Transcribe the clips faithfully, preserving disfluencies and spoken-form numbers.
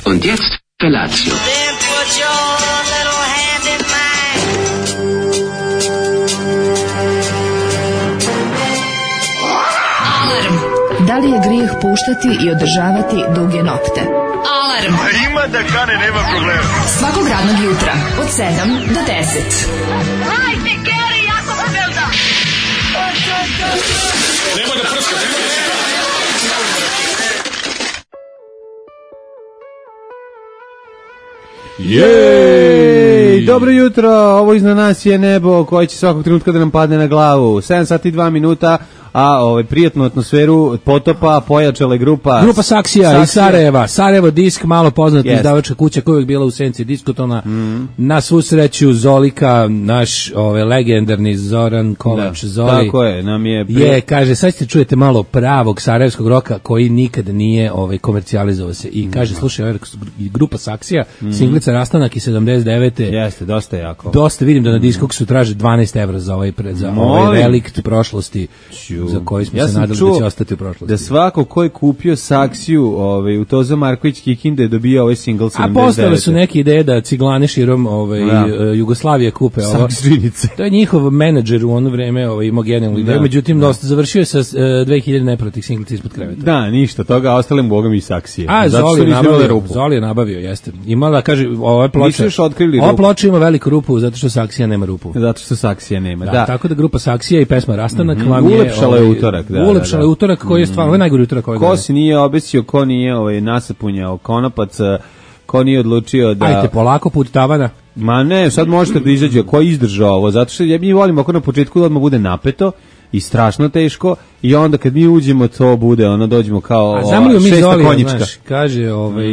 Und jetzt Felatio. Then put your little hand in mine. Alarm. Da li je grijeh puštati i održavati duge nokte? Alarm. A ima da kane, nema problema. Svakog radnog jutra od sedam do deset. Hajde, Geri, jako se velda. Nema da prska, nema da prska. Jej! Dobro jutro, ovo iznad nas je nebo koje će svakog trenutka da nam padne na glavu. sedam sati i dva minuta, a ovaj prijatnu atmosferu potopa pojačala je grupa Grupa Saksija, Saksija iz Sarajeva. Sarajevo disk, malo poznata yes. izdavačka kuća koja je uvijek bila u senci diskotona. Mm. Na svu sreću Zolika, naš ovaj legendarni Zoran Kovač da, Zoli. Tako je, nam je prije... Je, kaže, sad ste čujete malo pravog sarajevskog roka koji nikad nije ovaj komercijalizovao se. I kaže, mm. slušaj, ovaj, grupa Saksija, mm. singlica Rastanak iz sedamdeset devete. Jeste, dosta jako. Dosta, vidim da na diskoksu traže dvanaest evra za ovaj, za ovaj relikt prošlosti. Ču. Za koji smo ja se nadali da će ostati u prošlosti. Da svako ko je kupio Saksiju ovaj, u Tozo Marković Kikinde je dobio ovaj single sedamdeset devete. A postale su neke ideje da ciglane širom ovaj, ja. Jugoslavije kupe ovo. To je njihov menadžer u ono vreme ovaj, imao genijalnu ideju, međutim da. dosta završio je sa uh, dve hiljade neprotih singlica ispod kreveta. Da, ništa toga, a ostalim bogom i Saksije. A, Zoli je nabavio, Zoli je nabavio, jeste. Imala, kaže, ova ploča, ova ploča ima veliku rupu zato što Saksija nema rupu. Zato što Saksija nema, da. da. Tako da grupa Saksija i pesma Rastanak mm-hmm. vam je... Ulepšala je utorak, da. Ulepšala je utorak koji je stvarno, ovo je najgori utorak ovaj. Ko se nije obesio, ko nije ovaj, nasapunjao konopac, ko nije odlučio da... Ajde, polako put tavana. Ma ne, sad možete da izađe, ko je izdržao ovo, zato što ja mi volimo ako na početku da odmah bude napeto i strašno teško i onda kad mi uđemo to bude, ono dođemo kao a zamolio mi Zoli, znaš, kaže ovaj,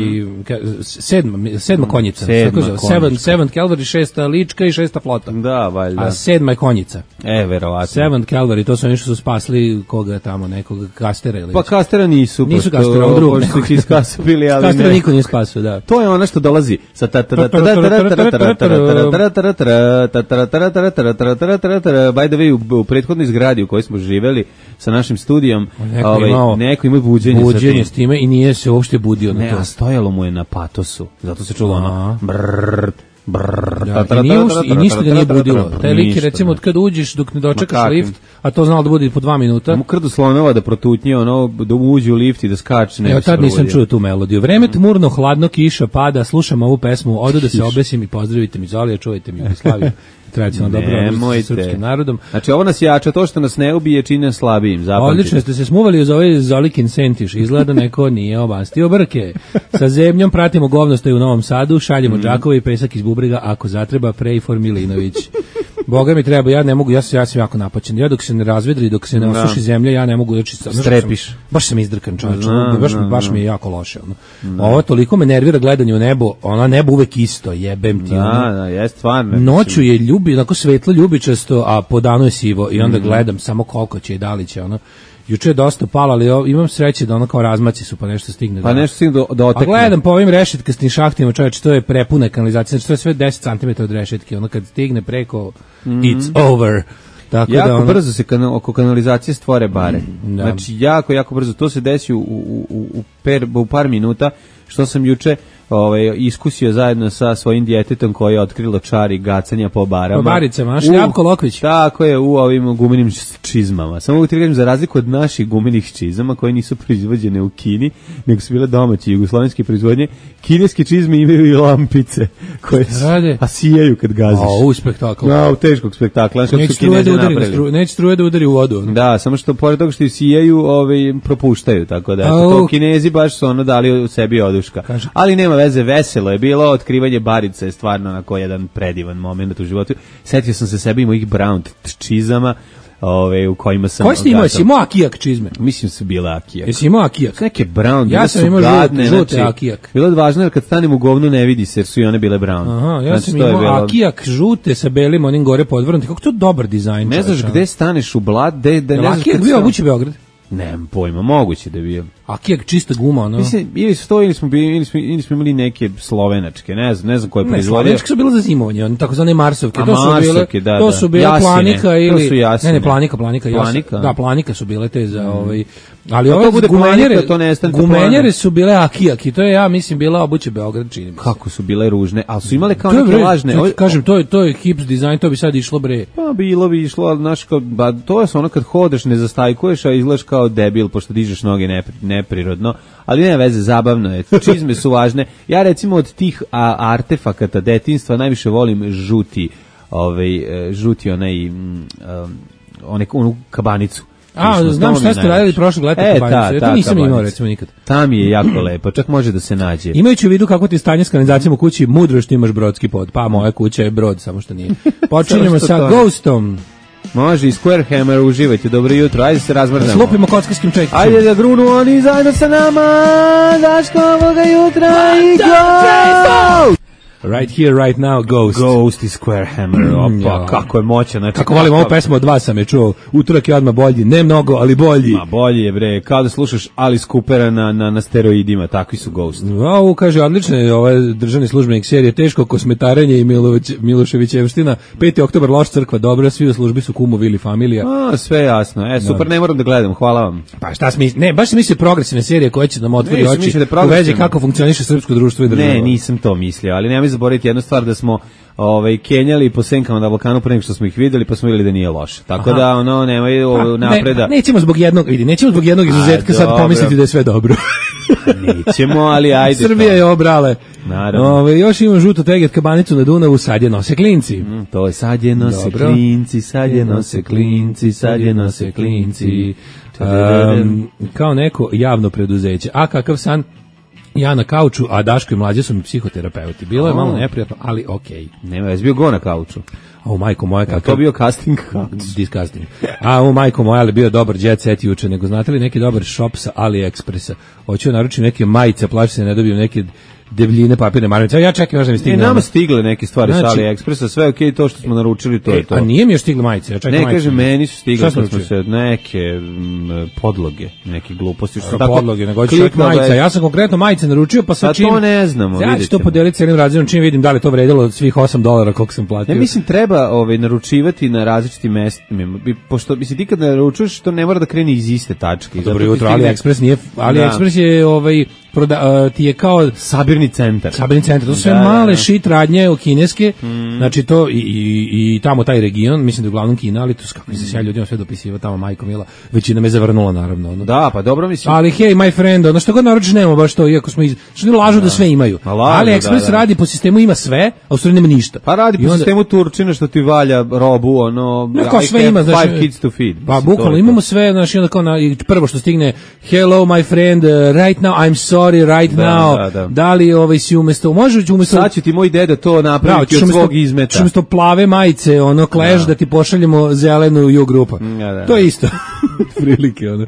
ka, sedma, sedma konjica, sedma tako seven, seven Calvary, šesta lička i šesta flota. Da, valjda. A sedma je konjica. E, verovatno. Seven Calvary, to su oni što su spasli koga tamo, nekog Kastera ili... Pa Kastera nisu. Nisu Kastera, ovo drugo. Pošto su iskasapili, ali Kastera ne. niko nije spasio, da. To je ono što dolazi sa ta ta ta ta by the way, u prethodnoj zgradi u kojoj smo živeli sa našim studijom, neko, ovaj, imao neko ima buđenje, buđenje s time i nije se uopšte budio na ne, to. Ne, a stojalo mu je na patosu, zato se čulo ono brrr, brrr, da, i, nije ušli, i ništa ga nije budilo. Taj lik je recimo od kad uđeš dok ne dočekaš lift, a to znalo da bude po dva minuta. Mu krdu slonova da protutnje, ono, da uđe u lift i da skače. Evo tad nisam čuo tu melodiju. Vreme tmurno, hladno, kiša pada, slušam ovu pesmu, odu da se obesim i pozdravite mi Zolija, čuvajte mi Jugoslaviju. Tradicionalno dobro sa srpskim narodom. Znači ovo nas jača, to što nas ne ubije čini nas slabijim. Zapamtite. Odlično ste se smuvali uz ovaj Zolikin sentiš. Izgleda neko nije obastio brke. Sa zemljom pratimo govnostoje u Novom Sadu, šaljemo mm. džakove i pesak iz bubrega, ako zatreba Prejfor Milinović. Boga mi treba, ja ne mogu, ja, ja sam jako napaćen. Ja dok se ne razvedri, dok se ne osuši zemlja, ja ne mogu znači strepiš. Sam, baš sam izdrkan, čovječe. Baš, baš mi je jako loše. Ono. Ovo toliko me nervira gledanje u nebo, ona nebo uvek isto, jebem ti. Da, ono. Da, je stvarno. Noću je ljubi, onako svetlo ljubičasto, a po danu je sivo i onda mm. gledam samo koliko će i da li će ono. Juče je dosta palo, ali imam sreće da ono kao razmaci su pa nešto stigne. Pa nešto stigne do, do otekne. A gledam po ovim rešetkastim šahtima, čovječe, to je prepuna kanalizacija, znači to je sve deset centimetara od rešetke, ono kad stigne preko, mm. it's over. Tako jako da ono... brzo se kanal, oko kanalizacije stvore bare. Mm, da. Znači jako, jako brzo. To se desi u, u, u, u, per, u par minuta, što sam juče ovaj, iskusio zajedno sa svojim djetetom koje je otkrilo čari gacanja po barama. Po baricama, naš Ljapko Lokvić. Tako je, u ovim gumenim čizmama. Samo mogu ti kažem, za razliku od naših gumenih čizama koje nisu proizvođene u Kini, nego su bile domaće jugoslovenske proizvodnje, kineske čizme imaju i lampice koje su, a sijaju kad gaziš. A, u spektakl. No, u teškog spektakla. Neće struje da udari, stru, neće struje da udari u vodu. Da, samo što pored toga što sijaju, ovaj, propuštaju, tako da. Eto, to Kinezi baš su ono dali u sebi oduška. Kaže. Ali nema veze, veselo je bilo, otkrivanje barice je stvarno onako jedan predivan moment u životu. Setio sam se sebi i mojih brown čizama, ove, u kojima sam... Koji si imao? Jesi imao akijak čizme? Mislim su bile akijak. Jesi imao akijak? Neke brown, ja sam imao žute, žute znači, akijak. Bilo je važno jer kad stanem u govnu ne vidi se jer su i one bile brown. Aha, ja znači, sam imao bilo... akijak žute sa belim onim gore podvrnuti. Kako to dobar dizajn? Ne znaš gde staneš u blad, gde... Akijak bio obući Beograd? Nemam pojma, moguće da je bio. Akija čista guma, ono. Mislim, ili su to, ili smo, bili, ili smo, ili smo imali neke slovenačke, ne znam, ne znam koje Ne, proizvodio. slovenačke su bile za zimovanje, one takozvane marsovke. A To su marsovke, bile, da, to da. su bile Jasine, planika to ili... su jasine. Ne, ne, planika, planika. jas- Planika? Da, planika su bile te za... Ovaj, ali Pa to ove bude gumenjere, planika, to nestane to gumenjere plana. su bile akijaki, to je, ja mislim, bila obuće Beograd, čini mi se. Kako su bile ružne, ali su imale kao To je, neke bre, lažne... to ti kažem, to je, to je hips dizajn, to bi sad išlo, bre. Pa bilo bi išlo, ali znaš, kao, ba, to je ono kad hodeš, ne zastajkuješ, a izgledaš kao debil, pošto dižeš noge nepri, neprirodno, ali nema veze, zabavno je, čizme su važne. Ja recimo od tih a, artefakata detinjstva najviše volim žuti, ovaj, e, žuti onaj, um, onaj, onu kabanicu. A, Išlo, znam to mi šta ste najviše. radili prošlog leta E, kabanicu, ta, ja ta to nisam imao kabanica. recimo nikad. Tam je jako lepo, čak može da se nađe. Imajući u vidu kako ti je stanje s kanalizacijom u kući, mudro je što imaš brodski pod. Pa moja kuća je brod, samo što nije. Počinjemo Samo što sa to ne. Ghostom. Može i Square Hammer, uživajte, dobro jutro, ajde se razmrznemo. Slupimo kockarskim čekićem. Ajde da grunu oni zajedno sa nama, Daško ovoga jutra i go! Right here, right now, Ghost. Ghost i Square Hammer, opa, ja. kako je moćan. Znači, Kako volim ovu pesmu od vas sam je čuo. Utorak je odmah bolji. Ne mnogo, ali bolji. Ma bolje je, bre, kao da slušaš Alice Coopera na, na, na steroidima, takvi su Ghost. Wow, kaže, odlično je ovaj državni službenik serije Teško kosmetarenje i Milović, Miloševićevština. peti oktobar, loš crkva, dobra, svi u službi su kumovi ili familija. A, sve jasno, e, super, ne moram da gledam, hvala vam. Pa šta smi, ne, baš se misli progresivne serije koje će nam otvori Nisam oči mislio da je u vezi progresivno. kako funkcioniše srpsko društvo i država. Ne, nisam to mislio, ali nemoj zaboraviti jednu stvar da smo ovaj kenjali po senkama na Balkanu pre nego što smo ih videli, pa smo videli da nije loše. Tako Aha. da ono nemoj ovo, napreda. Ne, nećemo zbog jednog, vidi, nećemo zbog jednog izuzetka A, sad dobro. pomisliti da je sve dobro. Nećemo, ali ajde. Srbija je obrale. Naravno. Ove, još imamo žuto teget kabanicu na Dunavu, sad je nose klinci. Mm, to je sad je nose Dobro. klinci, sad je nose klinci, sad je nose klinci. Um, kao neko javno preduzeće. A kakav san? Ja na kauču, a Daško i mlađe su mi psihoterapeuti. Bilo je malo neprijatno, ali okej. Nema, jesi bio go na kauču. A u majko moja Kako kakav... to bio casting kauč? Disgusting. A u majko moja, ali bio dobar jet set juče, nego znate li neki dobar shop sa AliExpressa? Hoću naručiti neke majice, plaši se ne dobijem neke debljine papirne maramice. Ja čekam još da mi Ne, stigne. nama ono. stigle neke stvari Znači- sa AliExpressa, sve okej, to što smo naručili, to E, je to. a nije mi još stigle majice, ja čekam Ne, majice. kaže, meni su stigle, Šta smo kad smo naručili? se neke mm, podloge, neke gluposti. Što Tako, tako podloge, nego hoće čovjek kliknuo da je- majica. Ja sam konkretno majice naručio, pa A sad to čim... ne znamo, Ja vidjet ću to ćemo. podeliti celim razredom, čim vidim da li to vredilo od svih osam dolara koliko sam platio. Ja mislim treba ovaj naručivati na različitim mestima. Bi- Pošto mislim ti kad naručuješ to ne mora da krene iz iste tačke. Zato Dobro ti jutro, stigne AliExpress nije... AliExpress je ovaj... Proda, uh, ti je kao... sabirni centar. Sabirni centar, to su sve Da, da, male da. šit radnje kineske, znači to i, i, i tamo taj region, mislim da je uglavnom Kina, ali to s kako se sjaj ljudima sve dopisiva tamo majko mila, većina me zavrnula naravno. Ono. Da, pa dobro mislim. Ali hej, my friend, ono što god naručiš nema baš to, iako smo iz... Što ne lažu da, sve imaju. Ma lažu, Ali Express da, da. radi po sistemu ima sve, a u stvari nema ništa. Pa radi I po onda- sistemu Turčina što ti valja robu, ono, No, kao I sve have ima, znači, five kids to feed. Pa Mislim, to bukvalno je imamo to. sve, znači onda kao na, i prvo što stigne hello my friend, uh, right now I'm sorry, right Da, now. da, da. Da li ovaj si umesto, može umesto Sad će ti moj deda to Bravo, napraviti ćeš od umesto- svog ćeš izmeta. umesto plave majice, ono Clash, da ti pošaljemo zelenu ju grupa. Da, da, To je da. isto. Prilike, ono.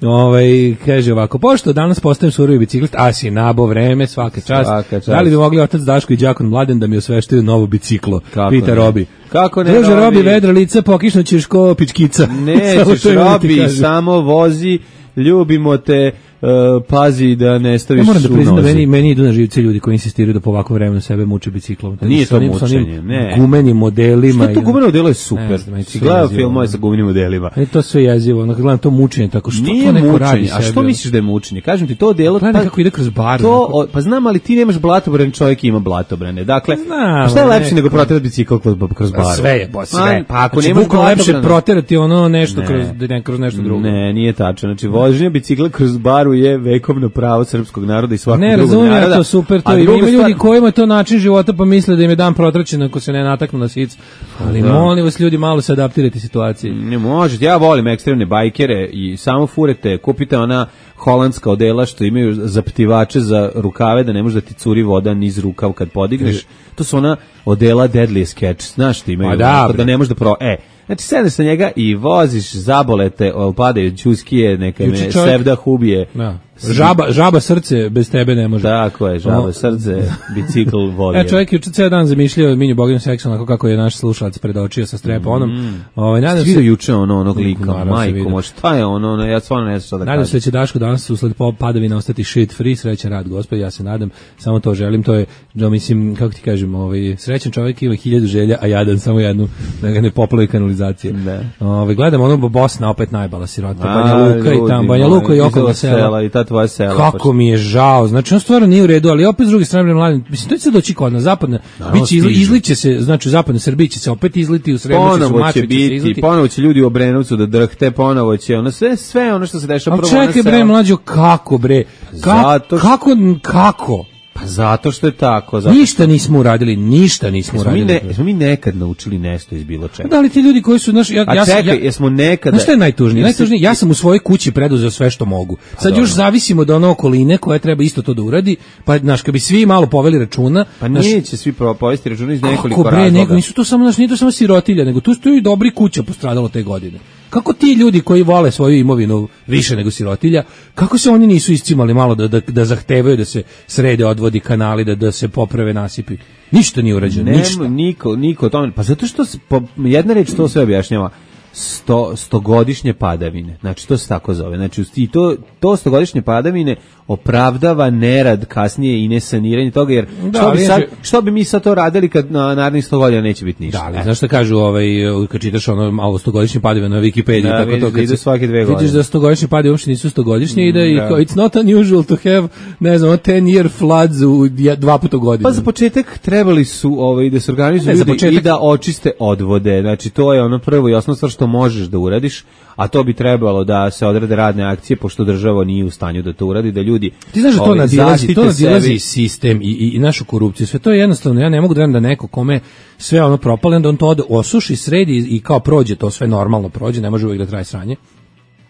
Ovaj, kaže ovako, pošto danas postajem surovi biciklist, a si nabo vreme, svaka čast. Svaka čast. Da li bi mogli otac Daško i đakon Mladen da mi osveštaju novo biciklo? Kako Pita ne? Robi. Kako ne, Druže, Robi? Robi, vedra lica, pokišnućeš ko pičkica. Samo Nećeš, to imam da ti Robi, kažem. samo vozi, ljubimo te, uh, pazi da ne staviš Ja moram da u priznam da nozi. meni, meni idu na živce ljudi koji insistiraju da po ovakvom vremenu sebe muče biciklom. Nije Sa to onim- sa onim mučenje, ne. Gumenim modelima. Što to i- gumeno delo je Ne super. znam, meni Si to gledao jezivo, filmove ono. sa gumenim modelima. Meni to sve jezivo, ono kad gledam to mučenje, tako što Nije to neko mučenje, radi a što sebi, ono? misliš da je mučenje? Kažem ti, to delo... Gledam kako ide kroz bar. To, onako. o, pa znam, ali ti nemaš blatobran, čovjek ima blatobrane. Dakle, Znam, pa šta je lepše neko- nego proterati bicikl kroz, kroz Pa bar? sve je, bo, sve. Pa ako znači, nemaš bukvalno lepše blatobrane- proterati ono nešto Ne. kroz, ne, kroz nešto drugo. Ne, nije tačno. Znači, vožnja bicikla kroz baru je vekovno pravo srpskog naroda i svakog Ne, drugog razumijem ja naroda. to super, to A ima druga ljudi stvar- kojima je to način života pa misle da im je dan protraćen ako se ne nataknu na sic. Ali Da. molim vas ljudi malo se adaptirati situaciji. Ne možete, ja volim ekstremne bajkere i samo furete, kupite ona holandska odela što imaju zaptivače za rukave da ne može da ti curi voda niz rukav kad podigneš. To su ona odela Deadly Catch, znaš ti imaju, Ma da, onako bre. da ne možeš da pro... E, znači sedneš sa njega i voziš zabolete, o, padaju ćuskije, neka Juče me čovjek- sevda hubije. Da. Žaba, žaba srce bez tebe ne može. Tako je, žaba srce, bicikl vodi. E, čovjek je ceo dan zamišljao Minju Bogdan seksualno kako je naš slušalac predočio sa streponom. Mm. Ovaj nadam se juče ono onog lika, majko, mo šta je ono, ono ja stvarno ne znam šta da kažem. Nadam se da će Daško danas usled padavina ostati shit free, srećan rad, gospod, ja se nadam, samo to želim, to je, da mislim, kako ti kažem, ovaj srećan čovjek ima hiljadu želja, a jadan samo jednu, da ga ne poplavi kanalizacije. Ovaj gledam ono Bosna opet najbala sirota, Banja Luka i tamo Banja Luka i okolna sela i ta tvoja sela. Kako mi je žao, znači on stvarno nije u redu, ali opet s druge strane mladim, mislim to će se doći kod nas zapadna, biće izli, izliće se, znači u zapadnoj Srbiji će se opet izliti u Srebrenici, ponovo će biti, ponovo će ljudi u Obrenovcu da drhte, ponovo će ono sve sve ono što se dešava prvo na selu. Čekaj bre mlađo, kako bre? Ka, Zato što... Kako kako? Pa zato što je tako. Zato ništa što... nismo uradili, ništa nismo jesmo uradili. Mi ne, jesmo mi nekad naučili nešto iz bilo čega. Da li ti ljudi koji su naš ja, A ja čekaj, ja, jesmo nekada... Znaš šta je najtužnije? Najtužnije, ja sam u svojoj kući preduzeo sve što mogu. Sad pa još zavisimo od one okoline koja treba isto to da uradi, pa znaš, kad bi svi malo poveli računa... Pa naš, neće svi povesti računa iz nekoliko bre, razloga. Nego, nisu to samo, znaš, nije to samo sirotilja, nego tu stoji dobri kuća postradalo te godine. Kako ti ljudi koji vole svoju imovinu više nego sirotilja, kako se oni nisu iscimali malo da, da, da zahtevaju da se srede odvodi kanali, da, da se poprave nasipi? Ništa nije urađeno, ništa. Niko, niko tome, pa zato što se, po, jedna reč to sve objašnjava, sto, stogodišnje padavine, znači to se tako zove, znači i to, to stogodišnje padavine opravdava nerad kasnije i nesaniranje toga, jer da, što, bi sad, što bi mi sad to radili kad na narednih sto godina neće biti ništa. Da, ali znaš što kažu, ovaj, kad čitaš ono malo stogodišnje padavine na Wikipediji, da, tako vidiš, to, kad se, svake dve godine. Vidiš da stogodišnje padavine uopšte nisu stogodišnje mm, i da je, da. It's not unusual to have, ne znam, ten year floods u dva puta godinu. Pa za početak trebali su ovaj, da se organizuju ljudi početak... i da očiste odvode, znači to je ono prvo i osnovno stvar što možeš da uradiš, a to bi trebalo da se odrade radne akcije, pošto država nije u stanju da to uradi, da ljudi... Ti znaš da to nadilazi, to nadilazi sistem i, i, i našu korupciju, sve to je jednostavno, ja ne mogu da verujem da neko kome sve ono propale, da on to osuši, sredi i kao prođe, to sve normalno prođe, ne može uvijek da traje sranje,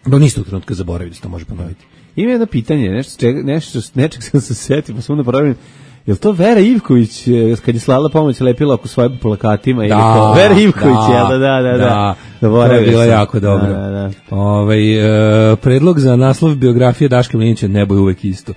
do nistog trenutka zaboravi da se to može ponoviti. Ima jedno pitanje, nešto, čega, nešto nečeg sam se setio, pa sam da pravim. Je li to Vera Ivković, kad je slala pomoć, lepila oko svojim plakatima? Da, ili to? Vera Ivković, da, je, da, da, da. da. To je bilo jako dobro. Da, da, da. Ove, e, predlog za naslov biografije Daška Mlinića, nebo je uvek isto.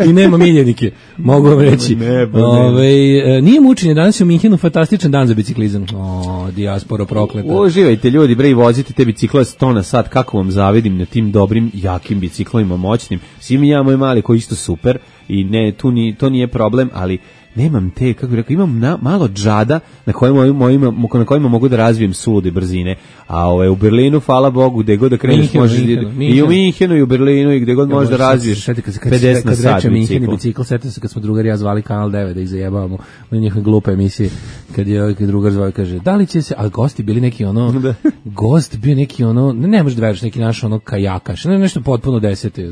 I nema miljenike, mogu vam reći. Nebo, Ove, e, nije mučenje, danas je u Minhenu fantastičan dan za biciklizam. O, dijasporo prokleta. Uživajte ljudi, bre, i vozite te bicikle sto na sat, kako vam zavidim na tim dobrim, jakim biciklovima, moćnim. Svi mi ja, moj mali, koji isto super, i ne, tu ni, to nije problem, ali nemam te, kako bih rekao, imam na, malo džada na kojima, mojima, na kojima mogu da razvijem sulude brzine, a ovaj, u Berlinu, hvala Bogu, gde god da kreneš možeš, i u Minhenu i u Berlinu i gde god ja, možeš da razviješ pedeset na sat bicikl. Minhen i bicikl, setio se kad smo drugar ja zvali Kanal devet da ih zajebavamo u njihove glupe emisije, kad je ovaj drugar zvao kaže, da li će se, a gosti bili neki ono, da. gost bio neki ono, ne, ne možeš da veriš, neki naš ono kajakaš, ne, nešto potpuno desete,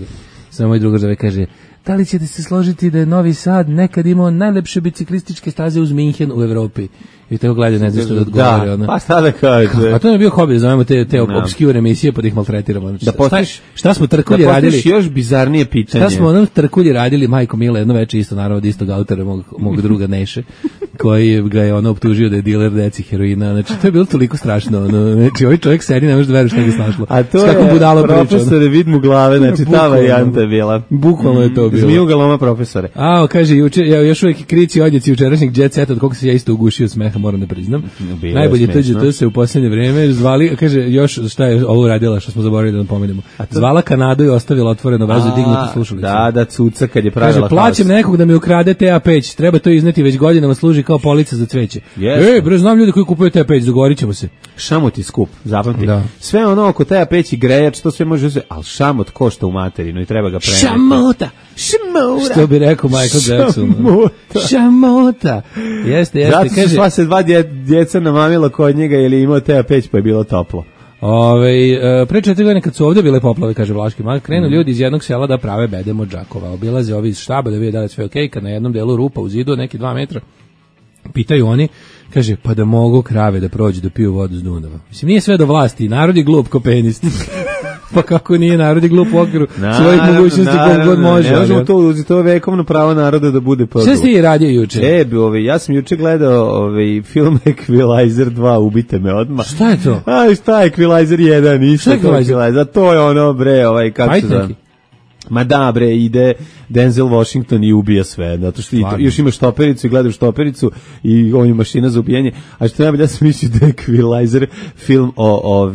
samo moj drugar zove kaže, da li ćete se složiti da je Novi Sad nekad imao najlepše biciklističke staze uz Minhen u Evropi? I tako gleda, ne znam što da odgovori. Da, ono. Pa šta da kaže? A to je bio hobi, da zovemo te, te no. obscure emisije pa da ih maltretiramo. Da postiš, šta, šta smo trkulji da radili? Da još bizarnije pitanje. Šta smo onom trkulji radili, majko Mila, jedno veče isto, naravno od istog autora, mog, mog druga Neše, koji ga je ono optužio da je diler deci heroina. Znači, to je bilo toliko strašno. Ono. Znači, ovaj čovjek sedi, ne možeš da veriš šta ga snašlo. A to je profesore, vid mu glave, znači ta varijanta je bila. Bukvalno je to bilo. Zmiju galoma profesore. A, kaže, juče, ja, još uvijek krici odjeci jučerašnjeg jet seta, od koga se ja isto ugušio smeha, moram da priznam. Bilo najbolje T G T se u posljednje vreme zvali, kaže, još šta je ovo radila, što smo zaboravili da nam pomenemo. Zvala Kanadu i ostavila otvoreno vezu i dignutu slušalicu. Da, da, cuca kad je pravila. Kaže, plaćam nekog da mi ukrade T A peć, treba to izneti već godinama, služi kao polica za cveće. Yes. Ej, bre, znam ljudi koji kupuju T A peć, dogovorit ćemo se. Šamot je skup, zapamti. Da. Sve ono oko T A peć i grejač, to sve može uzeti, ali šamot košta u materinu i treba ga preneti. Šamota! Šamota! Što bi rekao Michael Jackson. Šamota! Šamota! Jeste, jeste. Zato kaže, sva se dva dje, djeca namamila kod njega jer je imao T A peć pa je bilo toplo. Ove, pre četiri godine kad su ovdje bile poplave, kaže Vlaški Mag, krenu mm. ljudi iz jednog sela da prave bedem od Đakova. Obilaze ovi iz štaba da vide da li sve okej, kad na jednom delu rupa u zidu, neki dva metra, pitaju oni, kaže, pa da mogu krave da prođu da piju vodu s Dunava. Mislim, nije sve do vlasti, narod je glup ko penist. Pa kako nije, narod je glup u okviru svojih mogućnosti koliko god može. Ne možemo to uzeti, to je vekovno pravo naroda da bude podrup. Šta ste i radio juče? E, ovaj, ja sam juče gledao ovaj, film Equalizer dva, ubite me odmah. Šta je to? A šta je Equalizer jedan? Šta je Equalizer? A to je ono, bre, ovaj, kako se zove? Ma da bre, ide Denzel Washington i ubija sve, zato što i to, još imaš štopericu i gledaš štopericu i on je mašina za ubijanje, a što najbolje, ja sam mislio da je Equalizer film o, o,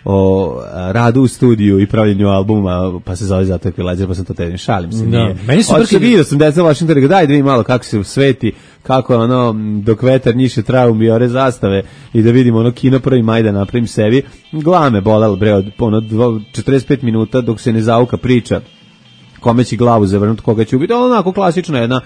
o radu u studiju i pravljenju albuma, pa se zove zato Equalizer, pa sam to tedim, šalim se, da. nije. Meni su Oče, vidio sam Denzel Washington, rekao, daj da vidim malo kako se sveti, kako ono, dok vetar njiše traum i ore zastave i da vidimo ono kino prvi maj da napravim sebi, glame bolalo bre od ono četrdeset pet minuta dok se ne zauka priča kome će glavu zavrnuti, koga će ubiti, onako klasična jedna,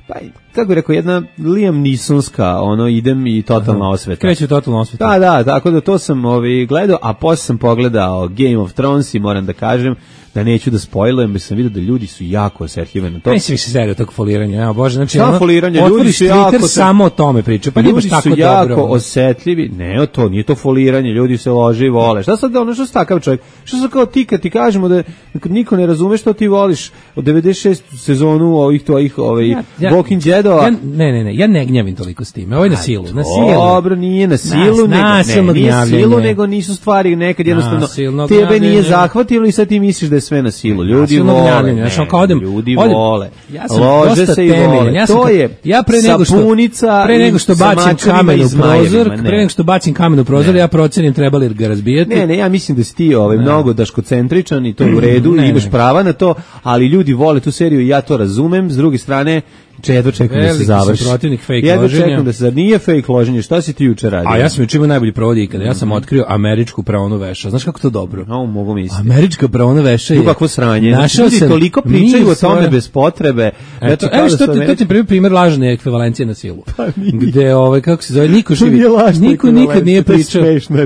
pa kako bih rekao, jedna Liam Neesonska, ono, idem i totalna osveta. Kreće totalna osveta. Da, da, tako da to sam ovaj, gledao, a posle sam pogledao Game of Thrones i moram da kažem da neću da spojlujem, jer sam vidio da ljudi su jako osetljivi na to. Ne si više serio tog foliranja, ja bože, znači ono, foliranje, ljudi su jako Twitter samo o tome priča, pa ljudi tako su jako dobro. osetljivi, ne o to, nije to foliranje, ljudi se lože i vole. Šta sad, ono što si takav čovjek, što sad kao ti kad ti kažemo da niko ne razume što ti voliš od devedeset šeste sezonu ovih tvojih ovaj, ja, ja, Walking Deadova. Ja, ne, ne, ne, ja ne gnjavim toliko s time, ovo je na silu, na silu. Dobro, nije na silu, Nas, nego, ne, nije silu, ne. nego nisu stvari nekad jednostavno, Nasilno tebe gnjavljenje. nije zahvatilo i sad ti misliš da je sve na silu. Ljudi vole, ne, znači, kao odem, ljudi odem, vole, ja sam lože se i vole. Ja sam, to je ja pre nego što, sapunica pre nego što bacim kamen u prozor, ne. pre nego što bacim kamen u prozor, ja procenim treba li ga razbijati. Ne, ne, ja mislim da si ti ovaj, mnogo daškocentričan i to je u redu, ne, imaš ne. prava na to, ali ljudi vole tu seriju i ja to razumem, s druge strane, jedva čekam da se završi. Protivnik fake jedva loženja. čekam da se zar nije fake loženje. Šta si ti juče radio? A ja sam juče imao najbolji provod ikada. Ja sam otkrio američku praonu veša. Znaš kako to dobro? No, mogu misliti. Američka praona veša je. Kakvo sranje. Našao ljudi sam toliko pričaju o tome svoje... bez potrebe. Eto, evo što ti, to ti prvi primjer lažne ekvivalencije na silu. Pa gde ovaj kako se zove niko živi. Niko nikad nije pričao.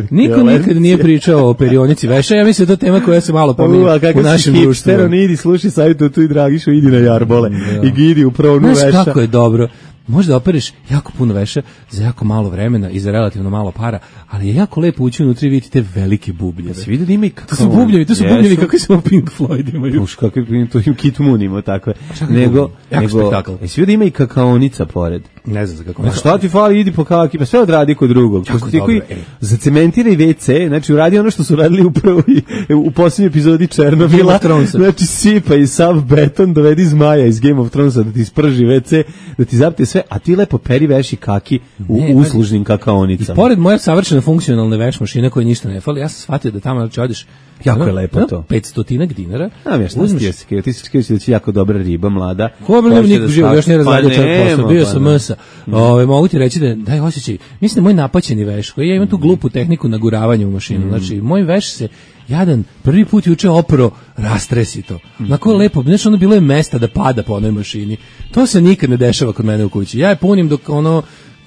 Niko nikad nije pričao o perionici veša. Ja mislim da to tema koja se malo pominje u našem društvu. Idi slušaj savjet tu i Dragišu, idi na jarbole i gidi u praonu veša. Znaš kako je dobro. Možda opereš jako puno veša za jako malo vremena i za relativno malo para, ali je jako lepo ući unutra i vidjeti te velike bubljeve. Se vidi da ima i kakao. To su bubljevi, to su bubljevi kako samo Pink Floyd imaju. Uš, kako je to im Kit Moon ima takve. Nego, nego, spektakl. Jesi vidio da ima i kakaonica pored? Ne znam za kako. Pa šta ti fali, idi po kaki, pa sve odradi kod drugog. Jako dobro, koji e. zacementiraj ve ce, znači uradi ono što su radili upravo i, u posljednjoj epizodi Černobila. Znači sipa i sav beton, dovedi zmaja iz Game of Thronesa da ti sprži ve ce, da ti zapte sve, a ti lepo peri veši kaki u ne, uslužnim kakaonicama. I pored moje savršeno funkcionalne veš mašine koje ništa ne fali, ja sam shvatio da tamo znači odeš jako je lepo to. petstotinak dinara. A mi šta ti se, ti se kažeš da će jako dobra riba mlada. Ko bi niko živo, još ne razladio pa čak posao, bio sam msa. Ove mogu ti reći da daj osjećaj. Mislim da moj napaćeni veš, koji ja imam tu glupu tehniku naguravanja u mašinu. Znači moj veš se jadan prvi put juče opro rastresi to. Onako lepo, znaš, ono bilo je mesta da pada po onoj mašini. To se nikad ne dešava kod mene u kući. Ja je punim dok ono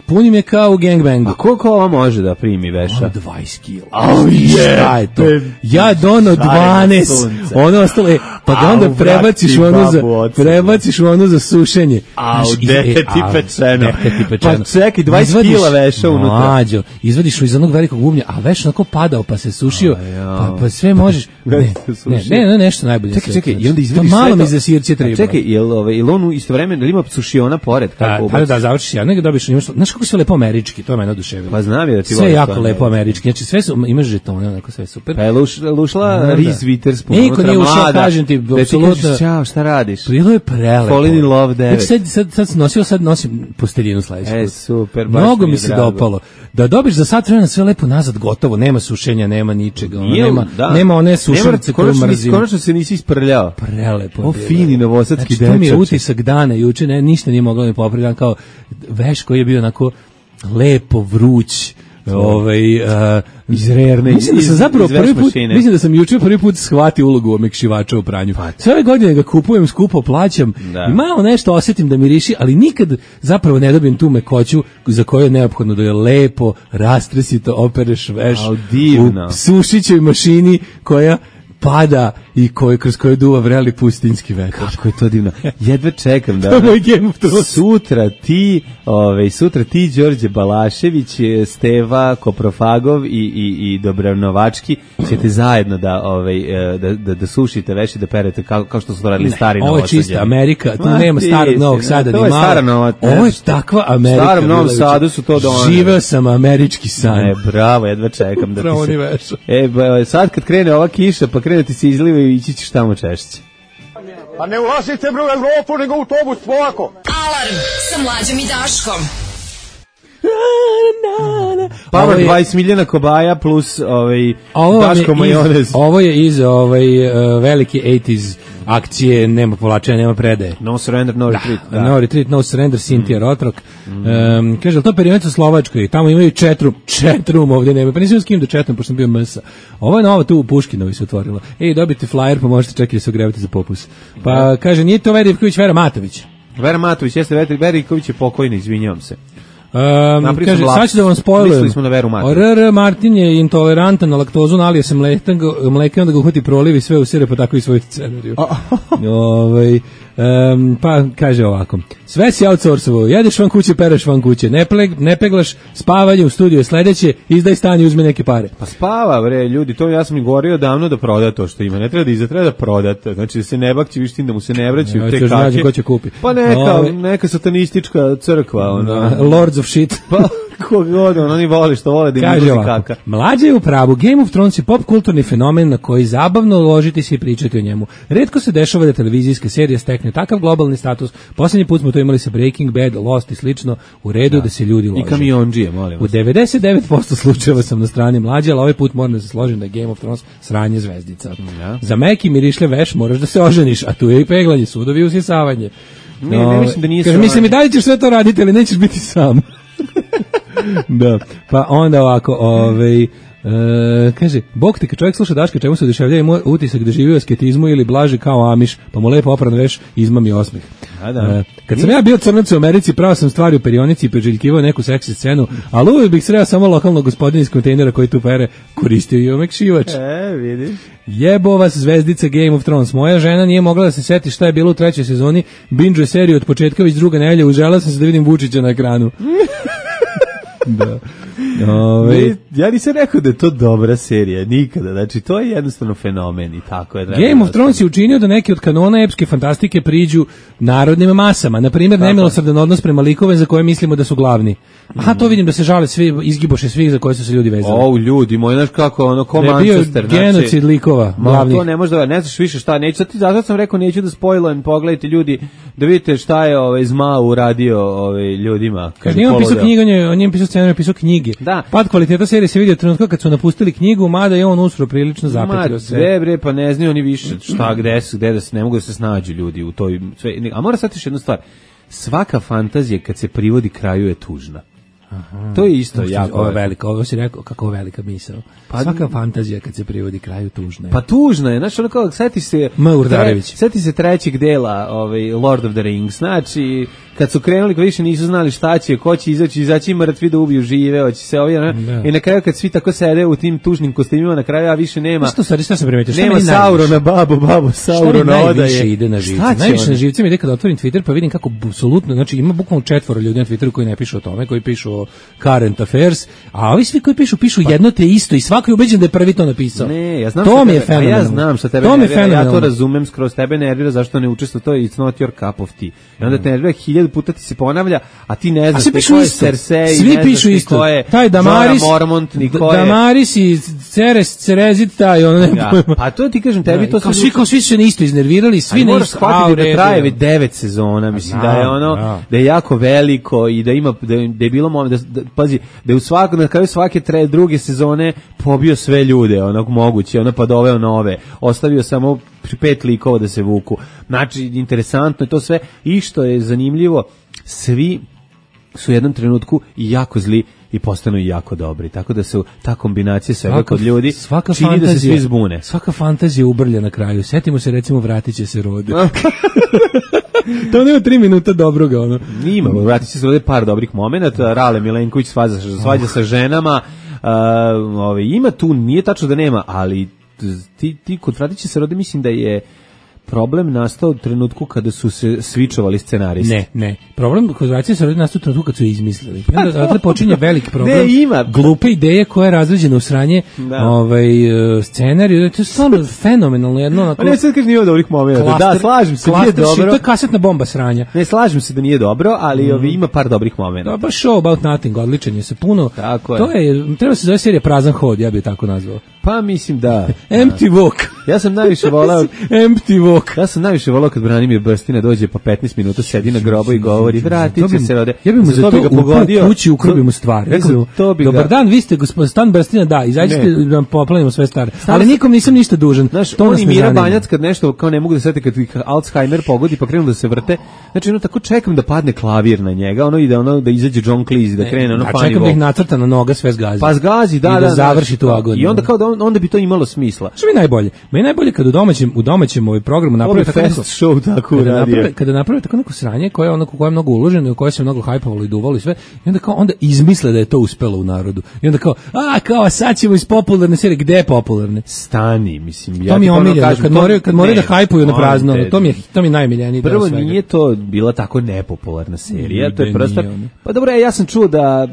punim je kao u gangbangu. A koliko ova može da primi veša? Ono dvadeset kila. Oh, šta je to? Ja dono dvanaest. Ono ostalo je, pa ga onda prebaciš u ono za, prebaciš u ono za sušenje. Au, dete ti pečeno. Dete ti pečeno. Pa čekaj, dvadeset kila veša unutra. Mlađo, izvadiš iz onog velikog bubnja, a veš onako padao, pa se sušio, pa, pa sve možeš. Ne, ne, ne, ne, nešto najbolje. Čekaj, čekaj, i onda izvadiš sve. Malo mi za sirće treba. Čekaj, jel jel on istovremeno ima sušiona pored? Kako? Pa da, završiš ja, nego dobiš, imaš, znaš kako sve lepo američki, to je mene oduševilo. Pa znam je da ti sve jako lepo američki. Znači sve su, imaš žetone, onako sve super. Pa je luš, lušla Reese Witherspoon. Niko nije ušao, kažem ti, apsolutno. Ćao, šta radiš? Bilo je prelepo. Falling in Love devet. Sad, sad, sad sam nosio, sad nosim posteljinu sledeći put. E, super, baš mnogo mi se dopalo. Da dobiš za sat vremena sve lepo nazad gotovo, nema sušenja, nema ničega, ono, nema, da. nema one sušenice koje mrzim. Konačno se nisi isprljao. Prelepo. O, fini novosadski znači, to mi je utisak dana, juče ne, ništa nije moglo mi popraviti, kao veš koji je bio onako lepo, vruć, ovaj uh, iz rerne, mislim da sam zapravo prvi put, mislim da sam juče prvi put shvatio ulogu omekšivača u pranju. Sve ove godine ga kupujem, skupo plaćam da. I malo nešto osjetim da miriši, ali nikad zapravo ne dobijem tu mekoću za koju je neophodno da je lepo, rastresito opereš veš u sušićoj mašini koja pada i koji kroz koju duva vreli pustinjski vetar. Kako je to divno. Jedva čekam da. da sutra ti, ovaj sutra ti Đorđe Balašević, Steva Koprofagov i i i Dobranovački ćete zajedno da ovaj da da, da sušite veši, da perete kao kao što su to radili stari Novosađani. Ovo je čista Amerika, tu Ma, nema starog Novog Sada ni malo. Stara Nova. Ovo je takva Amerika. Starom Novom Sadu su to doneli. Živeo sam američki san. Ne, bravo, jedva čekam da ti se. E, sad kad krene ova kiša, pa krene ti se izliva i ići ćeš tamo češće. Pa ne ulazite bre u Evropu, nego u autobus, polako. Alarm sa Mlađom i Daškom. Power dvadeset milijuna kobaja plus ovaj Daško majonez. Ovo je iz ovaj uh, velike osamdesetih akcije, nema povlačenja, nema predaje. No surrender, no retreat. Da, da. No retreat, no surrender, Sinti Rotrok. Mm. Um, kaže, ali to perionica u Slovačkoj, tamo imaju četrum, četrum ovdje nema, pa nisam s kim da četrum, pošto sam bio mesa. Ovo je novo tu u Puškinovi se otvorilo. Ej, dobite flyer, pa možete čekati da se ogrevati za popus. Pa kaže, nije to Vera Ivković, Vera Matović. Vera Matović, jeste, Vera Ivković je pokojna, izvinjavam se. Um, kaže, sad ću da vam spojlujem. R R Martin je intolerantan na laktozu, nalije se mleka, mleka, onda ga uhvati proliv i sve usire, pa tako i svoju scenariju. Ovaj, um, pa kaže ovako, sve si outsourcovo, jedeš van kuće, pereš van kuće, ne, pleg, ne peglaš, spavanje u studiju je sledeće, izdaj stan i uzme neke pare. Pa spava, bre, ljudi, to ja sam i govorio davno da proda to što ima, ne treba da izda, treba da prodate, znači da se ne bakći vištin, da mu se ne vraćaju ja, te kake. Ko će kupi. Pa neka, Ove, neka satanistička crkva, ona. Lords of shit. Pa kogod, oni voli što vole da im izlazi kaka. Mlađa je u pravu, Game of Thrones je pop kulturni fenomen na koji zabavno ložiti se i pričati o njemu. Retko se dešava da televizijska serija stekne takav globalni status. Posljednji put smo to imali sa Breaking Bad, Lost i slično, u redu da, da se ljudi lože. I kamionđije, molim vas. U devedeset devet posto slučajeva sam na strani Mlađe, ali ovaj put moram da se složim da je Game of Thrones sranje zvezdica. Ja. Za meki mirišlje veš moraš da se oženiš, a tu je i peglanje, sudovi i usisavanje. Ne, no, ne mislim da nije kaže, mislim i dalje ćeš sve to raditi, ali nećeš biti sam. Da, pa onda ovako, ovaj, e, kaže, Bog te kad čovjek sluša Daška, čemu se oduševljava, ima utisak da živi u asketizmu ili blaži kao Amiš, pa mu lepo opran veš, izmami osmeh. A da. E, kad sam ja bio crnac u Americi, pravo sam stvari u perionici i preželjkivao neku seksi scenu, ali uvijek bih sreo samo lokalnog gospodina iz kontejnera koji tu pere koristio i omekšivač. E, vidiš. Jebo vas zvezdica Game of Thrones. Moja žena nije mogla da se seti šta je bilo u trećoj sezoni, binge seriju od početka već druga nedelja, užela sam se da vidim Vučića na ekranu. Da. Ove, ja nisam rekao da je to dobra serija, nikada, znači to je jednostavno fenomen i tako je. Game of Thrones je učinio da neki od kanona epske fantastike priđu narodnim masama, na primjer nemilosrdan odnos prema likove za koje mislimo da su glavni. Aha, to vidim da se žale svi, izgiboše svih za koje su se ljudi vezali. O, ljudi, moj, znaš kako, ono, ko da Manchester. Bio genocid znači, likova, glavnih. To ne može da, ne znaš više šta, neću, zato sam rekao, neću da spojlujem, pogledajte ljudi, da vidite šta je ovaj Zma uradio ovaj, ljudima. Kaže, on pisao knjigu, on je pisao scenarij, pisao knjige. Da. Pad kvaliteta serije se vidio trenutka kad su napustili knjigu, mada je on usro prilično zapetio se. Ma, bre, pa ne znaju oni više šta, gde su, gde da se, ne mogu da se snađu ljudi u toj, sve, a mora sad još jednu stvar, svaka fantazija kad se privodi kraju je tužna. Aha. To je isto jako. Ovo je velika, ovo si rekao kako velika misao. Pa, svaka fantazija kad se privodi kraju tužna je. Pa tužna je, znači ono kao, seti se, tre, seti se trećeg dela ovaj, Lord of the Rings, znači kad su krenuli, kad više nisu znali šta će, ko će izaći, izaći mrtvi da ubiju žive, hoće se ovi, i na kraju kad svi tako sede u tim tužnim kostimima, na kraju a više nema. Što sad, šta sam primetio? Nema Saurona babu, babu Saurona odaje. Šta ide na živce? Najviše na živce mi ide kada otvorim Twitter, pa vidim kako apsolutno, znači ima bukvalno četvoro ljudi na Twitteru koji ne pišu o tome, koji pišu o current affairs, a ovi svi koji pišu, pišu pa, jedno te isto i svako je ubeđen da je prvi to napisao. Ne, ja znam to mi je tebe, ja znam što tebe nervira, ja to razumem, skroz tebe nervira zašto ne učestvuješ to, it's not your cup of tea. I onda te nervira, hiljadu puta ti se ponavlja, a ti ne znaš ko je Cersei, svi ne pišu isto. Ko je taj Damaris, Mormont, ni ko je Damaris i Ceres, Cerezit, taj ono ne ja, pojma. Pa to ti kažem, tebi ja, to kao svi, kao svi su se isto iznervirali, svi ne isto. Shvatiti da traje već devet sezona, mislim da je ono, ja. da je jako veliko i da ima, da je, da je bilo moment, da, da, pazi, da je u svak, na kraju svake tre, druge sezone pobio sve ljude, onog moguće, ono pa doveo nove, ostavio samo pet likova da se vuku. Znači, interesantno je to sve i što je zanimljivo, svi su u jednom trenutku i jako zli i postanu i jako dobri. Tako da se ta kombinacija svega kod ljudi čini fantazija, da se svi zbune. Svaka fantazija ubrlja na kraju. Setimo se recimo Vratit će se rode. To nema tri minuta dobroga. Ono. Ima, Vratit će se rode par dobrih momenata. Rale Milenković svađa, svađa sa ženama. Uh, ove, ima tu, nije tačno da nema, ali ti, ti kod Vratit će se rode mislim da je problem nastao u trenutku kada su se svičovali scenaristi. Ne, ne. Problem kod Vratit će se rode nastao u trenutku kad su je izmislili. I onda odatle počinje veliki problem. Ne, ima. Glupe ideje koja je razređena u sranje ovaj, scenariju. To je stvarno fenomenalno jedno. Onako, ne, sad kaži nije dobrih momenta. Da, slažem se, nije dobro. To je kasetna bomba sranja. Ne, slažem se da nije dobro, ali mm. ovi, ima par dobrih momenta. Da, baš Show About Nothing, odličan je se puno. Tako je. To je, treba se zove serija Prazan hod, ja bih tako nazvao. Pa mislim da. Empty Walk. Ja sam najviše volao empty walk. Ja sam najviše volao kad Branimir Brstina dođe pa petnaest minuta sedi na grobu i govori vratit će se rode. Ja bih mu za to ga pogodio. U kući ukrbio mu stvar. Rekao, dobar dan, vi ste gospodin Stan Brstina, da, izađite da nam poplavimo sve stare. Ali nikom nisam ništa dužan. Znaš, to on i Mira Banjac kad nešto kao ne mogu da sete kad ih Alzheimer pogodi pa krenu da se vrte. Znači, ono tako čekam da padne klavir na njega, ono ide ono da izađe John Cleese da krene ono pa čekam da ih nacrta na noga sve zgazi. Pa zgazi, da, da, da, završi tu agoniju. I onda kao da on, onda bi to imalo smisla. Što mi najbolje? Meni najbolje kad u domaćem u domaćem ovaj programu naprave tako neko show tako kada naprave, kada naprave tako neko sranje koje ono koje je mnogo uloženo i koje se mnogo hajpovalo i duvalo i sve, i onda kao onda izmisle da je to uspelo u narodu. I onda kao a kao sad ćemo iz popularne serije, gde je popularne? Stani, mislim ja. To mi je omiljeno kad moraju kad moraju da hajpuju na prazno, to mi je to mi najmiljeniji deo svega. Prvo nije to bila tako nepopularna serija, to je prosto. Pa dobro, ja sam čuo da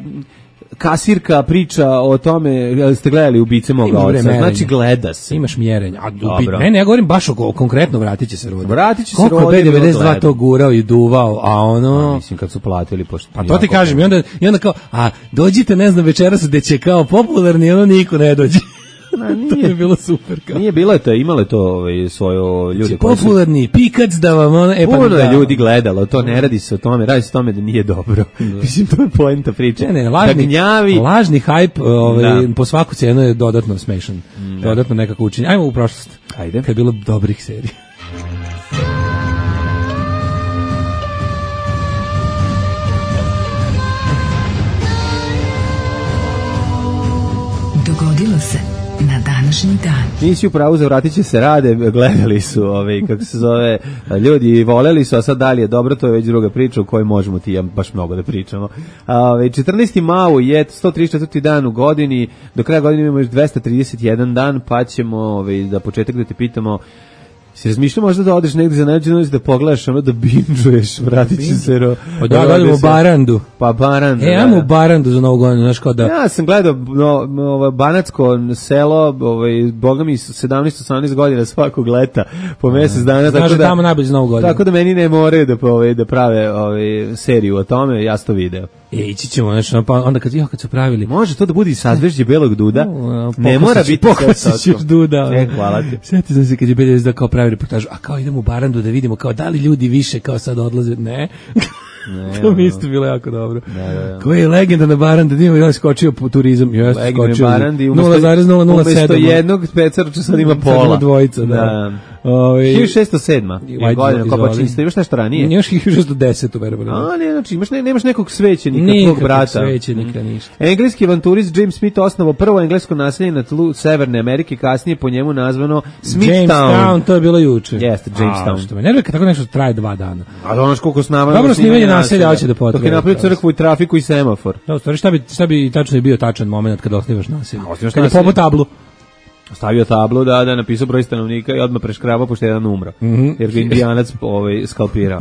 kasirka priča o tome, ste gledali Ubice moga oca, znači gleda se. Imaš mjerenja. A ubi, ne, ne, ja govorim baš o konkretno vratit će se rodi. Vratit će se rodi. Koliko je B devedeset dva to gurao i duvao, a ono... A, mislim, kad su platili, pošto... Pa to ti kažem, i onda, i onda kao, a dođite, ne znam, večeras gde će kao popularni, ono niko ne dođe. Na, nije, to je bilo super. Kao. Nije bilo to, imalo je to ovaj, svoje ljude. Popularni, su... pikac da vam ono... E, puno pa, je ljudi gledalo, to ne radi se o tome, radi se o tome da nije dobro. Da. Mislim, to je poenta priče. Ne, ne, lažni, da gnjavi... lažni hype ovaj, po svaku cenu je dodatno smešan. Da. Dodatno nekako učinje. Ajmo u prošlost. Ajde. Kad je bilo dobrih serija. Dogodilo se na današnji dan. Nisi u pravu, za vratit će se rade, gledali su, ovaj, kako se zove, ljudi voleli su, a sad dalje dobro, to je već druga priča u kojoj možemo ti ja baš mnogo da pričamo. A, četrnaesti mau je sto trideset četvrti dan u godini, do kraja godine imamo još dvesta trideset jedan dan, pa ćemo ovaj, da početak da te pitamo, si razmišljao možda da odeš negdje za najđe noć da pogledaš ono da binžuješ, vratit će se ro... Pa da, da, u Barandu. Pa Barandu, E, ajmo u Barandu za novu godinu, znaš kao da... Ja sam gledao no, no, banatsko selo, ovaj, boga mi sedamnaest osamnaest godina svakog leta, po mjesec dana. Znaš da tamo najbolje za novu godinu. Tako da meni ne moraju da, ovaj, da prave ovaj, seriju o tome, ja sam to video. E, ići ćemo, znači, pa onda kad, jo, kad su pravili... Može to da bude i sadvežđe belog duda, no, ne mora biti sve ćeš duda. E, hvala ti. Sjeti sam se kad je B devedeset dva kao pravi reportažu, a kao idemo u Barandu da vidimo kao da li ljudi više kao sad odlaze, ne... Ne, to mi isto bilo jako dobro. Da, da, da. Koja je legenda na Barandi, nije on skočio po turizam. Ja sam skočio nula zarez nula nula sedam. Umesto jednog pecarča sad ima pola. Dvojica, da. da. Ove, hiljadu šessto sedma je godina kopačinstva. Imaš nešto ranije? Imaš hiljadu šessto deset, verovatno. A, ne, znači, imaš, ne, nemaš nekog svećenika, tvog brata. Nikakvog svećenika, ništa. Engleski avanturist James Smith osnovao prvo englesko naselje na tlu Severne Amerike, kasnije po njemu nazvano Smithtown. Jamestown, to je bilo juče. Jeste, Jamestown. Što me nervira kad tako nešto traje dva dana. A ono koliko snama. Dobro snimanje naselja, hoće da potraje. Dok je napravio crkvu i trafiku i semafor. Da, stvari, šta bi, šta bi tačno je bio tačan moment kada osnivaš naselje? Kad je popo tablu. Stavio tablu, da, da, napisao broj stanovnika i odmah preškrabao pošto jedan umro. Mm -hmm. Jer ga indijanac ovaj, skalpirao.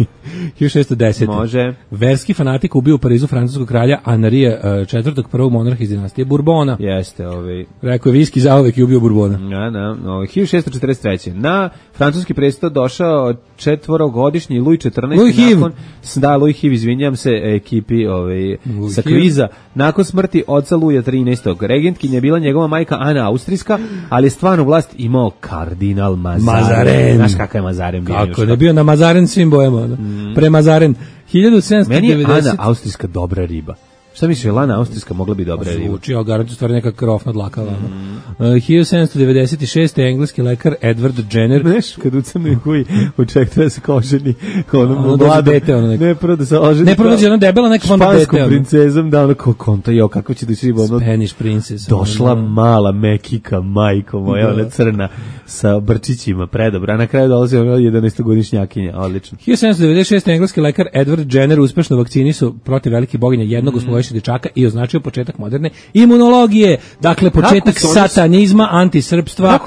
hiljadu šessto deset. Može. Verski fanatik ubio u Parizu francuskog kralja Anarija četvrtog, prvog monarha iz dinastije Bourbona. Jeste, ovaj. Rekao je viski zauvek i ubio Bourbona. Ja, da, ovaj, hiljadu šessto četrdeset treće. Na francuski presto došao četvorogodišnji Louis četrnaesti. Louis Hiv. Nakon, da, Louis Hiv, izvinjam se, ekipi ovaj, sa kviza. Nakon smrti oca Luja trinaestog. Regentkinja je bila njegova majka Ana Austrijska, ali je stvarno vlast imao kardinal Mazaren. Mazaren. Znaš kakav je Mazaren bio? Kako je bio na Mazaren svim bojama. Mm. Pre Mazaren. hiljadu sedamsto devedeset. Meni je Ana Austrijska dobra riba. Šta misliš, je Lana Austrijska mogla bi dobra riba? Zvuči, ali garantujem stvari neka krofna dlakava. Mm. Uh, hiljadu sedamsto devedeset šeste. engleski lekar Edward Jenner. Znaš, kad u crnoj kuji očekuje da se koženi ono ono mlado. Dete, ono ne, prvo da se oženi. Ne, prvo da je ono debela neka onda dete. Španskom princezom, da ono kao konta, jo, kako će da će ono... Spanish princess. Došla ono, mala mekika, majko moja, ona crna, sa brčićima, predobra. A na kraju dolazi ono jedanaestogodišnjakinja, odlično. hiljadu sedamsto devedeset šeste. engleski lekar Edward Jenner uspešno vakcinisao protiv velike boginje jednog osmogodišnjeg dečaka i označio početak moderne imunologije. Dakle, početak satanizma, antisrpstva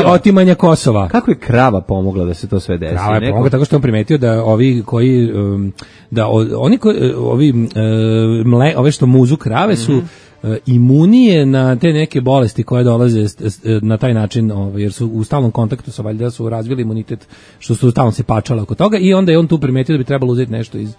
i otimanja Kosova. Kako je krava pomogla da se to sve desi? Krava je pomogla tako što on primetio da ovi koji um, da oni koji ovi um, mle, ove što muzu krave su mm-hmm. imunije na te neke bolesti koje dolaze na taj način, ovaj, jer su u stalnom kontaktu sa, valjda su razvili imunitet, što su stalno se pačale oko toga, i onda je on tu primetio da bi trebalo uzeti nešto iz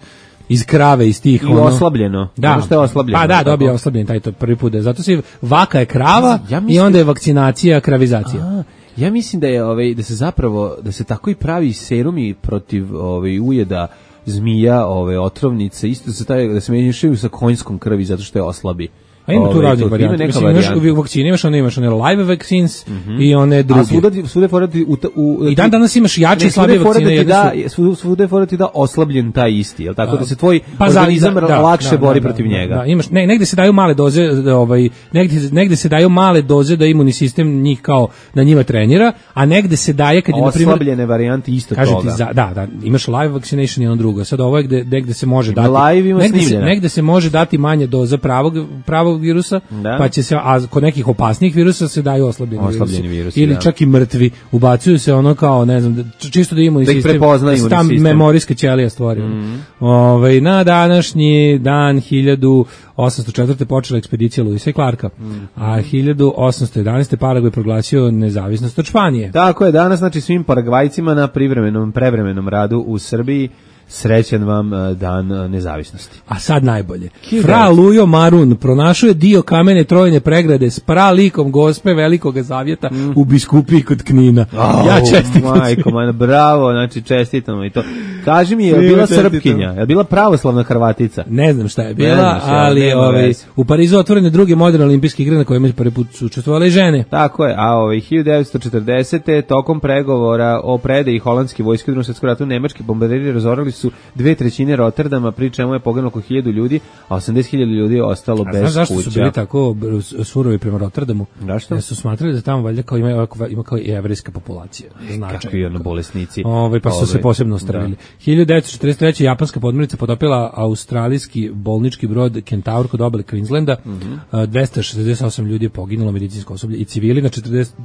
iz krave, iz tih i ono, oslabljeno. Da, što je oslabljeno. Pa da, dobije oslabljen taj to prvi put. Zato se vaka je krava ja mislim, i onda je vakcinacija, kravizacija. A, Ja mislim da je ovaj da se zapravo da se tako i pravi serumi protiv ovaj ujeda zmija, ove otrovnice, isto se taj da se menjaju sa konjskom krvi zato što je oslabi. A ima tu raznih varijanta. Mislim, imaš u vakcini, imaš one, imaš one live vaccines mm -hmm. i one druge. A svuda, svuda forati u, u, i dan danas imaš jače i slabije vakcine. Da, svuda, svuda forati da oslabljen taj isti, jel tako, da se tvoj pa organizam da, da, lakše da, bori da, protiv da, njega. Da, imaš, ne, negde se daju male doze, ovaj, negde, negde se daju male doze da imunni sistem njih kao na njima trenira, a negde se daje kad je, na primjer, oslabljene varijante isto toga. Za, da, da, imaš live vaccination i ono drugo. Sad ovo je gde, negde se može dati, live ima negde se, negde se može dati manje doza pravog, pravog virusa, da. Pa će se, a kod nekih opasnijih virusa se daju oslabljeni, oslabljeni virusi, virusi ili da. Čak i mrtvi, ubacuju se ono kao, ne znam, čisto da imunni sistem, da se tam memorijska ćelija stvori. Mm. Ove, na današnji dan hiljadu osamsto četvrte počela ekspedicija Lewisa i Clarka, mm. a hiljadu osamsto jedanaeste Paragvaj proglasio nezavisnost od Španije. Tako je, danas znači svim Paragvajcima na privremenom, prevremenom radu u Srbiji srećan vam dan nezavisnosti. A sad najbolje. Fra Lujo Marun pronašao je dio kamene trojne pregrade s pralikom Gospe Velikog Zavjeta mm. u Biskupiji kod Knina. Oh, ja čestitam. Majko, man, bravo, znači čestitamo i to. Kaži mi, je li bila Srpkinja? Je li bila pravoslavna Hrvatica? Ne znam šta je bila, znaš, ali ovaj, u Parizu otvorene druge moderne olimpijske igre na kojima prvi put su učestvovale i žene. Tako je, a ovaj, hiljadu devetsto četrdesete tokom pregovora o predaji holandske vojske u Drugom svjetskom ratu nemački bombarderi razorali su dve trećine Rotterdama, pri čemu je poginulo oko hiljadu ljudi, a osamdeset hiljada ljudi je ostalo a bez kuća. Zašto su bili tako surovi prema Rotterdamu? Zašto? Jer su smatrali da tamo valjda kao ima, ima kao i jevrejska populacija. Značaj. Kako i ono bolesnici. Ove, pa su Ove, se posebno ostravili. hiljadu devetsto četrdeset treće japanska podmornica potopila australijski bolnički brod Kentaur kod obale Queenslanda. Mm -hmm. dvesta šezdeset osam ljudi je poginulo, medicinsko osoblje i civili. Na četrdeset,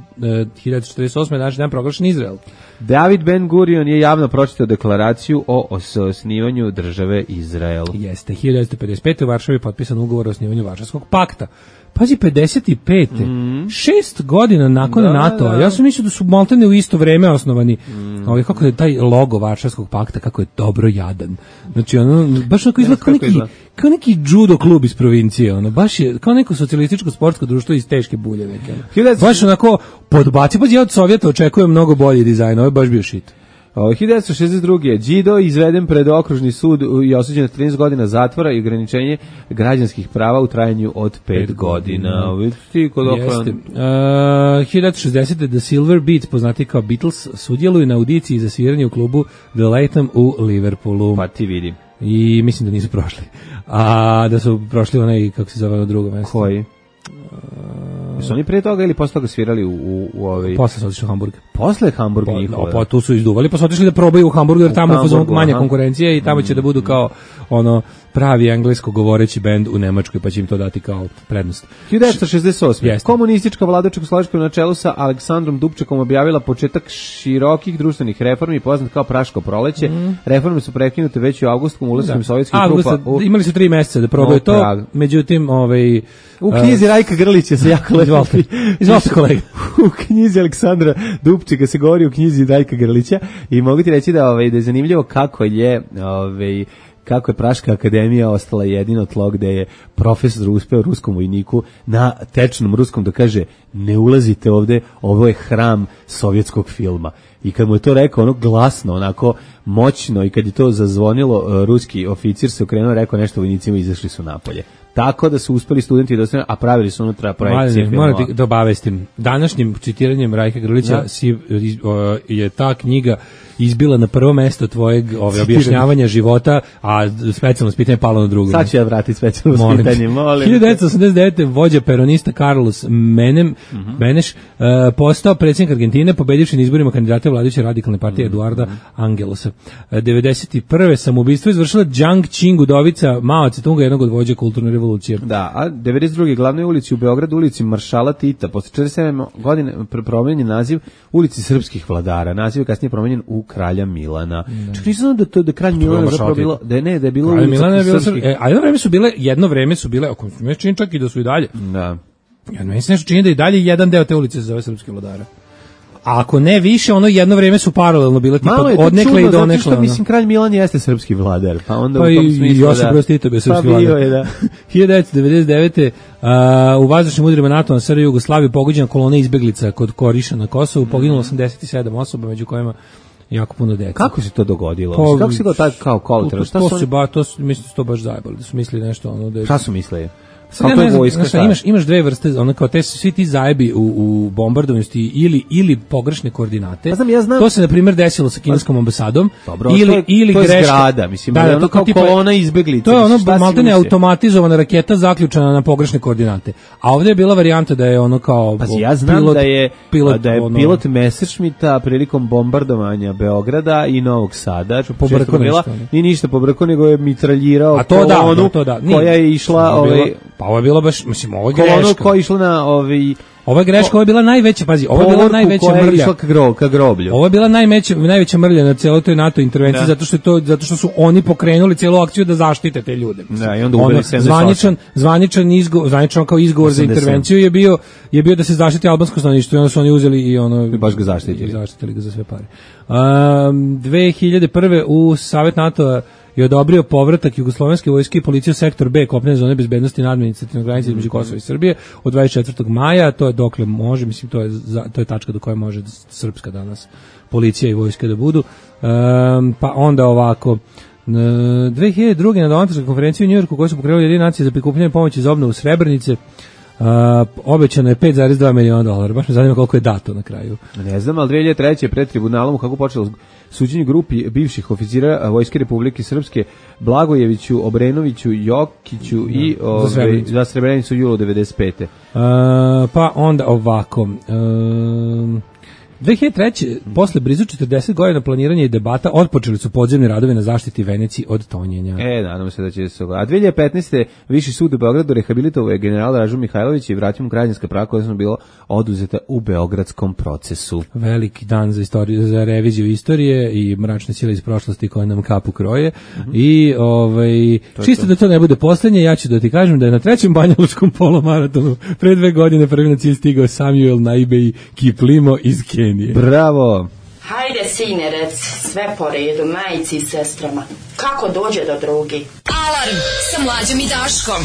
hiljadu četrdeset osme današnji dan proglašen Izrael. David Ben Gurion je javno pročitao deklaraciju o osnivanju države Izrael. Jeste, hiljadu devetsto pedeset pete u Varšavi je potpisan ugovor o osnivanju Varšavskog pakta. Pazi, pedeset pete Mm. Šest godina nakon da, NATO-a. Da. Ja sam mislio da su maltene u isto vreme osnovani. Mm. Ovaj, kako je taj logo Varšavskog pakta, kako je dobro jadan. Znači, ono, baš onako izgleda kao neki, kao neki judo klub iz provincije. Ono, baš je kao neko socijalističko sportsko društvo iz teške bulje. Neke. Baš onako podbaci. Pazi, ja od Sovjeta očekujem mnogo bolji dizajn. Ovo je baš bio šit. hiljadu devetsto šezdeset druge Đido izveden pred okružni sud i osuđen na trinaest godina zatvora i ograničenje građanskih prava u trajanju od pet godina. Vidite kod okran. Uh, hiljadu devetsto šezdesete The Silver Beats, poznati kao Beatles, sudjeluju na audiciji za sviranje u klubu The Latham u Liverpoolu. Pa ti vidi. I mislim da nisu prošli. A da su prošli onaj, kako se zove, na drugo mesto. Koji? Su oni prije toga ili posle toga svirali u, u, u ovaj... Posle su otišli u Hamburg. Posle Hamburg po, njihove? No, pa tu su izduvali, pa su otišli da probaju u Hamburgu, jer tamo je manja konkurencija i tamo će da budu kao ono pravi englesko govoreći bend u Nemačkoj, pa će im to dati kao prednost. hiljadu devetsto šezdeset osme Komunistička vlada Čekoslovačke na čelu sa Aleksandrom Dubčekom objavila početak širokih društvenih reformi, poznat kao Praško proleće. Mm. Reforme su prekinute već u avgustom ulaskom sovjetskih trupa. U... Imali su tri meseca da probaju to, Prag. Međutim, ovaj... U knjizi Rajka Grlića se jako lepo... Izvolite, kolega. U knjizi Aleksandra Dubčeka se govori u knjizi Rajka Grlića i mogu ti reći da, ovaj, da je zanimljivo kako je... Ovaj, kako je Praška akademija ostala jedino tlo gde je profesor uspeo ruskom vojniku na tečnom ruskom da kaže ne ulazite ovde, ovo je hram sovjetskog filma. I kad mu je to rekao ono glasno, onako moćno i kad je to zazvonilo, ruski oficir se okrenuo, rekao nešto vojnicima i izašli su napolje. Tako da su uspeli studenti da ostane, a pravili su unutra projekcije filmova. Moram ti da obavestim. Današnjim citiranjem Rajka Grlića si, o, je ta knjiga izbila na prvo mesto tvojeg ove, objašnjavanja života, a specijalno pitanje palo na drugo. Sad ću ja vratiti specijalno molim. pitanje, molim. hiljadu devetsto osamdeset devete vođa peronista Carlos Menem, mm-hmm. Beneš uh, postao predsjednik Argentine, pobedivši na izborima kandidata vladajuće radikalne partije mm-hmm. Eduarda Angelosa. Uh, devedeset prve samoubistvo izvršila Jiang Qing, udovica Mao Tse-tunga, jednog od vođa kulturne revolucije. Da, a devedeset druge glavnoj ulici u Beogradu, ulici Maršala Tita, posle četrdeset sedam godine promenjen naziv ulici srpskih vladara. Naziv je kasnije promenjen u Kralja Milana. Mm. Čak nisam da to da Kralj Milana zapravo bilo, da je ne, da je bilo Kralj Milana je bilo srpskih... E, a jedno vreme su bile, jedno vreme su bile, ako me čini čak i da su i dalje. Da. Jedno vreme se nešto čini da i dalje jedan deo te ulice se zove srpskih vladara. A ako ne više, ono jedno vreme su paralelno bile tipa Malo je to odnekle čudno, i zato donekle. što, ono. mislim, kralj Milan jeste srpski vladar, pa onda Pa u tom i smislu Josip da... Broz Tito bio srpski Pa bio vladar. je, da. hiljadu devetsto devedeset devete. Uh, u vazdušnim udarima NATO na S R J Jugoslaviju pogođena kolona izbeglica kod Koriša na Kosovu, poginulo osamdeset sedam osoba, među kojima jako puno dece. Kako se to dogodilo? Pa, Mislim, kako se to tako kao kolateral? Šta to, su to, oni... se ba, to su, mislim, su to baš zajebali, da su mislili nešto ono da je... Šta su mislili? Sad ja Kako ne je znam, vojska? znaš šta, imaš, imaš dve vrste, ono kao te svi ti zajebi u, u bombardovanju ili, ili pogrešne koordinate. Pa znam, ja znam. To se na primjer desilo sa kineskom ambasadom. Dobro, ili, to je, ili to je greška. zgrada, mislim, da, da, da, je ono to kao tipa- kolona izbeglica. To je ono šta si maltene mislio? automatizovana raketa zaključana na pogrešne koordinate. A ovdje je bila varijanta da je ono kao Pazi, ja znam pilot, da je pilot, da je ono, pilot Messerschmitta prilikom bombardovanja Beograda i Novog Sada, Pobrkao često bila, nešto, ne? nije ništa pobrkao, nego je mitraljirao A to da, kolonu da, to da. Nije. koja je išla, Ovo je bilo- ovaj, pa ovo je bilo baš, mislim, ovo je kolonu greška. koja je išla na ovaj Ovo je greška, ovo je bila najveća, pazi, ovo je bila povorku najveća koja je mrlja. išla ka, gro, ka groblju. Ovo je bila najveća najveća mrlja na celoj toj NATO intervenciji, Da. zato što je to zato što su oni pokrenuli celu akciju da zaštite te ljude. Mislim. Da, i onda ubili Ono, sedamdeset osam. zvaničan zvaničan izgovor, zvaničan kao izgovor za osamdeset sedam. intervenciju je bio je bio da se zaštiti albansko stanovništvo i onda su oni uzeli i ono I baš ga zaštitili. i zaštitili ga za sve pare. Um, dve hiljade prve u Savet NATO je odobrio povratak jugoslovenske vojske i policije u sektor B kopnene zone bezbednosti na administrativnoj granici između Kosova i Srbije od dvadeset četvrtog maja, to je dokle može, mislim to je za, to je tačka do koje može srpska danas policija i vojska da budu. Um, pa onda ovako dve hiljade druge na donatorskoj konferenciji u Njujorku koju su pokrenuli Ujedinjene nacije za prikupljanje pomoći za obnovu Srebrenice, Uh, obećano je pet zarez dva miliona dolara. Baš me zanima koliko je dato na kraju. Ne znam, ali dve hiljade treće pred tribunalom kako počelo suđenje grupi bivših oficira Vojske Republike Srpske Blagojeviću, Obrenoviću, Jokiću Da, i za ove, Srebrenicu. za Srebrenicu u julu devedeset pete. Uh, pa onda ovako. Um, dve hiljade treće posle blizu četrdeset godina planiranja i debata, otpočeli su podzemni radovi na zaštiti Veneciji od tonjenja. E, nadam se da će se... A dve hiljade petnaeste. Viši sud u Beogradu rehabilitovao je general Dražu Mihajlović i vratio mu građanska prava koja su bila oduzeta u beogradskom procesu. Veliki dan za istoriju, za reviziju istorije i mračne sile iz prošlosti koje nam kapu kroje. Mm-hmm. I ovaj čisto da to ne bude poslednje, ja ću da ti kažem da je na trećem banjalučkom polomaratonu pre dve godine prvi na cilj stigao Samuel Naibei Kiplimo iz Kenije. Bravo! Hajde, sine, rec, sve po redu, majici i sestrama. Kako dođe do drugi? Alarm sa Mlađom i Daškom.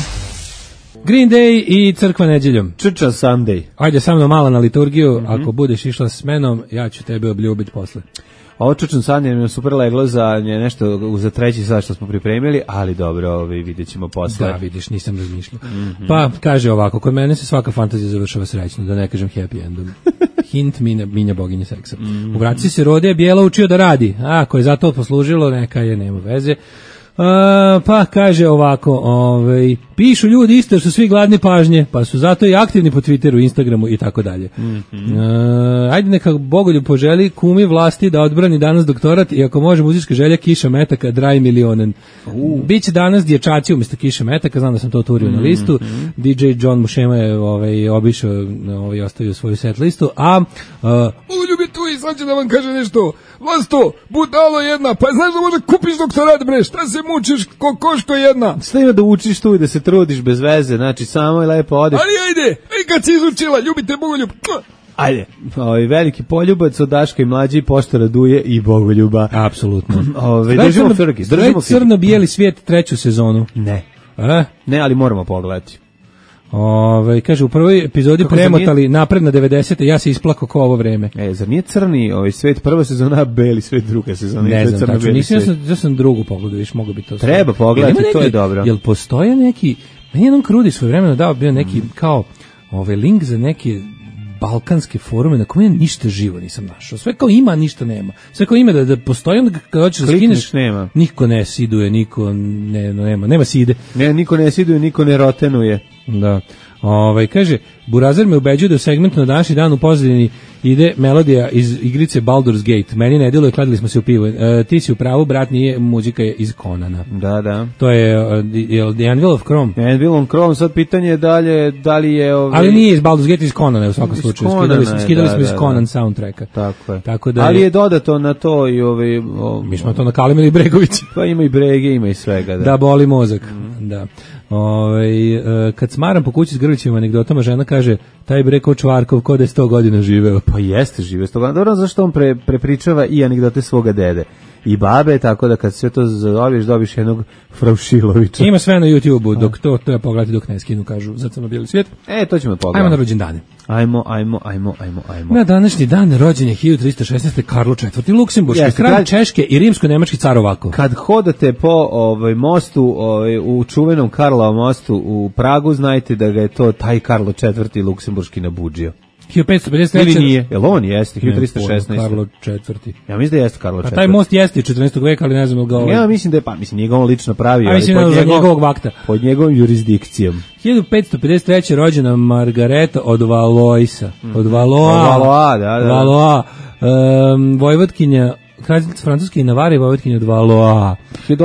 Green Day i Crkva neđeljom. Črča Sunday. Ajde sa mnom malo na liturgiju, mm-hmm. Ako budeš išla s menom, ja ću tebe obljubiti posle. Ovo Črčan Sunday nam je super leglo za nje nešto za treći sad što smo pripremili, ali dobro, ovaj, vidjet ćemo posle. Da, vidiš, nisam razmišljao. Mm-hmm. Pa, kaže ovako, kod mene se svaka fantazija završava srećno, da ne kažem happy endom. Hint minja, minja boginje seksa. Mm-hmm. U Vraci se Rode je Bijela učio da radi, a ako je za to poslužilo, neka je, nema veze. Uh, pa kaže ovako, ovaj, pišu ljudi isto jer su svi gladni pažnje, pa su zato i aktivni po Twitteru, Instagramu i tako dalje. Uh, ajde neka Bogoljub poželi kumi vlasti da odbrani danas doktorat i ako može muzička želja Kiša Metaka, Draj milionen. Uh. Biće danas dječaci umjesto Kiše Metaka, znam da sam to oturio mm-hmm. na listu. D J John Mušema je ovaj, obišao, ovaj, ostavio svoju set listu, a uh, Bogoljub je tu i sad će da vam kaže nešto. Vlasto, budalo jedna, pa znaš da može kupiš doktorat, bre, šta se mučiš, ko koško jedna? Šta ima da učiš tu i da se trudiš bez veze, znači samo i lepo odeš. Ali ajde, i kad si izučila, ljubite Bogoljub. Ajde, ovaj veliki poljubac od Daška i Mlađe, poštara Duje i Bogoljuba. Apsolutno. Ovaj držimo frki, držimo frki. Crno-bijeli svijet treću sezonu. Ne. A? Ne, ali moramo pogledati. Ove, kaže, u prvoj epizodi Kako premotali nije... napred na devedesete, ja se isplako ko ovo vreme. E, zar nije crni ovaj svet prva sezona, a beli svet druga sezona? Ne znam, crno, tačno, nisam, ja sam, ja sam drugu pogledao, viš, mogu biti to. Treba pogledati, to je dobro. Jel postoje neki, meni jednom Krudi svoje vremeno dao bio neki, mm. kao, ovaj link za neke balkanske forume na kome ništa živo nisam našao. Sve kao ima, ništa nema. Sve kao ima da, da postoji, onda kad hoćeš da skineš, nema. Niko ne siduje, niko ne, no, nema, nema side. Ne, niko ne siduje, niko ne rotenuje. Da. Ovaj kaže, Burazer me ubeđuje da u segmentu na današnji dan u pozadini ide melodija iz igrice Baldur's Gate. Meni ne djeluje, kladili smo se u pivo. E, ti si u pravu, brat, nije, muzika je iz Conana. Da, da. To je uh, The Anvil of Chrome. Anvil of Chrome, sad pitanje je dalje, da li je... Ovaj... Ali nije iz Baldur's Gate, iz Conana u svakom slučaju. Konana, skidali smo, skidali da, smo iz da, Conan da. soundtracka. Tako je. Tako da ali je, je dodato na to i ovaj... O, mi smo to nakalimili Bregović. Pa ima i brege, ima i svega. Da, da boli mozak. Mm. Da. Ove, kad smaram po kući s Grlićevim anegdotama, žena kaže, taj bre ko Čvarkov, ko da je sto godina živeo. Pa jeste živeo sto godina. Dobro, zašto on pre, prepričava i anegdote svoga dede i babe, tako da kad sve to zadobiješ, dobiš jednog Fraušilovića. Ima sve na YouTubeu, dok to, to je pogledati dok ne skinu, kažu, za crno-bijeli svijet. E, to ćemo pogledati. Ajmo na rođendane. Ajmo, ajmo, ajmo, ajmo, ajmo. Na današnji dan rođen je hiljadu trista šesnaeste. Karlo četvrti. Luksemburški, Jeste, kralj kad- Češke i rimsko-nemački car ovako. Kad hodate po ovaj mostu, ovaj, u čuvenom Karlovom mostu u Pragu, znajte da ga je to taj Karlo četvrti luksemburški nabuđio. hiljadu petsto pedeset treće. Ili nije? Jel on jeste? hiljadu trista šesnaeste. Karlo četvrti. Ja mislim da jeste Karlo Pa četvrti. taj most jeste iz četrnaestog veka, ali ne znam ili ga ovaj... Ja mislim da je, pa mislim, nije ga on lično pravio, A ali mislim pod, da za njegov- njegovog vakta. pod njegovom jurisdikcijom. hiljadu petsto pedeset treće. rođena Margareta od Valoisa. Od Valoa. Od Valoa, da, da. Valoa. Um, Vojvodkinja, kraljica Francuske i Navare, Vojvodkinja od Valoa. hiljadu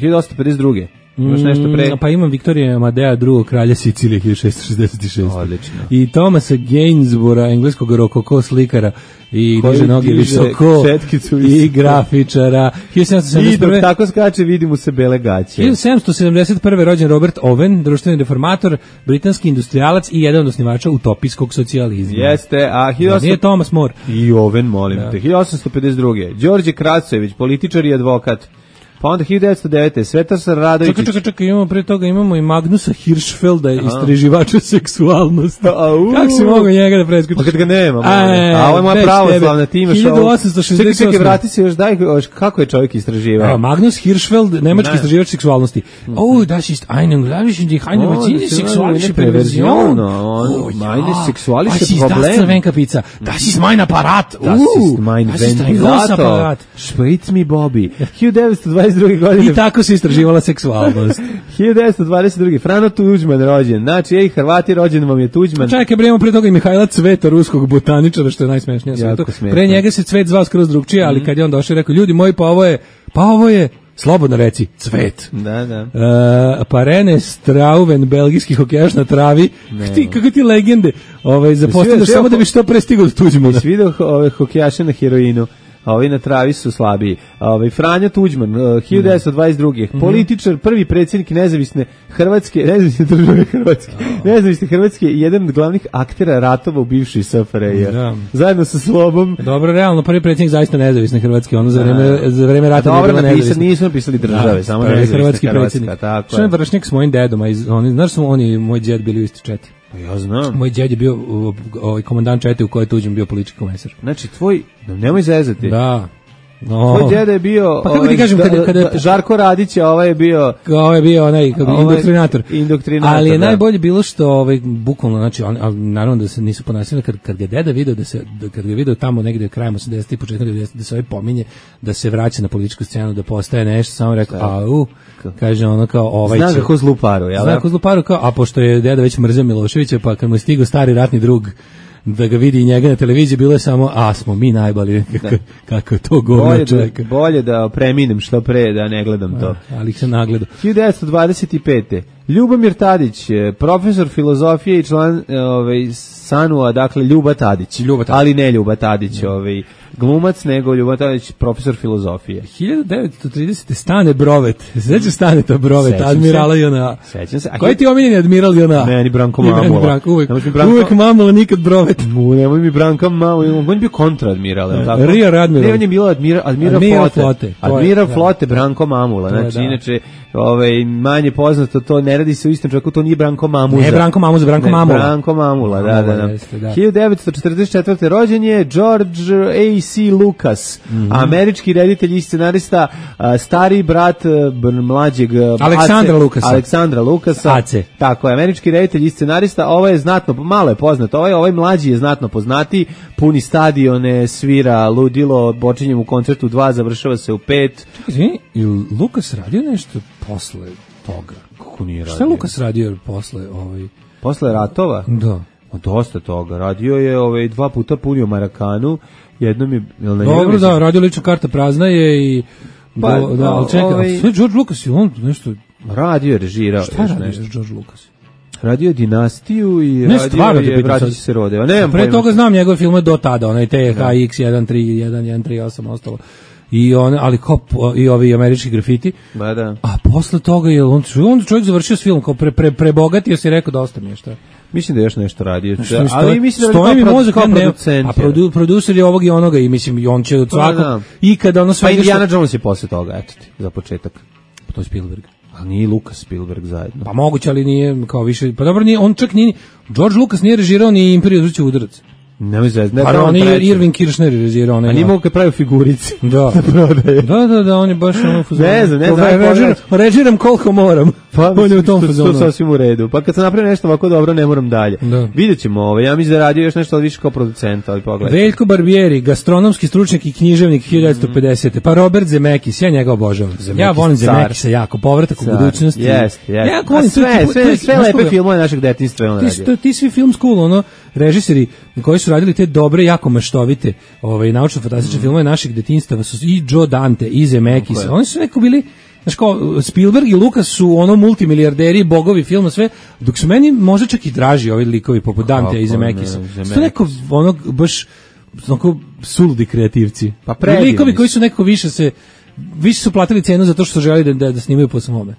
osamsto pedeset druge. Imaš nešto pre? Mm, pa imam Viktorija Amadea drugog kralja Sicilije hiljadu šessto šezdeset šeste. Odlično. I Thomasa Gainsborough'a, engleskog rokoko slikara i Koji diže noge diže visoko četkicu i visoko. grafičara. hiljadu sedamsto I sedamdeset dok prve. tako skače, vidi mu se bele gaće. hiljadu sedamsto sedamdeset prve. rođen Robert Owen, društveni reformator, britanski industrijalac i jedan od osnivača utopijskog socijalizma. Jeste, a Da, hiljadu nije Thomas More. I Oven, molim te. hiljadu osamsto pedeset druge. Đorđe Kracojević, političar i advokat. Pa onda hiljadu devetsto devete. Svetar Radović. Čekaj, čekaj, čekaj, imamo pre toga imamo i Magnusa Hirschfelda, istraživača seksualnosti. Au. Kako si mogao njega da preskočiš? Pa kad ga nema, A, molim. A ovo je moja već pravoslavna, tebe. ti imaš hiljadu ovo. osamsto šezdeset osme. Čekaj, čekaj, vrati se još, daj, još, kako je čovjek istraživao? Evo, Magnus Hirschfeld, nemački Ne. istraživač seksualnosti. Oh, das ist eine unglaubliche, die eine Oh, medizinische das ist sexualische eine Perversion. Perversion, oh, Oh, meine ja. sexualische Was ist das Problem? zur Wenkerpizza? Das ist mein Apparat. Das Uh, ist mein das ist ein großer ventilator. Apparat. Spritz mi Bobby. hiljadu devetsto dvadeset druge. godine. I tako se istraživala seksualnost. hiljadu devetsto dvadeset druge. Frano Tuđman rođen. Znači, ej, Hrvati, rođen vam je Tuđman. Čekaj, bre, imamo pre toga i Mihajla Cveta, ruskog botaničara, što je najsmešnije. na Jako svetu. smešno. Pre njega se Cvet zvao skroz drugčije, ali kad je on došao i rekao, ljudi moji, pa ovo je, pa ovo je, slobodno reci, Cvet. Da, da. Uh, pa Rene Strauven, belgijski hokejaš na travi, kako ti, kako ti legende ovaj, zapostavljaš Jesi samo vidio- da bi što pre stigao do Tuđmana. Jesi vidio ove hokejaše na heroinu? A ovi na travi su slabiji. A ovaj Franjo Tuđman, uh, hiljadu devetsto dvadeset druge. Političar, prvi predsjednik nezavisne Hrvatske, nezavisne države Hrvatske. Nezavisne Hrvatske i jedan od glavnih aktera ratova u bivšoj S F R J. Da. Zajedno sa Slobom. Dobro, realno, prvi predsjednik zaista nezavisne Hrvatske, ono za vreme, za vreme rata nije Dobro, bila napisali, nezavisna. nisu napisali države, Da, samo prvi nezavisna hrvatski Hrvatska. predsjednik. Tako Što je je. vršnjak s mojim dedom, a iz, oni, znaš su oni, moj djed bili u isti četi. Pa ja znam. Moj djed je bio uh, ovaj komandant čete u kojoj je Tuđman bio politički komesar. Znači, tvoj, nemoj zezati. Da. No. Tvoj djeda je bio Pa kako ti ovaj, kažem, kada- da- kada- da- Žarko Radić, a ovaj je bio Ovo je bio onaj kako bi, Ovo je indoktrinator. indoktrinator, Ali je da. najbolje bilo što ovaj bukvalno znači on, ali naravno da se nisu ponašali kad kad ga deda video da se da, kad ga video tamo negde krajem osamdesetih i početkom devedesetih da se ovaj pominje da se vraća na političku scenu da postaje nešto samo rekao au kaže ono kao ovaj Zna će ga ko zlu paru, jel? Zna ko zlu paru kao a pošto je deda već mrzeo Miloševića pa kad mu je stigao stari ratni drug da ga vidi i njega na televiziji bilo je samo a smo mi najbolji kako, kako je to govno Bolje čovjeka. da, bolje da preminem što pre, da ne gledam to. Ali ih se nagledao. hiljadu devetsto dvadeset pete. Ljubomir Tadić, eh, profesor filozofije i član eh, ovaj, Sanua, dakle Ljuba Tadić. Ljuba Tadić. Ali ne Ljuba Tadić, ovaj, glumac, nego Ljuba Tadić, profesor filozofije. hiljadu devetsto tridesete. Stane Brovet. Sećaš Stane to Brovet, Sećam admirala se. J N A. Sećam se. A Koji ti je omiljeni admiral J N A? Meni Branko I meni Mamula. Branko, uvek, Nemoj mi Branko- uvek Mamula, nikad Brovet. Mu, nemoj mi Branka malo, on je bio kontraadmiral, je li tako? Rear admiral. Ne, on je bio admiral, admiral, Admiral flote. flote, to je, Admiral da. flote Branko Mamula. To je, Znači, da. inače, ovaj, manje poznato, to ne radi se u istom čovjeku, to nije Branko Mamuza. Ne, Branko Mamuza, Branko Ne, Mamula. Branko Mamula, da, da, Mamula, da. jeste, da. hiljadu devetsto četrdeset četvrte. rođen je George A C. Lucas, Mhm. američki reditelj i scenarista, a, stari brat a, br- mlađeg a, Aleksandra Ace- Lucasa. Aleksandra Lucasa. Ace. Tako je, američki reditelj i scenarista, ovo je znatno, malo je poznat, ovaj, ovaj mlađi je znatno poznati, puni stadione, svira ludilo, počinje u koncertu dva, završava se u pet. Izvini, je li Lukas radio nešto posle toga? Kako nije radio? Šta je Lukas radio posle ovaj? Posle ratova? Da. Ma dosta toga. Radio je ovaj, dva puta punio Marakanu, jednom je... Jel na njega Dobro, mislim? da, radio lična karta prazna je i Pa, do, da, ali čekaj, ovaj- sve George Lucas je on nešto... Radio je, režirao. Šta još radio nešto. George Lucas? Radio je Dinastiju i Ne, radio stvarno te je pitam Braći sad. se rode. A nemam Pre pojma. toga znam njegove filme do tada, onaj T H X jedan tri jedan jedan tri osam ostalo. I one, ali kao po- i ovi američki grafiti. Ba da. A posle toga je on on čovjek završio s filmom kao pre pre prebogatio se i rekao dosta mi je šta. Mislim da je još nešto radio. Što Ali stoji, mislim da stoji mi kao mozak, kao ja ne, producent. a produ, producer je ovog i onoga i mislim i on će od svakog da. i kada ono sve Pa ide Indiana što- Jones je posle toga, eto ti, za početak. to je Spielberg. A nije Lucas Spielberg zajedno. Pa moguće, ali nije kao više. Pa dobro, nije, on čak nije, George Lucas nije režirao ni Imperiju zvuči udarac. Nemoj zvezda. Ne, Pa da on je treći. Irving Kirchner režirao. A onaj- nije mogu kad pravi figurice. Da. Prodaje. Da, da, da, on je baš ono fazonu. Ne znam, ne znam, Re- ajde režiram, pogledaj. režiram koliko moram. Pa on je u tom što- fazonu. što sasvim u redu. Pa kad sam napravio nešto ovako dobro, ne moram dalje. Da. Vidjet ćemo ovo. Ja mislim da je radio još nešto više kao producent, ali pogledaj. Veljko Barbieri, gastronomski stručnjak i književnik hiljadu devetsto pedesete. Pa Robert Zemekis, ja njega obožavam. Ja volim car. Zemekisa jako, povratak u Car. budućnosti. Jeste, jeste. Ja jako A volim sve, to- to- sve, to- sve znaš lepe koga? filmove našeg detinjstva je on Ti, su- radio. ti svi film school, ono, režiseri koji su radili te dobre, jako maštovite, ovaj, naučno-fantastične filmove našeg detinjstva su i Joe Dante, i Zemekis. Tako je. Oni su neko bili, znaš kao, Spielberg i Lucas su ono multimilijarderi, bogovi filma, sve, dok su meni možda čak i draži ovi likovi poput Dante i Kako Zemekisa. ne, Su to Zemeckis. neko, ono, baš, onako, suludi kreativci. Pa predivni likovi koji su. su neko više se, više su platili cenu zato što su želi da, da, da snimaju po svome.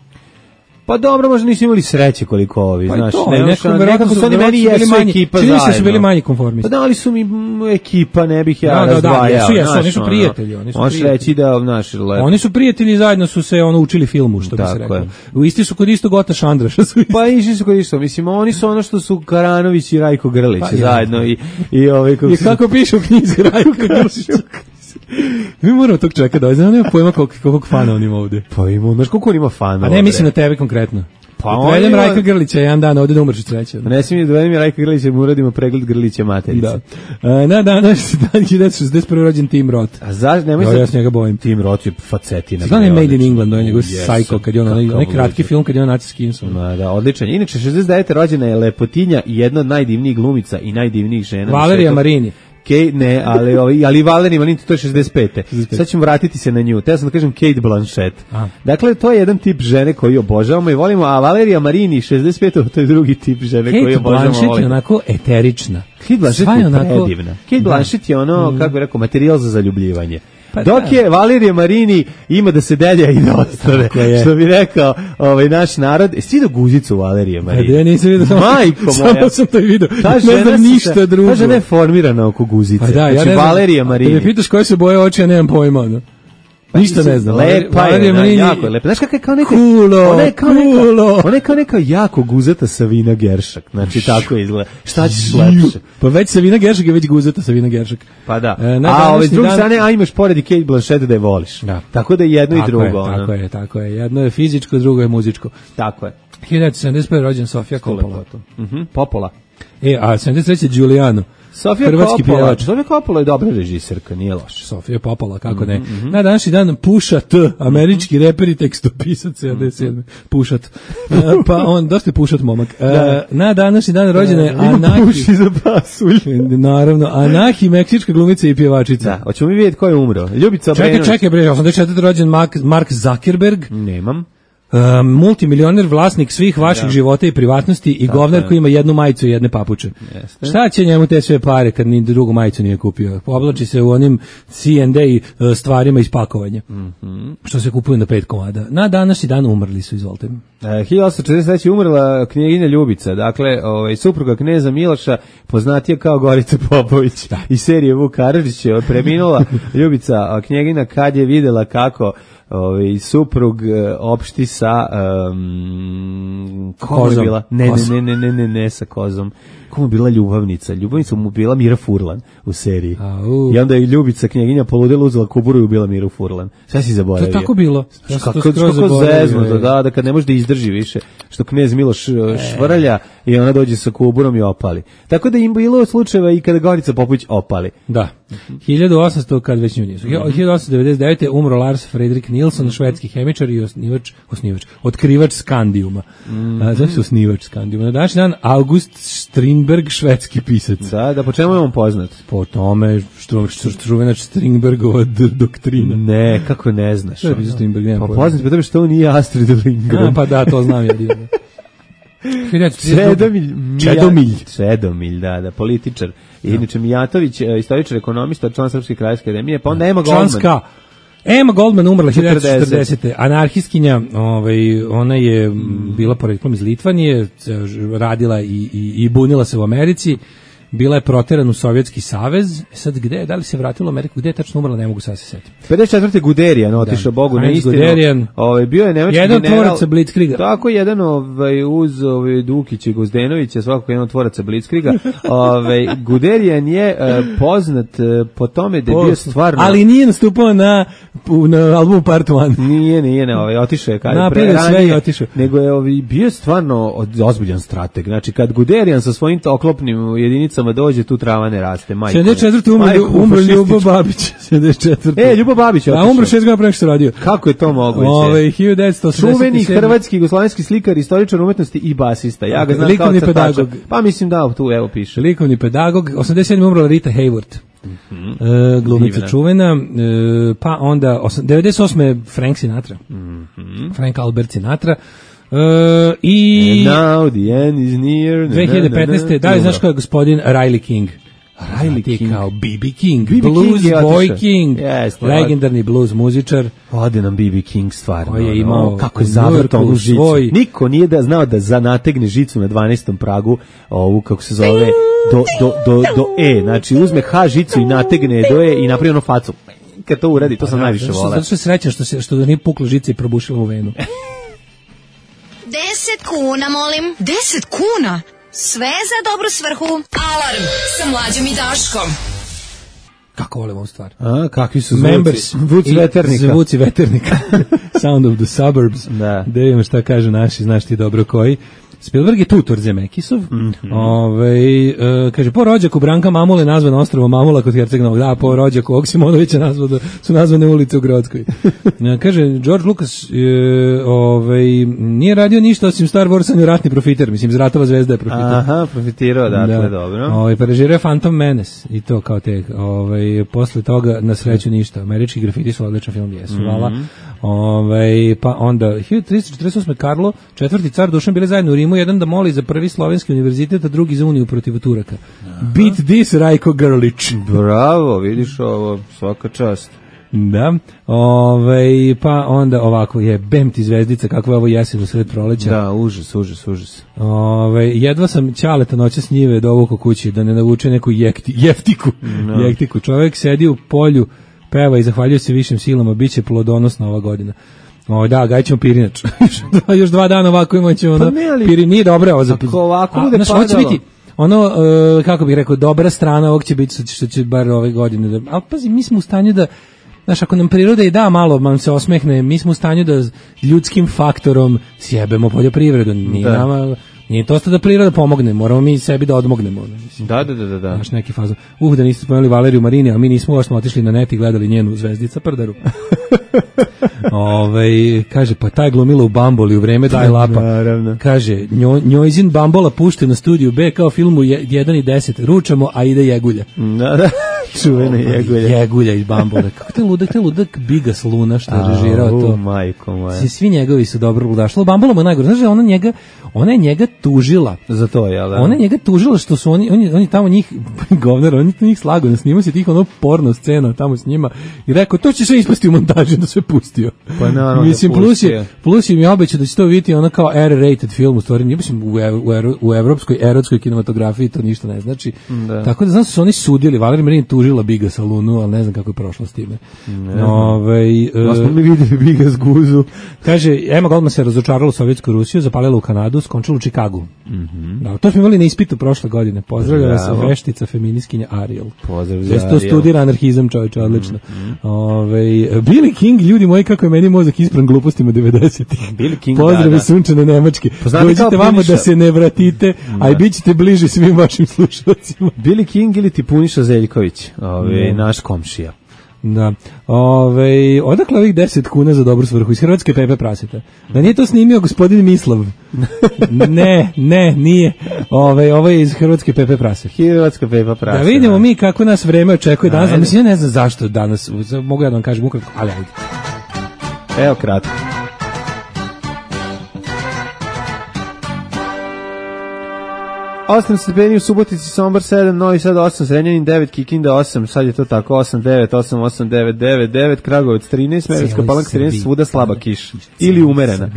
Pa dobro, možda nisu imali sreće koliko ovi, Pa i znaš. to, ne, neko, nekako, verovatno nekako su oni verovatno meni su bili jesu manji- ekipa čini mi se zajedno. da su bili manji konformisti. Pa da li su mi mm, ekipa, ne bih ja Da, da, da, razdvajao. jesu, jesu, znaš, oni su ono, prijatelji, oni su Možeš prijatelji. reći da, znaš, lepo. Oni su prijatelji, zajedno su se ono učili filmu, što bi se Tako reklo. je. U isti su kod istog Ota Šandraša. Su isti. Pa išli su kod isto, mislim, oni su ono što su Karanović i Rajko Grlić Pa, ja. zajedno i, i ovaj, kako I su- kako piše u knjizi Raju Kršića. Mi moramo tog čeka da znam, nema pojma koliko, koliko fana on ima ovde. Pa ima, znaš koliko on ima fanova. A ne mislim na bre? tebe konkretno. Pa Pa on Odvedem ima- Rajka Grlića jedan dan ovde da umreš od sreće. Ne smijem da dovedem je Rajka Grlića, jer mu uradimo pregled Grlića materice. Da. E, na danas dan hiljadu devetsto šezdeset prve rođen Tim Roth. A zašto, nemoj Ja, sad- ja se njega bojim. Tim Roth je facetina. Znam je bre, Made in odlično. England, on je njegov Jesam, Psycho, kad je on onaj, kakav onaj kratki luđak. film kad je on Naci Skinson. Ma da, odličan. Inače, šezdeset devete rođena je lepotinja i jedna od najdivnijih glumica i najdivnijih žena. na Valerija svetu. Marini. Kate, ne, ali, ali, ali Valerija Marini, to je šezdeset pete. Sad ćemo vratiti se na nju. Teo sam da kažem Kate Blanchett. A. Dakle, to je jedan tip žene koji obožavamo i volimo, a Valerija Marini, šezdeset pete, to je drugi tip žene koji Kate obožavamo. Blanchett je volimo. onako eterična. Kate Blanchett Sva je onako- predivna. Kate Da. Blanchett je ono, kako bi rekao, materijal za zaljubljivanje. Pa Dok da. je Valerija Marini ima da se delja i da ostane. Tako je. Što bi rekao ovaj naš narod. Jesi vidio guzicu Valerije A Marini? da ja nisam vidio, samo, Majko moja. samo sam to vidio. Ta Ne žena znam se- ništa drugo. Ta žena je formirana oko guzice. Pa da, ja znači, ne znam. Valerija Da Marini. me pitaš koje se boje oči, ja nemam pojma. No. Ništa ne znam. Lepa je, Valerija ona, Marini- jako je lepa. Znaš kakva je kao neka... Kulo, ona je kao neka, kulo. ona je kao neka jako guzata Savina Geršak. Znači, tako izgleda. Šta ćeš lepše? Pa već Savina Geršak je već guzata Savina Geršak. Pa da. E, na a ove, s današnji druge dan- strane, a imaš pored i Kate Blanchett da je voliš. Da. Tako da je jedno i Tako drugo. je, ono. tako je, tako je. Jedno je fizičko, drugo je muzičko. Tako je. hiljadu devetsto sedamdeset prve rođen Sofija Coppola. Lepoto. Mhm, Popola. E, a sedamdeset treće Giuliano. Sofija Hrvatski Coppola. pjevač. Sofija Coppola je dobra režiserka, nije loša. Sofija Popola, kako ne. Mhm, Na današnji dan Pusha T, američki reper i tekstopisac sedamdeset sedme Pušat. E, pa on, dosta je pušat momak. E, na današnji dan rođena je Anahi. Puši za pasulj. Naravno, Anahi, meksička glumica i pjevačica. Da, hoćemo mi vidjeti ko je umro. Ljubica Čekaj, Obrenović. čekaj, bre, osamdeset četvrte rođen Mark, Mark Zuckerberg, Nemam. uh, multimilioner, vlasnik svih vaših života i privatnosti i govnar je. koji ima jednu majicu i jedne papuče. Jeste. Šta će njemu te sve pare kad ni drugu majicu nije kupio? Oblači se u onim C and A uh, stvarima iz pakovanja. Mhm. Što se kupuju na pet komada. Na današnji dan umrli su, izvolite. E, hiljadu osamsto četrdeset treće je umrla knjeginja Ljubica, dakle, ovaj, supruga kneza Miloša, poznatija kao Gorica Popović iz serije Vuk Karadžić, je preminula Ljubica, a knjegina kad je videla kako ovaj, suprug e, opšti sa um, komu je Kozom. bila? Ne, ne, Kozom. ne, ne, ne, ne, ne, sa kozom. Komu je bila ljubavnica? Ljubavnica mu bila Mira Furlan u seriji. Au. I onda je Ljubica knjeginja poludela, uzela kuburu i ubila Miru Furlan. Sve si To zaboravio. je tako bilo. Ja sam Kako, to skroz kako zaboravio, zeznuto, ej. da, da kad ne može da izdrži više, što knez Miloš e, švrlja i ona dođe sa kuburom i opali. Tako da im bilo slučajeva i kada Gorica Popović opali. Da. hiljadu osamsto kad već nju nisu. hiljadu osamsto devedeset devete umro Lars Fredrik Nilsson, švedski hemičar i osnivač, osnivač, otkrivač Skandijuma. Mm. A, znači osnivač Skandijuma. Na današnji dan August Strindberg, švedski pisac. Da, da po čemu je on poznat? Po tome što što čuvena Strindbergova d- doktrina. Ne, kako ne znaš. Što je pisao Strindberg, nemam Pa pojma. poznat po tome što on nije Astrid Lindgren. A, pa da, to znam ja. divno. Čedomilj. Čedomilj. Čedomilj, da, da, političar. I inače Mijatović, e, istoričar, ekonomista, član Srpske krajevske akademije, pa onda Ema Goldman. Članska. Emma Goldman umrla hiljadu devetsto četrdesete Anarhistkinja, ovaj, ona je mm. bila poreklom iz Litvanije, radila i, i, i bunila se u Americi. Bila je proterana u Sovjetski savez. Sad gde, da li se vratila u Ameriku, gde je tačno umrla, ne mogu sad se setiti. pedeset četvrte Guderian otišao Bogu na istinu. Guderian. Ovaj bio je nemački jedan general. Jedan tvoraca Blitzkriega. Tako jedan ovaj uz ovaj Dukić i Gozdenovića, svakako jedan tvoraca Blitzkriega. Ovaj Guderian je uh, poznat uh, po tome da je bio stvarno. Ali nije nastupao na na albumu Part jedan. Nije, nije, ne, ovaj otišao je kad pre ranije otišao. Nego je ovaj bio stvarno ozbiljan strateg. Znači kad Guderian sa svojim oklopnim jedinicama dođe, tu trava ne raste, majko. sedamdeset četvrte umro, umro Ljubo Babić. sedamdeset četvrte E, Ljubo Babić je otišao. A umro šest godina pre nego što radio. Kako je to moguće? Ove, hiljadu devetsto osamdeset sedam. Čuveni hrvatski jugoslovenski slikar, istoričar umetnosti i basista. Ja ga znam likovni kao pedagog. Pa mislim da, tu evo piše. Likovni pedagog. osamdeset sedme umrla Rita Hayworth. Mm-hmm. E, glumica Divna. čuvena. E, pa onda, devedeset osme Frank Sinatra. Mm-hmm. Frank Albert Sinatra. Uh, i And now the end is near. dve hiljade petnaeste Da li znaš ko je gospodin Riley King? Riley King kao B B King, B B Blues King Boy King, yes, legendarni blues muzičar. Ode nam B B King stvarno. Koji je imao, no, kako je zavrtao u žicu. Svoj... Niko nije da znao da zanategne žicu na dvanaestom pragu, ovu kako se zove, do, do, do, do E. Znači uzme H žicu i nategne do E i napravi ono facu. Kad to uradi, to sam da, najviše volao. Zato što je srećan što, se, što nije pukla žica i probušila u venu. Deset kuna, molim. Deset kuna? Sve za dobru svrhu. Alarm sa Mlađom i Daškom. Kako volim ovu stvar. A, kakvi su zvuci? Members. Zvuci veternika. Zvuci veternika. Sound of the suburbs. Da. Da vidimo šta kaže naši, znaš ti dobro koji. Spielberg je tutor Zemekisov. Mm-hmm. Ove, e, kaže, po rođaku Branka Mamule nazvan ostrvo Mamula kod Herceg Novog. Da, po rođaku Oksimonovića nazvano, su nazvane ulice u Grodskoj. E, kaže, George Lucas e, ove, nije radio ništa osim Star Wars, on je ratni profiter. Mislim, iz Ratova zvezda je profiter. Aha, profitirao, dakle, da. Dobro. Ove, pa režirao Phantom Menace i to kao te. Ove, posle toga, na sreću ništa. Američki grafiti su odličan film, jesu. Mm-hmm. Hvala. Ove, pa onda, hiljadu tristo četrdeset osme Karlo, četvrti car Dušan bili zajedno u Rimu, jedan da moli za prvi slovenski univerzitet, a drugi za uniju protiv Turaka. Aha. Beat this, Rajko Grlić. Bravo, vidiš ovo, svaka čast. Da, ove, pa onda ovako je bem ti zvezdica, kakva je ovo jesen u sred proleća. Da, užas, užas, užas. Ove, jedva sam ćaleta noća s njive dovuko kući da ne navuče neku jekti, jeftiku. No. Jektiku. Čovjek sedi u polju, peva i zahvaljuje se višim silama, bit će plodonosna ova godina. O, da, gajćemo pirinač. Još dva dana ovako imat ćemo ono, pa piri, nije dobro ovo za... Ako ovako bude padalo. Znači, biti, ono, uh, kako bih rekao, dobra strana ovog će biti što će bar ove godine. Da, ali pazi, mi smo u stanju da, znaš, ako nam priroda i da malo nam se osmehne, mi smo u stanju da ljudskim faktorom sjebemo poljoprivredu. Nije da. nama... Nije to da priroda pomogne, moramo mi sebi da odmognemo. Mislim. Da, da, da, da. Znaš, neki fazon. Uh, da niste spomenuli Valeriju Marini, a mi nismo, još smo otišli na net i gledali njenu Zvezdica prdaru. Ove, kaže, pa taj glumila u Bamboli u vreme Daj Lapa. Naravno. Kaže, njoj, njojzin Bambola pušte na studiju B kao filmu jedan i deset. Ručamo, a ide Jegulja. Da, da. Čuvene Jegulja. Jegulja iz Bambole. Kako te ludak, te ludak Bigas Luna što je režirao to. Majko moja. Svi njegovi su dobro ludašli. Bambola mu je najgore. Znaš, ona njega, ona je njega tužila. Za to, jel da? Ona je njega tužila što su oni, oni, oni tamo njih, govnar, oni to njih slago, ne snima se tih ono porno scena tamo s njima i rekao, to će sve ispasti u montaži da sve pustio. Pa naravno. Mislim, plus je, plus je mi obećao da će to vidjeti ono kao R-rated film, u stvari, mislim, u, ev, u, ev, u evropskoj erotskoj kinematografiji to ništa ne znači. Da. Tako da znam su oni sudili, Valerija Marin tužila Biga Salunu, ali ne znam kako je prošlo s time. Ove, da smo mi vidjeli Biga s guzu. Kaže, Emma Goldman se razočarala u Sovjetsku Rusiju, zapalila u Kanadu, skončila u Čikagu. Mm-hmm. Da, to smo imali na ispitu prošle godine. Pozdravljava se veštica feminiskinja Ariel. Pozdrav za Ariel. To studira anarhizam, čovječe, odlično. Mm-hmm. Ove, Billy King, ljudi moji, kako je meni mozak ispran glupostima devedesetih. Billy King, pozdrave da, da. sunčane Nemačke. Dođite vamo da se ne vratite, da. A i bit ćete bliži svim vašim slušalcima. Billy King ili ti Puniša Zeljković, ove, naš komšija. Da. Ove, odakle ovih deset kuna za dobru svrhu? Iz Hrvatske Pepe Praseta. Da nije to snimio gospodin Mislav? Ne, ne, nije. Ove, ovo je iz Hrvatske Pepe Praseta. Hrvatska Pepe Praseta. Da vidimo mi kako nas vreme očekuje danas. Mislim, ja ne znam zašto danas. Mogu ja da vam kažem ukratko, ali ajde. Evo kratko. osam stepeni u Subotici, Sombor sedam, Novi Sad osam, Zrenjanin devet, Kikinda osam, sad je to tako osam devet, osam osam devet devet devet, Kragujevac trinaest, Smederevska Palanka trinaest, svuda slaba kiša ili umerena.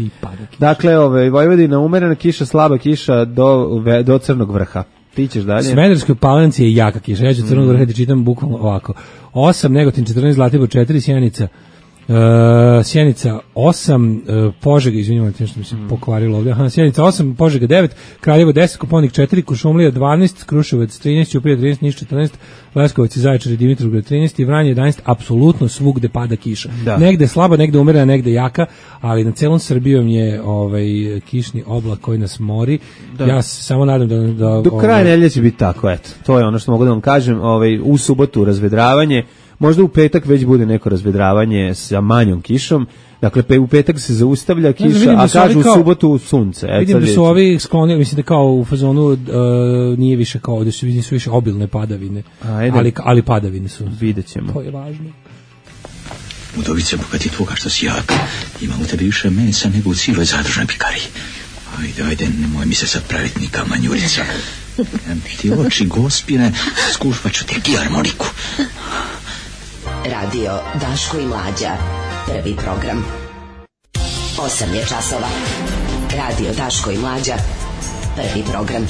Dakle, ovaj Vojvodina umerena kiša, slaba kiša do do Crnog vrha. Ti ćeš dalje. Smederevskoj Palanci je jaka kiša. Ja ću Crnog vrha ti čitam bukvalno ovako. osam, Negotin četrnaest, Zlatibor četiri, Sjenica Uh, Sjenica osam, uh, Požega, izvinjavam te što mi se mm. pokvarilo ovdje, aha, Sjenica osam, Požega devet, Kraljevo deset, Koponik četiri, Kuršumlija dvanaest, Kruševac trinaest, Ćuprija trinaest, Niš četrnaest, Leskovac i Zaječar i Dimitrovgrad trinaest i Vranje jedanaest, apsolutno svugde pada kiša. Da. Negde slaba, negde umerena, negde jaka, ali na celom Srbijom je ovaj kišni oblak koji nas mori. Da. Ja se samo nadam da... da do kraja ovaj, nedelje će biti tako, eto. To je ono što mogu da vam kažem. Ovaj, u subotu razvedravanje, možda u petak već bude neko razvedravanje sa manjom kišom. Dakle, pe, u petak se zaustavlja kiša, ne, a kažu u subotu sunce. Et, vidim da su ovi sklonili, mislim da kao u fazonu uh, nije više kao, da su, su više obilne padavine, Ajde. ali, ali padavine su. Vidjet ćemo. To je važno. Udovice, bogati tvoga što si jak, ima u tebi više mesa nego u cijeloj zadružnoj pikariji. Ajde, ajde, nemoj mi se sad praviti ni kamanjurica. Ti oči gospine, skušvat ću te kijarmoniku. Radio Daško i Mlađa, prvi program. Osam je časova. Radio Daško i Mlađa, prvi program.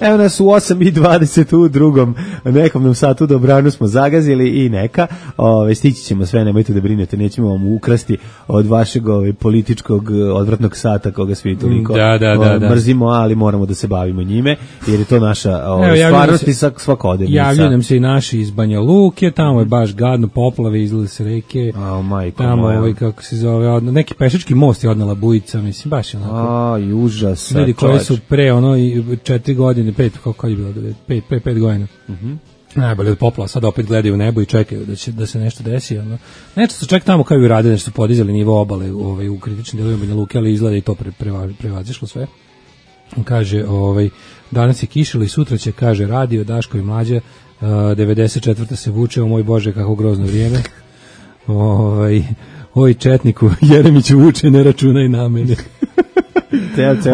Evo nas u osam i dvadeset u drugom nekom nam satu dobranu smo zagazili i neka. Ove, stići ćemo sve, nemojte da brinete, nećemo vam ukrasti od vašeg ove, političkog odvratnog sata koga svi toliko da, da, da, da. mrzimo, ali moramo da se bavimo njime, jer je to naša ove, Evo, stvarnost i svakodnevnica. Javljaju nam se i naši iz Banja Luke, tamo je baš gadno, poplave, izlile se reke, oh, majko, tamo ovaj, kako se zove, neki pešački most je odnela bujica, mislim, baš je onako. Aj, užas. Ljudi koji su pre ono četiri godine pet, kako je bilo, pet, pet, pet godina. Mhm. Najbolje od poplava, sad opet gledaju u nebo i čekaju da će da se nešto desi, ono. Nešto se čak tamo kao i urade, nešto su podizali nivo obale ovaj u kritičnim delovima Banja Luke, ali izgleda i to pre, prevazišlo sve. Kaže, ovaj danas je kišilo i sutra će, kaže radio Daško i Mlađa, uh, devedeset četvrta se vuče, o moj Bože kako grozno vrijeme. Ovaj oj četniku Jeremić vuče, ne računaj na mene.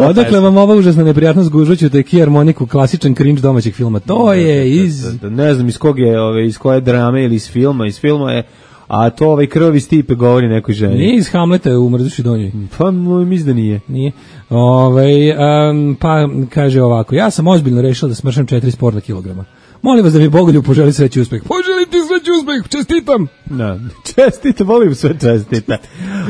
Odakle vam ova užasna neprijatnost gužvaću te kijarmoniku, klasičan cringe domaćeg filma. To je iz... Da, da, da, ne znam iz kog je, ove, iz koje drame ili iz filma. Iz filma je, a to ovaj krvavi Stipe govori nekoj ženi. Nije iz Hamleta u Mrduši donjoj. Pa mislim da nije. Nije. Ove, um, pa kaže ovako, ja sam ozbiljno rešila da smršam četiri sporna kilograma. Molim vas da mi Bogoljub poželi sreći uspeh. Poželim ti sreći uspeh, čestitam. Da, čestitam, volim sve čestita.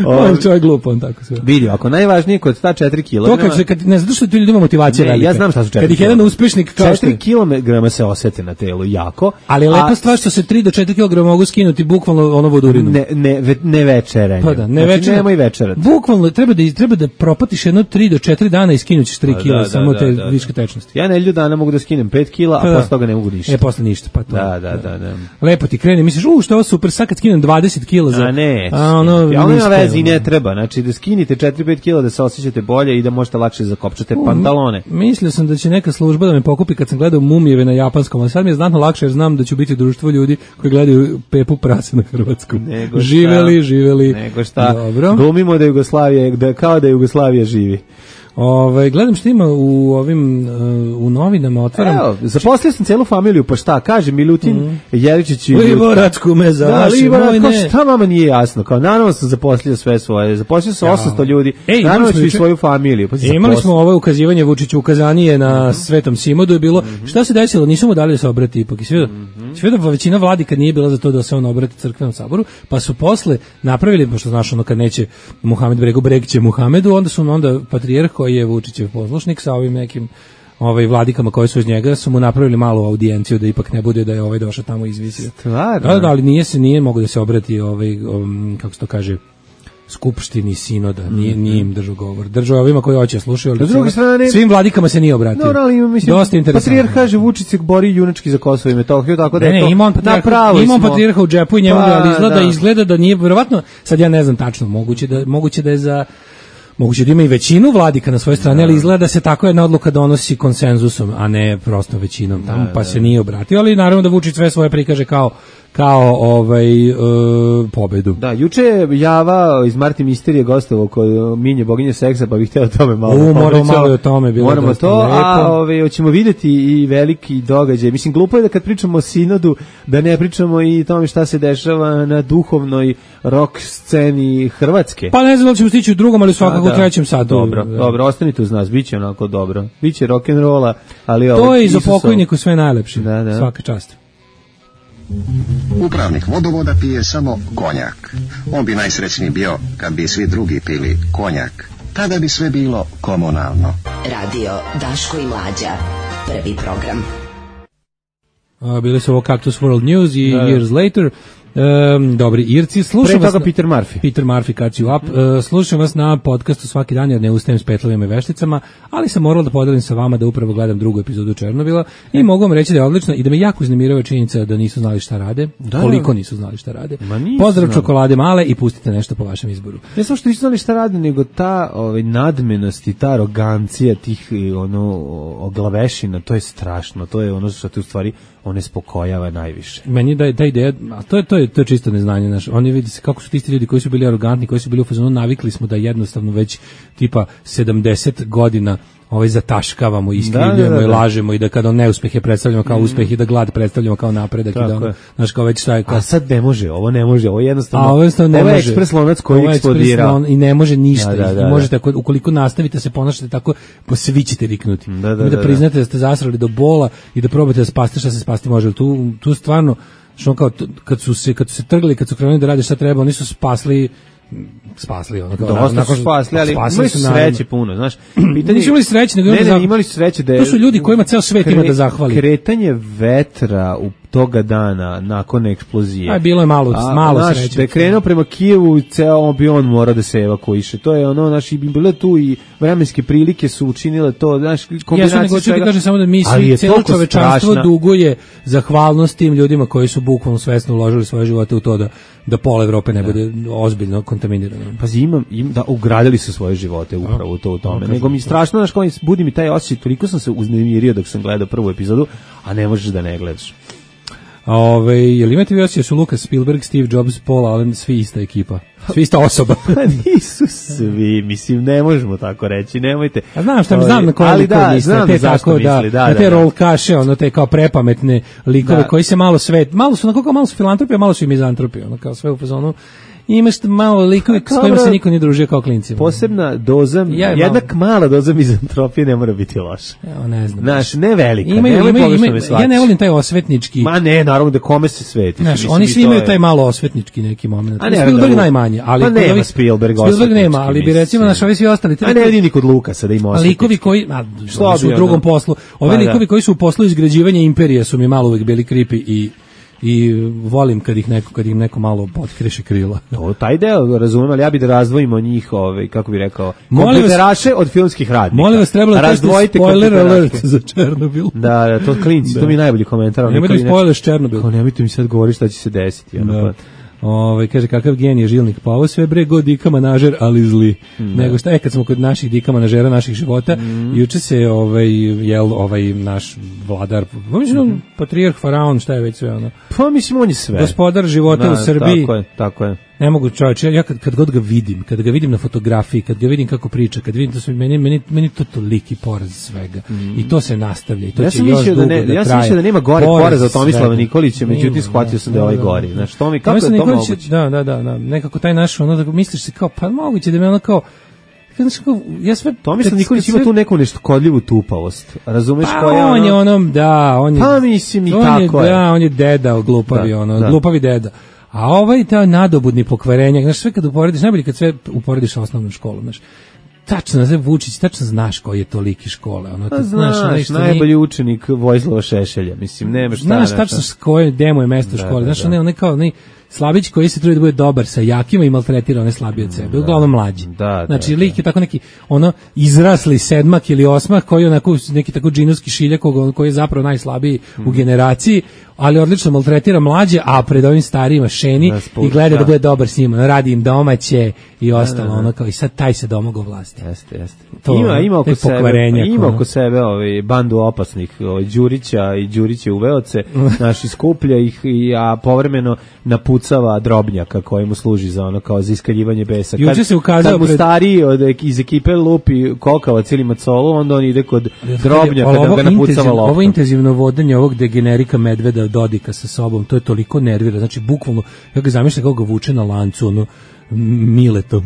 On čovjek glup, on tako sve. Vidio, ako najvažnije kod ta četiri kilograma... To kad, kad ne, zato što ti ljudi ima motivacija ne, velika. Ja znam šta su četiri Kad ih jedan uspešnik... četiri kilograma se osjeti na telu jako. Ali je lepa stvar što se tri do četiri kilograma mogu skinuti bukvalno ono vodurinu. Ne, ne, ve, ne večeranje. Pa da, ne znači, večeranje. Nemoj večerati. Bukvalno treba da, treba da propatiš jedno tri do četiri dana i skinućeš tri pa, kila, da, samo da, te da, da. viške tečnosti. Ja nedelju dana mogu da skinem pet kila, a pa posle toga ne mogu ništa. E, posle ništa, pa to. Da, da, da, da. Lepo ti krene, misliš, u, što je ovo super, sad kad skinem dvadeset kila za... A ne, a ono, ja ono ima vezi i ne treba, znači da skinite četiri pet kila da se osjećate bolje i da možete lakše zakopčati pantalone. Mislio sam da će neka služba da me pokupi kad sam gledao Mumijeve na japanskom, ali sad mi je znatno lakše jer znam da ću biti društvo ljudi koji gledaju Pepu prase na hrvatskom. Nego živeli, živeli. Nego šta, dobro. Glumimo da Jugoslavija, da, kao da Jugoslavija živi. Ove, gledam što ima u ovim uh, u novinama, otvaram. Evo, zaposlio sam celu familiju, pa šta, kaže Milutin mm. Jeričić i Liboračku me za da, vaše vojne. Šta vama nije jasno? Kao, naravno sam zaposlio sve svoje, zaposlio sam ja. osamsto ljudi, Ej, naravno ću i svoju familiju. Pa imali smo ovo ukazivanje Vučiću, ukazanije na mm-hmm. Svetom Simodu je bilo, mm-hmm. šta se desilo, nisu mu dali da se obrati ipak. I sve, mm-hmm. sve da većina vladi kad nije bila za to da se on obrati crkvenom saboru, pa su posle napravili, pošto znaš ono kad neće Muhamed Bregu, Breg će Muhamedu, onda su onda patrijarh koji je Vučićev poslušnik sa ovim nekim ovaj vladikama koji su iz njega su mu napravili malu audijenciju da ipak ne bude da je ovaj došao tamo izvisio. Stvarno? Da, da, ali nije se nije mogu da se obrati ovaj um, kako se to kaže skupštini sinoda, nije, nije im držao govor. Držao ovima koji hoće slušaju, ali svim, strane, svim vladikama se nije obratio. No, ali mislim, dosta interesantno. Patrijarh kaže Vučić se bori junački za Kosovo i Metohiju, tako da je ne, to ima on patrijarha, ima on patrijarha u džepu i njemu, pa, ali izgleda, da. izgleda da nije, verovatno, sad ja ne znam tačno, moguće da, moguće da je za moguće da ima i većinu vladika na svojoj strani, ali izgleda da se tako jedna odluka donosi konsenzusom, a ne prosto većinom, tamo, pa se nije obratio, ali naravno da Vučić sve svoje prikaže kao kao ovaj uh, pobedu. Da, juče je Java iz Marti Misterije gostovao kod Minje boginje seksa, pa bih hteo o tome malo. U, moramo malo o tome, bilo moramo to, lepo. A ove, hoćemo vidjeti i veliki događaj. Mislim, glupo je da kad pričamo o sinodu, da ne pričamo i tome šta se dešava na duhovnoj rock sceni Hrvatske. Pa ne znam da li ćemo stići u drugom, ali svakako u trećem satu. Dobro, da. dobro, ostanite uz nas, bit će onako dobro. Biće rock'n'rolla, ali to ovo... je i za pokojniku sve najlepše, da, da. Svaka čast. Upravnik vodovoda pije samo konjak. On bi najsrećniji bio kad bi svi drugi pili konjak. Tada bi sve bilo komunalno. Radio Daško i Mlađa. Prvi program. A, bili su ovo Cactus World News i da. Years Later. Um, dobri Irci, slušam vas na, Peter Murphy. Peter Murphy, catch you up. Uh, slušam vas na podcastu svaki dan jer ne ustajem s petlovima i vešticama, ali sam morala da podelim sa vama da upravo gledam drugu epizodu Černobila i mogu vam reći da je odlično i da me jako uznemirava činjenica da nisu znali šta rade, da. Koliko nisu znali šta rade. Pozdrav znali. Čokolade male i pustite nešto po vašem izboru. Ne samo što nisu znali šta rade, nego ta ovaj, nadmenost i ta arogancija tih ono, oglavešina, to je strašno, to je ono što te u stvari one spokojava najviše. Meni da je ta ideja, a to je to je to je čisto neznanje, znaš. Oni vidi se kako su ti isti ljudi koji su bili arogantni, koji su bili u fazonu, navikli smo da jednostavno već tipa sedamdeset godina ovaj zataškavamo, iskrivljujemo da, da, da, da. i lažemo i da kada neuspehe predstavljamo kao mm. uspeh i da glad predstavljamo kao napredak i da ono, znaš, kao već šta je kao... A sad ne može, ovo ne može, ovo je jednostavno... A ovo jednostavno ne ovo može. je ekspres lonac koji eksplodira. I ne može ništa. Da, da, da, možete, ako, ukoliko nastavite se ponašate tako, po svi ćete riknuti. Da, da, da, da priznate da ste zasrali do bola i da probate da spasite šta se spasti može. Tu, tu stvarno, što kao, kad su se, kad su se trgli, kad su krenuli da rade šta treba, oni su spasli spasli ono kao dosta nakon su spasli, ali imali su sreće puno, znaš. Pitanje nisu imali sreće, nego ne, ne, imali su sreće da je, to su ljudi kojima ceo svet kre, ima da zahvali. Kretanje vetra u toga dana nakon eksplozije. Aj bilo je malo a, malo naš, sreće. Da je krenuo prema Kijevu, ceo bi on mora da se evakuiše. To je ono, naši bi bile tu i vremenske prilike su učinile to, znaš, kombinacija. Ja nego ću ti kažem samo da mi svi celo čovečanstvo duguje zahvalnost tim ljudima koji su bukvalno svesno uložili svoje živote u to da da pola Evrope ne bude da. ozbiljno kontaminirano. Pazi, imam, im da ugradili su svoje živote upravo to u tome. No, nego mi strašno, znaš, kao budi mi taj osjećaj, toliko sam se uznemirio dok sam gledao prvu epizodu, a ne možeš da ne gledaš. Ove, jel imate vi osjećaj su Lucas Spielberg, Steve Jobs, Paul Allen, svi ista ekipa? Svi ista osoba. Nisu svi, mislim, ne možemo tako reći, nemojte. A znam šta mi znam na koje likove misle, te tako misli, da, da, da, te da, rolkaše, ono te kao prepametne likove da. Koji se malo svet, malo su onako kao malo su filantropi, a malo su i mizantropi, ono kao sve u fazonu. Imaš malo likovi s kojima se niko nije družio kao klinci. Posebna doza, ja, jednak malo. Mala doza mizantropije ne mora biti loša. Ja, ne znam. Znaš, ne velika. Ima, ima, ima, ima, ja ne volim taj osvetnički. Ma ne, naravno da kome se sveti. Znaš, oni svi imaju je... taj malo osvetnički neki moment. A ne, Spielberg da, najmanje. Ali pa nema Spielberg Spielberg nema, ali bi recimo naš ovi svi ostali. A ne vidim ni kod Lukasa da ima osvetnički. Likovi koji, a, što su u drugom poslu. Ovi likovi koji su u poslu izgrađivanja imperije su mi malo uvijek bili creepy i i volim kad ih neko kad im neko malo potkreše krila. To taj deo razumem, ali ja bih da razdvojimo njih, ovaj kako bih rekao, kompjuteraše od filmskih radnika. Molim vas, trebalo da spoiler alert za Černobil. Da, da, to klinci, da. To mi je najbolji komentar. Nemojte mi spoiler Černobil. Kao nemojte mi sad govoriti šta će se desiti. Da. Ovaj kaže kakav genije žilnik, pa ovo sve bre god dika manažer, ali zli. Mm, nego šta je kad smo kod naših dika manažera naših života, mm. juče se ovaj jel ovaj naš vladar, mislim mm. patrijarh faraon, šta je već sve ono. Pa mislim on je sve. Gospodar života da, u Srbiji. Tako je, tako je. Ne mogu čovječe, ja kad, kad god ga vidim, kad ga vidim na fotografiji, kad ga vidim kako priča, kad vidim to sve, meni, meni, meni to toliki poraz svega. Mm. I to se nastavlja i to ja će još dugo da, ne, da ja traje. Ja sam da nema gore poraza od Tomislava Nikolića, međutim shvatio sam da je ovaj gori. Znaš, to mi, kako je to moguće? Da, da, da, da, nekako taj naš, ono, da misliš se kao, pa moguće da me ono kao, ja sve Tomislav Nikolić ima tu neku nešto kodljivu tupavost. Razumeš pa koja on je onom, da, on je. Pa mislim i tako je. Da, on je deda, glupavi, da, ono, da. Glupavi deda. A ovaj ta nadobudni pokvarenja, znaš, sve kad uporediš, najbolje kad sve uporediš sa osnovnom školom, znaš. Tačno, znaš, Vučić, tačno znaš koji je toliki škole. Ono, znaš, znaš najbolji ni... učenik Vojislava Šešelja, mislim, nema šta. Znaš, tačno s koje demo je mesto da, škole. Znaš, da, da. on je kao, ne, Slabić koji se trudi da bude dobar sa jakima i maltretira one slabije od sebe, uglavnom mlađi. Da, znači, da, lik je tako neki, ono, izrasli sedmak ili osmak koji je onako neki tako džinovski šiljak koji je zapravo najslabiji mm. u generaciji, ali odlično maltretira mlađe, a pred ovim starijima šeni i gleda da bude dobar s njima, radi im domaće i ostalo, ono kao i sad taj se domogao vlasti. Jeste, jeste. Ima, ima oko sebe, ima oko sebe ovaj, bandu opasnih, ovaj, Đurića i Đuriće uveoce, naši skuplja ih, i, a povremeno napucava drobnjaka koji mu služi za ono kao za iskaljivanje besa. Kad, Juče se ukazao kad mu pred... stariji od, iz ekipe lupi kokavac ili macolu, onda on ide kod drobnjaka da ga napucava loptom. Ovo intenzivno vodanje ovog degenerika medveda Dodika sa sobom, to je toliko nervira, znači bukvalno, ja ga zamišljam kako ga vuče na lancu, ono, Mileto,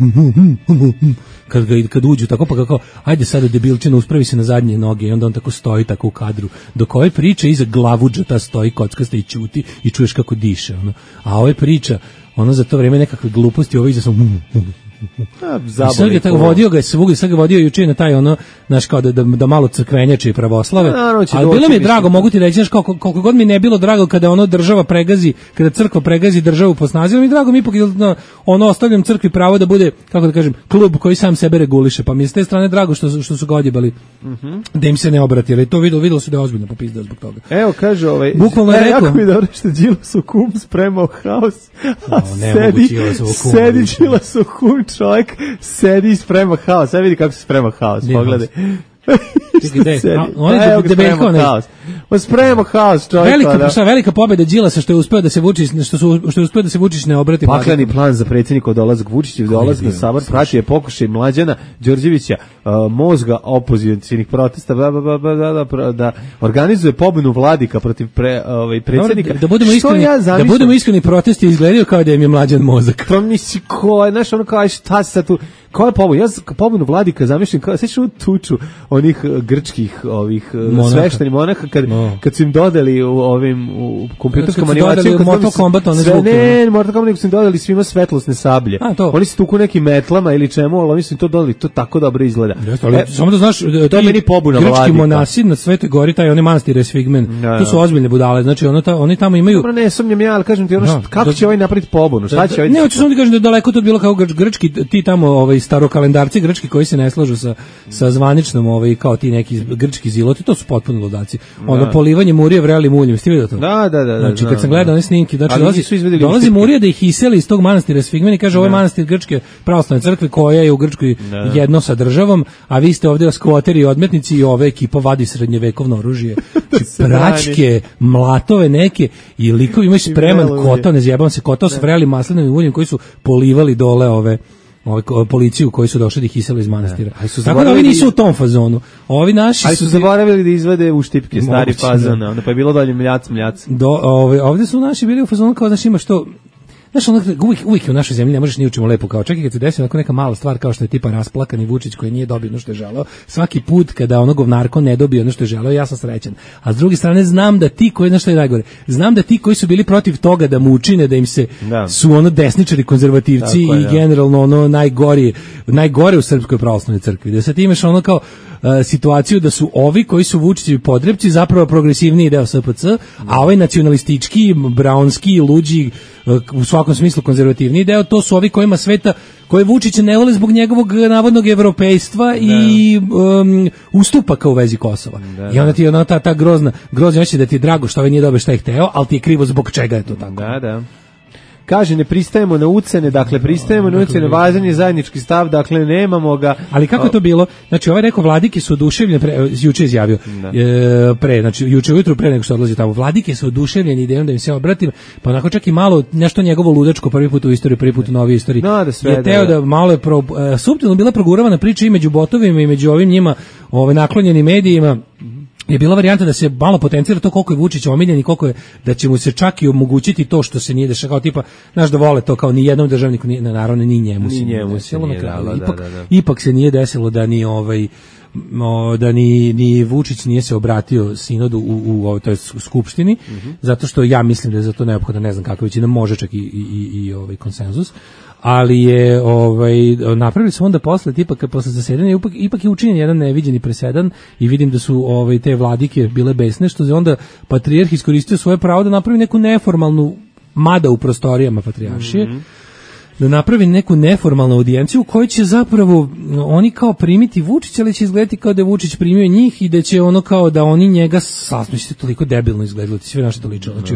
kad, ga, kad uđu tako, pa kako, ajde sada debilčina, uspravi se na zadnje noge i onda on tako stoji tako u kadru, dok ove priče iza glavuđa ta stoji kockasta i ćuti i čuješ kako diše, ono. A ove priča, ono za to vreme nekakve gluposti, ovo iza sam sad ga tako vodio ga je svugdje, sad ga vodio juče na taj ono, znaš, kao da, da, da malo crkvenjače i pravoslave, no, ali bilo mi je drago, mogu ti reći, znaš, koliko, koliko god mi ne bilo drago kada ono država pregazi, kada crkva pregazi državu po snazi, mi je drago, mi ipak ono ostavljam crkvi pravo da bude, kako da kažem, klub koji sam sebe reguliše, pa mi je s te strane drago što, što su ga odjebali, mm-hmm. da im se ne obrati, ali to videlo, videlo su da je ozbiljno popizdao zbog toga. Evo, kaže ovaj, bukvalno je rekao, jako mi dobro što Đilas u kum spremao haos, a no, sedi, sedi Đilas u kum, čovjek sedi i sprema haos. Sad vidi kako se sprema haos. Pogledaj. On je debelko, ne. On sprema haos, čovjek. Velika, šta, velika pobjeda Đilasa što je uspeo da se Vučić, što su što je uspeo da se Vučić ne obrati. Pakleni plan za predsjednika dolazak Vučića, dolazak na Sabor, pratio je pokušaj Mlađana Đorđevića, uh, mozga opozicionih protesta, da, da, da, da organizuje pobunu Vladika protiv pre, ovaj predsjednika. Da, da budemo iskreni, ja da budemo iskreni, protesti izgledaju kao da im je Mlađan mozak. To misli ko, znaš, ono kao šta se tu Koja je pobuna? Ja pobunu Vladika zamišljam kao sećaš u tuču onih grčkih ovih sveštenih monaha kad no. kad su im dodali u ovim u kompjuterskom animaciju kad Mortal Kombat one zvuke. Ne, Mortal Kombat su im dodali svima svetlosne sablje. A, oni su tuku nekim metlama ili čemu, ali oni su im to dodali, to tako dobro izgleda. Jeste, ali, e, samo da znaš, to je meni pobuna Vladika. Grčki monasi na Svetoj Gori, taj oni manastir Esfigmen. Da, to su ozbiljne budale, znači ono ta, oni tamo imaju. Dobro, ne sumnjam ja, al kažem ti ono, da, kako da, će ovaj napraviti pobunu? Šta će ovaj? Ne, hoću samo da kažem da je daleko to bilo kao grčki ti tamo ovaj starokalendarci grčki koji se ne slažu sa sa zvaničnom ovaj kao ti neki grčki ziloti, to su potpuno ludaci. Ono polivanje murije vrelim uljem, ste videli to? Da, da, da. Znači kad sam gledao one snimke, znači dolazi dolazi murija da ih iseli iz tog manastira Sfigmen i kaže ovo je manastir grčke pravoslavne crkve koja je u Grčkoj jedno sa državom, a vi ste ovdje skvoteri i odmetnici i ova ekipa vadi srednjevekovno oružje. Praćke, mlatove neke i likovi imaju spreman kotao, ne zjebam se, kotao s vrelim maslinovim uljem koji su polivali dole ove ovaj policiju koji su došli da ih isele iz manastira. Tako da ovi nisu u tom fazonu. Ovi naši su, su zaboravili da izvade uštipke, stari fazon, onda pa je bilo dalje mljac, mljac. Do, ove, ovdje su naši bili u fazonu kao znaš ima što znaš, ono, uvijek, uvijek u našoj zemlji ne možeš ni učimo lepo kao čak i kad se desi onako neka mala stvar kao što je tipa rasplakani Vučić koji nije dobio ono što je želeo, svaki put kada ono govnarko ne dobije ono što je želeo, ja sam srećan. A s druge strane znam da ti koji, nešto je najgore, znam da ti koji su bili protiv toga da mu učine, da im se da. su ono desničari, konzervativci tako, i da. generalno ono najgori, najgore u Srpskoj pravoslavnoj crkvi. Da sad imaš ono kao uh, situaciju da su ovi koji su Vučićevi podrepci zapravo progresivniji deo S P C, a ovaj nacionalistički, braunski, luđi, u svakom smislu konzervativni deo, to su ovi kojima sveta, koje Vučića ne vole zbog njegovog navodnog evropejstva i um, ustupaka u vezi Kosova. Da, I onda ti je ona ta, ta grozna, grozna znači da ti je drago što ovaj nije dobio šta je hteo, ali ti je krivo zbog čega je to tako. Da, da. Kaže, ne pristajemo na ucene, dakle, pristajemo na ucene, važan je zajednički stav, dakle, nemamo ga. Ali kako je to bilo? Znači, ovaj rekao, Vladike su oduševljeni, pre, juče izjavio, e, pre, znači, juče ujutru pre nego što odlazi tamo, Vladike su oduševljeni idejom da im se obratim, pa onako čak i malo, nešto njegovo ludačko, prvi put u istoriji, prvi put u novoj istoriji, no, da sve, je teo da, da malo je, pro, e, suptilno bila proguravana priča i među botovima i među ovim njima, ove, naklonjenim medijima, je bila varijanta da se malo potencira to koliko je Vučić omiljen i koliko je da će mu se čak i omogućiti to što se nije dešava, kao tipa, znaš da vole to kao ni jednom državniku, ni, naravno ni njemu ni se njemu nije desilo, se nije, da, da, ipak, da, da. ipak se nije desilo da ni ovaj o, da ni, ni Vučić nije se obratio sinodu u, u, u toj skupštini, mm-hmm. zato što ja mislim da je za to neophodno, ne znam kakva većina, može čak i, i, i, i ovaj konsenzus, ali je ovaj napravili su onda posle tipa kad posle zasedanja ipak, ipak je učinjen jedan neviđeni presedan i vidim da su ovaj te vladike bile besne što je onda patrijarh iskoristio svoje pravo da napravi neku neformalnu mada u prostorijama patrijaršije. Mm-hmm. da napravi neku neformalnu audijenciju u kojoj će zapravo oni kao primiti Vučića, ali će izgledati kao da je Vučić primio njih i da će ono kao da oni njega saslušaju, toliko debilno izgledalo, ti sve naše to lično. Znači,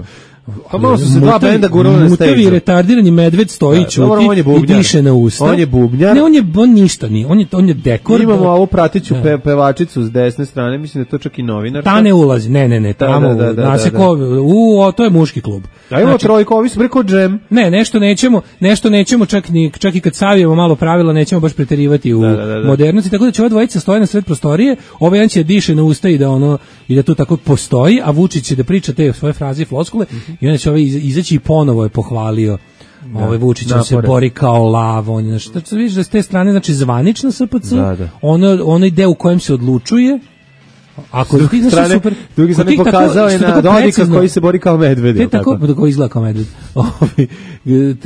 pa malo su se dva benda gurali na stage. Mutavi retardirani medved stoji ćuti i diše na usta. On je bubnjar. Ne, on je on ništa nije. On je on je dekor. Imamo ovu pratiću pe, pevačicu s desne strane, mislim da je to čak i novinar. Ta ne ulazi. Ne, ne, ne, tamo. Da, da, da, da, da. U, o, to je muški klub. A ima znači, trojko, ovi su preko džem. Ne, nešto nećemo, nešto nećemo čak ni čak i kad savijemo malo pravila, nećemo baš preterivati u da, da, da, da. modernosti, tako da će ova dvojica stoje na sred prostorije, ovaj jedan će diše na usta i da ono i da to tako postoji, a Vučić će da priča te svoje fraze i floskule mm-hmm. i onda će ovaj izaći i ponovo je pohvalio da, ovaj Vučić se bori kao lav, on znači da vidiš da s te strane znači zvanična S P C, da, da. ono onaj deo u kojem se odlučuje. Ako s druge strane, super, drugi strane pokazao je na Dodika koji se bori kao medved. Te tako, tako? Koji izgleda kao medved.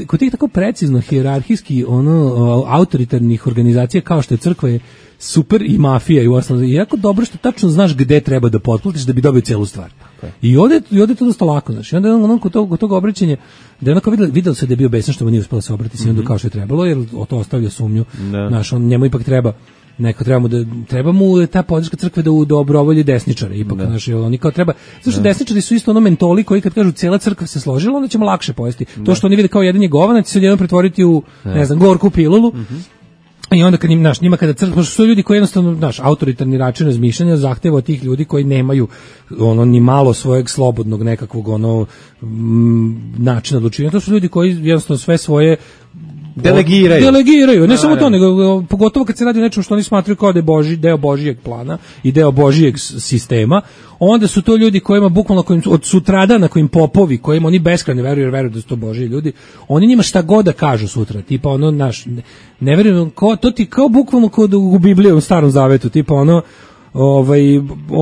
Kod tih tako precizno, hijerarhijski, ono, autoritarnih organizacija kao što je crkva je super i mafija i u osnovu. I jako dobro što tačno znaš gde treba da potplatiš da bi dobio celu stvar. Okay. I ovde, i ovde je to dosta lako, znaš. I onda on, on kod tog, tog obraćanja, da je onako vidjelo, vidjelo se da je bio besan što mu nije uspela da se obrati s mm-hmm. kao što je trebalo, jer o to ostavlja sumnju. No. Znaš, on, njemu ipak treba neko treba mu da treba mu ta podrška crkve da u dobrovolji desničare ipak da. Znači oni kao treba zato što desničari su isto ono mentoli koji kad kažu cela crkva se složila onda ćemo lakše pojesti da. To što oni vide kao jedan je govanac će se odjednom pretvoriti u da. Ne znam gorku pilulu mm-hmm. I onda kad im naš njima kada crkva su ljudi koji jednostavno naš autoritarni način razmišljanja zahteva od tih ljudi koji nemaju ono ni malo svojeg slobodnog nekakvog ono m, načina odlučivanja to su ljudi koji jednostavno sve svoje delegiraju. Delegiraju, ne a, samo to, nego pogotovo kad se radi o nečemu što oni smatraju kao da je Boži, deo Božijeg plana i deo Božijeg sistema, onda su to ljudi kojima bukvalno kojim, od sutrada na kojim popovi, kojima oni beskrajno veruju, jer veruju da su to Božiji ljudi, oni njima šta god da kažu sutra, tipa ono, naš, ne, ne veruju, ko, to ti kao bukvalno kod u Bibliji, u Starom Zavetu, tipa ono, ovaj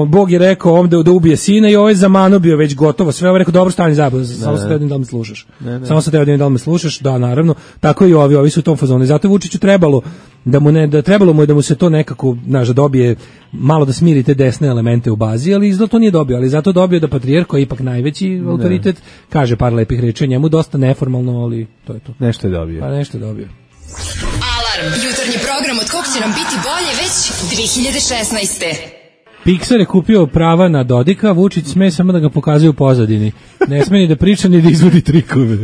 Bog je rekao ovde da ubije sina i ovaj zamano bio već gotovo sve, ovaj rekao dobro stani zabavno samo se teo da me slušaš ne, ne. samo se teo da me slušaš da naravno tako i ovi ovi su u tom fazonu zato je Vučiću trebalo da mu ne da trebalo mu je da mu se to nekako naš da dobije malo da smiri te desne elemente u bazi ali izgleda to nije dobio ali zato dobio da patrijarh koji je ipak najveći autoritet ne. Kaže par lepih reči njemu dosta neformalno ali to je to nešto je dobio pa nešto je dobio. Jutarnji program od kog će nam biti bolje već dve hiljade šesnaeste. Pixar je kupio prava na Dodika, Vučić sme samo da ga pokazuje u pozadini. Ne sme ni da priča ni da izvodi trikove.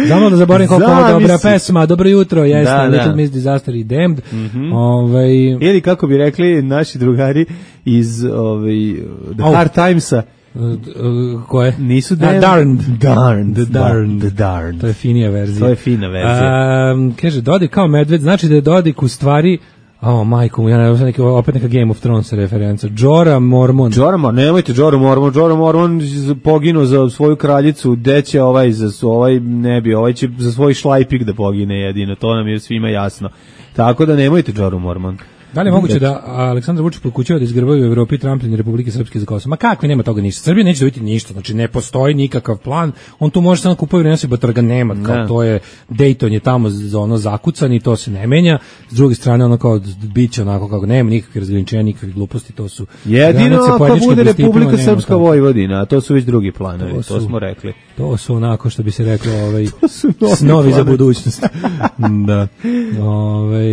Znamo da zaboravim koliko je dobra pesma, dobro jutro, jeste, da, Little da. Miss Disaster i Damned. Mm-hmm. Ovaj... Ili kako bi rekli naši drugari iz ovaj, The oh. Hard Timesa, Uh, uh, koje? Nisu Darned. Darned. Darned. The Darned. The Darned. To je finija verzija. To je fina verzija. Um, kaže, Dodik kao medved, znači da je Dodik u stvari, o, majko, ja ne znam, neki, opet neka Game of Thrones referenca. Jorah Mormont. Jorah Mormont, nemojte Jorah Mormont. Jorah Mormont poginuo za svoju kraljicu, deće ovaj, za ovaj ne bi, ovaj će za svoj šlajpik da pogine jedino, to nam je svima jasno. Tako da nemojte Jorah Mormont. Da li je moguće da Aleksandar Vučić pokušava da izgrbaju u Evropi tramplin Republike Srpske za Kosovo? Ma kakvi, nema toga ništa. Srbija neće dobiti ništa, znači ne postoji nikakav plan. On tu može samo kupuje vreme se batrga nema, kao ne. To je Dayton je tamo za ono zakucan i to se ne menja. S druge strane ono kao biće onako kako nema nikakve razgraničenja, nikakve gluposti, to su jedino ako bude Republika Srpska Vojvodina, a to su već drugi planovi, to, su, to smo rekli. To su onako što bi se reklo, ovaj snovi za budućnost. Da. Ovaj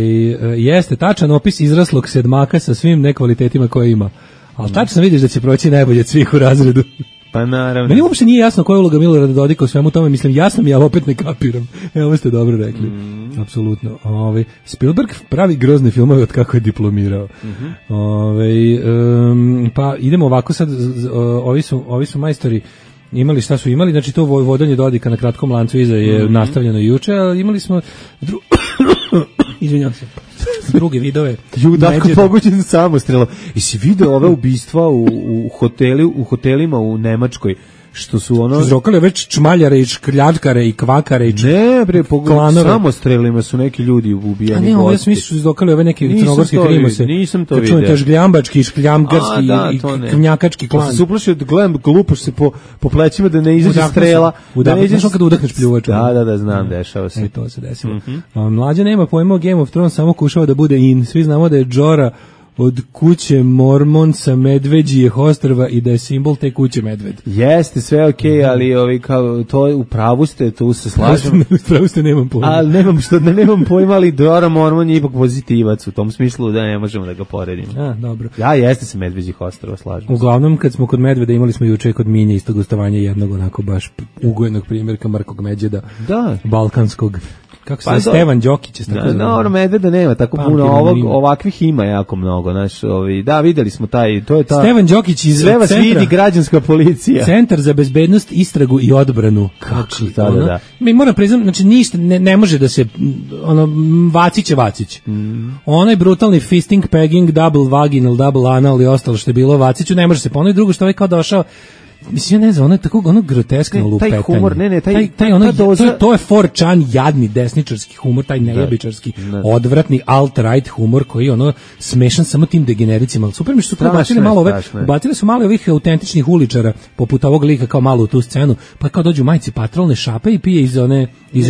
jeste tačan opis izraslog sedmaka sa svim nekvalitetima koje ima. Ali tačno vidiš da će proći najbolje od svih u razredu. Pa naravno. Meni uopšte nije jasno koja je uloga Milorada Dodika u svemu tome, mislim jasno mi, ali opet ne kapiram. Evo, ovo ste dobro rekli. Mm. Apsolutno. Ove, Spielberg pravi grozne filmove od kako je diplomirao. Mm-hmm. Ove, um, pa idemo ovako sad, ovi su, ovi su majstori imali šta su imali, znači to vodanje Dodika na kratkom lancu iza je mm-hmm. nastavljeno juče, ali imali smo dru... izvinjam se druge vidove. Judaško poguđen samostrelom. I si video ove ubistva u, u, hoteli, u hotelima u Nemačkoj, što su ono... Izrokali već čmaljare i škljačkare i kvakare i č... Ne, bre, poguđen samostrelima su neki ljudi ubijani. A ne, ovo ja sam mislio su izrokali ove neke crnogorske krimose. Nisam to vidio. Čujete žgljambački, škljamgarski da, i knjakački klan. Pa se uplašio da gledam, glupaš se po, po plećima da ne izađe strela. Udahnuš, da ne izađe... kada udahneš pljuvaču. Da, da, da, znam, dešava se. E, to se desilo. Mm-hmm. Mlađa nema pojma o Game of Thrones, samo kušava da bude in. Svi znamo da je Jorah od kuće Mormonca Medveđijeh ostrva i da je simbol te kuće medved. Jeste, sve okej, okay, ali ovi, kao, to je, u pravu ste, tu se slažem. U pravu ste, nemam pojma. Ali nemam, što, ne, nemam pojma, ali Dora Mormon je ipak pozitivac, u tom smislu da ne možemo da ga poredimo. A, dobro. Ja, jeste se Medveđih ostrva, slažem. Uglavnom, kad smo kod medveda, imali smo juče kod Minje isto gostovanje jednog onako baš ugojenog primjerka Markog Međeda, da. Balkanskog. Kako se pa Stevan Đokić je tako. No, no, medveda nema tako puno, ovog, ovakvih ima jako mnogo, znaš, ovi, da, videli smo taj, to je ta Stevan Đokić iz sve vas centra, vidi građanska policija. Centar za bezbednost, istragu i odbranu. Kako znači, da, ono, da, da. Mi moram priznam, znači ništa ne, ne može da se ono Vacić je Vacić. Mm. Onaj brutalni fisting, pegging, double vaginal, double anal i ostalo što je bilo Vaciću ne može se ponoviti. Drugo što ovaj kao došao, mislim, ja ne znam, ono je tako ono groteskno lupetanje. Taj humor, ne, ne, taj, taj, taj ono, doza... to, je, to je four chan jadni desničarski humor, taj nejebičarski, odvratni alt-right humor koji je ono smešan samo tim degenericima. Super mi što su ubacili malo ove, ubacili su malo ovih autentičnih uličara, poput ovog lika kao malo u tu scenu, pa kao dođu majci patrolne šape i pije iz one, iz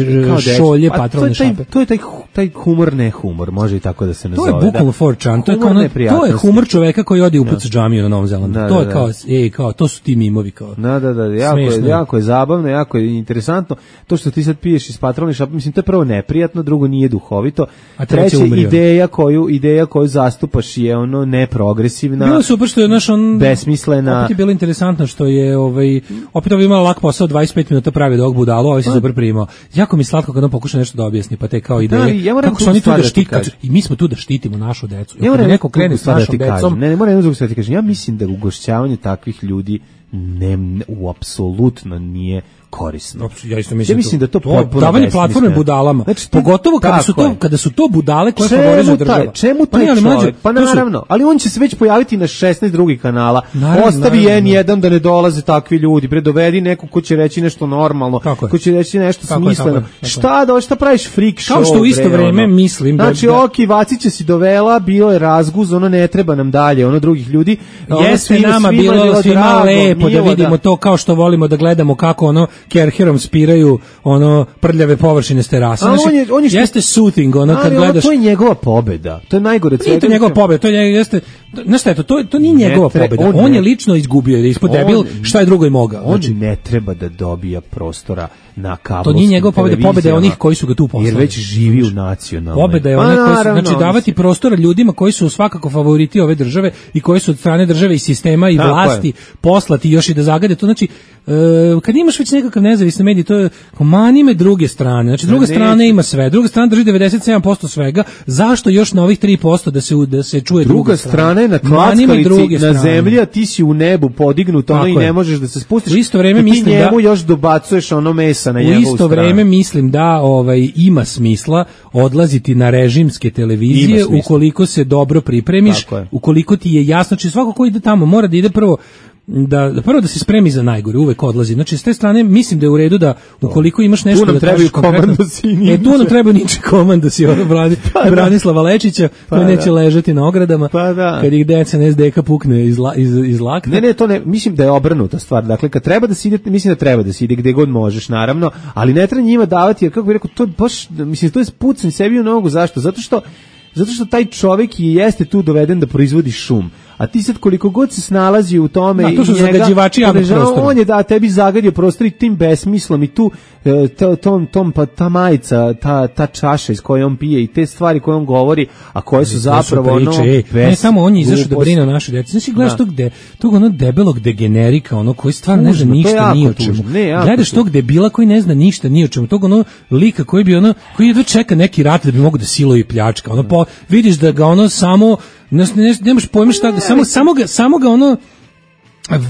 šolje patrolne to taj, šape. To je taj, taj humor, ne humor, može i tako da se nazove. To je bukvalno four chan, to je, kao ono, to je humor čoveka koji odi upuca džamiju na Novom Zelandu. To je kao, ej, kao, to su ti mimovi. Kao. Da, da, da, jako je, jako je zabavno, jako je interesantno. To što ti sad piješ iz patrolne šape, mislim, to je prvo neprijatno, drugo nije duhovito. A treće, ideja koju, ideja koju zastupaš je ono neprogresivna. Bilo super što je naš on besmislena. Opet je bilo interesantno što je ovaj opet ovaj imala lak posao dvadeset pet minuta pravi dog budalo, ovaj se super primao. Jako mi slatko kad on pokuša nešto da objasni, pa te kao ideje. Ja kako su oni tu da štite i mi smo tu da štitimo našu decu. Ja kad neko krene s našom decom, ne, ne moram jedno da ti kažem. Ja mislim da ugošćavanje takvih ljudi ne, u apsolutno nije korisno. Ja isto mislim, ja mislim da to, to potpuno davanje platforme budalama. Znači, pogotovo kada su to kada su to budale koje favorizuju država. Čemu taj pa, čovjek? Pa naravno, ali on će se već pojaviti na šesnaest drugih kanala. Naravno, ostavi en jedan da ne dolaze takvi ljudi. Bre, dovedi neko ko će reći nešto normalno, ko će reći nešto tako smisleno. Je, tako je, šta da, šta praviš freak show? Kao što u isto vreme ono. Mislim da znači, oki Vacića si dovela, bio je razguz, ono ne treba nam dalje, ono drugih ljudi. Jeste nama bilo svima lepo da vidimo to kao što volimo da gledamo kako ono Kerherom spiraju ono prljave površine s terasa. Znači, on je, on je jeste soothing, ono kad ono, gledaš. To je njegova pobeda. To je najgore. Nije to njegova pobeda, to je jeste. Znaš šta je to? To, to nije njegova tre, pobeda. On, on je lično izgubio, je ispod debil, šta je drugo i mogao. On znači, ne treba da dobija prostora na kablovskim. To nije njegova pobeda, pobeda je onih koji su ga tu poslali. Jer već živi u nacionalnoj. Pobeda je ona koji su, znači davati prostora ljudima koji su svakako favoriti ove države i koji su od strane države i sistema i vlasti poslati još i da zagade to. Znači Uh, kad imaš već nekakav nezavisni medij, to je mani me druge strane. Znači druga strana ima sve, druga strana drži devedeset sedam posto svega. Zašto još na ovih tri posto da se da se čuje druga, druga strana? je na klackalici na zemlji, a ti si u nebu podignut, ono i ne možeš da se spustiš. U isto vreme mislim ti njemu da još dobacuješ ono mesa na njegovu stranu. U isto vreme mislim da ovaj ima smisla odlaziti na režimske televizije ukoliko se dobro pripremiš, ukoliko ti je jasno, či svako ko ide tamo mora da ide prvo da, da prvo da se spremi za najgore, uvek odlazi. Znači s te strane mislim da je u redu da ukoliko imaš nešto da kažeš konkretno, e tu nam treba niče komandosi, ono brani, pa Branislava Lečića, pa koji neće da. ležati na ogradama, pa da. kad ih deca ne zdeka pukne iz, la, iz, iz lakta. Ne, ne, to ne, mislim da je obrnuta stvar. Dakle, kad treba da se ide, mislim da treba da se ide gde god možeš, naravno, ali ne treba njima davati, jer kako bih rekao, to baš, mislim, to je pucanj sebi u nogu. Zašto? Zato što Zato što taj čovjek i jeste tu doveden da proizvodi šum. A ti sad koliko god se snalazi u tome da, to su i njega, zagađivači javnog prostora. On je da tebi zagadio prostor i tim besmislom i tu to, tom, tom, pa ta majica, ta, ta čaša iz koje on pije i te stvari koje on govori, a koje su zapravo ono... Ej, ne samo on je izašao da brine o našoj djeci. Znači gledaš tog, de, tog ono debelog degenerika, ono koji stvarno ne zna ništa ni o čemu. Ne, gledaš tog debila koji ne zna ništa ni o čemu. Tog ono lika koji bi ono, koji jedva čeka neki rat da bi mogo da siluje i pljačka. Ono po, vidiš da ga ono samo... Ne, ne, nemaš pojma šta, ne, samo, samo, ga, samo ga ono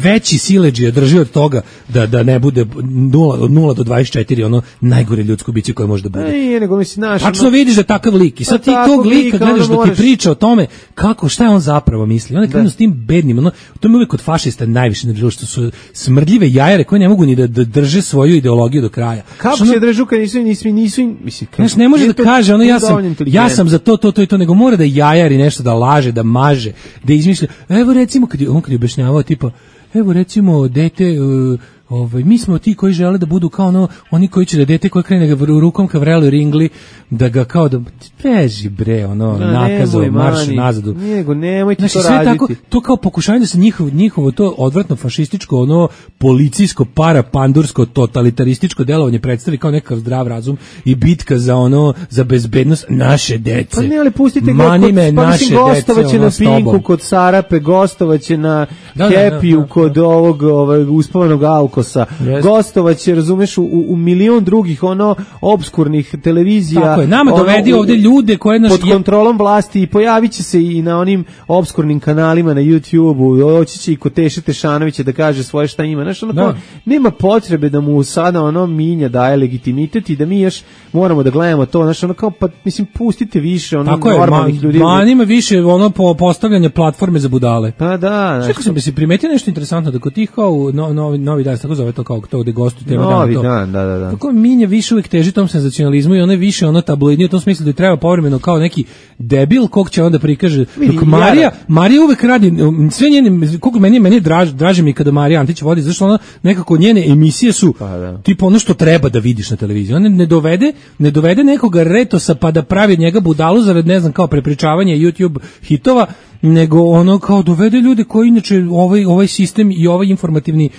veći siledžija drži od toga da da ne bude nula, od nula do dvadeset četiri ono najgore ljudsko biće koje može da bude. Ne, nego misli naš. Tačno vidiš da takav lik i sad ti tog lika gledaš da ti priča o tome kako šta on zapravo misli. On je krenuo s tim bednim, ono to mi uvek kod fašista najviše nerviralo što su smrdljive jajare koje ne mogu ni da, da drže svoju ideologiju do kraja. Kako se držu kad nisu nisu nisu mislim znaš, ne može da kaže ono ja sam ja sam za to to to i to nego mora da jajari nešto da laže, da maže, da izmišlja. Evo recimo kad on kad je objašnjavao tipa evo recimo dete uh, ovaj, mi smo ti koji žele da budu kao ono, oni koji će da dete koje krene ga rukom ka vreloj ringli, da ga kao da, beži bre, ono, da, nakazo, marš nazadu. Nego, nemojte znači, to sve raditi. Tako, to kao pokušanje da se njihovo, njihovo to odvratno fašističko, ono, policijsko, parapandursko, totalitarističko delovanje predstavi kao nekakav zdrav razum i bitka za ono, za bezbednost naše dece. Pa ne, ali pustite ga kod, pa naše gostovaće dece, na Pinku, kod Sarape, gostovaće na da, Happy-u, da, da, da, kod ovog, ovog uspavanog Alkosa, yes. Gostovaće, razumeš, u, u milion drugih ono obskurnih televizija. Tako je, nama dovedi ovde ljude koje naš... pod kontrolom vlasti i pojavit će se i na onim obskurnim kanalima na YouTube-u, oći će i kod Teše Tešanovića da kaže svoje šta ima. Znaš, ono kao, nema potrebe da mu sada ono Minja daje legitimitet i da mi još moramo da gledamo to, znaš, ono kao, pa mislim, pustite više ono tako normalnih je, ljudi. Ma, ima više ono po postavljanje platforme za budale. Pa da. Što sam bi se primetio nešto interesantno, da kod tih kao no, novi, novi dan, tako zove to kao to gde gostuju tema novi dan, to. dan, da, da, da. Kako Minja više uvijek teži tom senzacionalizmu i ono je više ono tabloidnije u tom smislu da je treba povremeno kao neki debil kog će onda prikaže. Dok Marija, Marija uvek radi sve njene, koliko meni meni draž, draže mi kada Marija Antić vodi, zašto ona nekako njene emisije su pa, da. Tipa ono što treba da vidiš na televiziji. Ona ne dovede, ne dovede nekoga retosa pa da pravi od njega budalu zarad ne znam kao prepričavanje YouTube hitova, nego ono kao dovede ljude koji inače ovaj ovaj sistem i ovaj informativni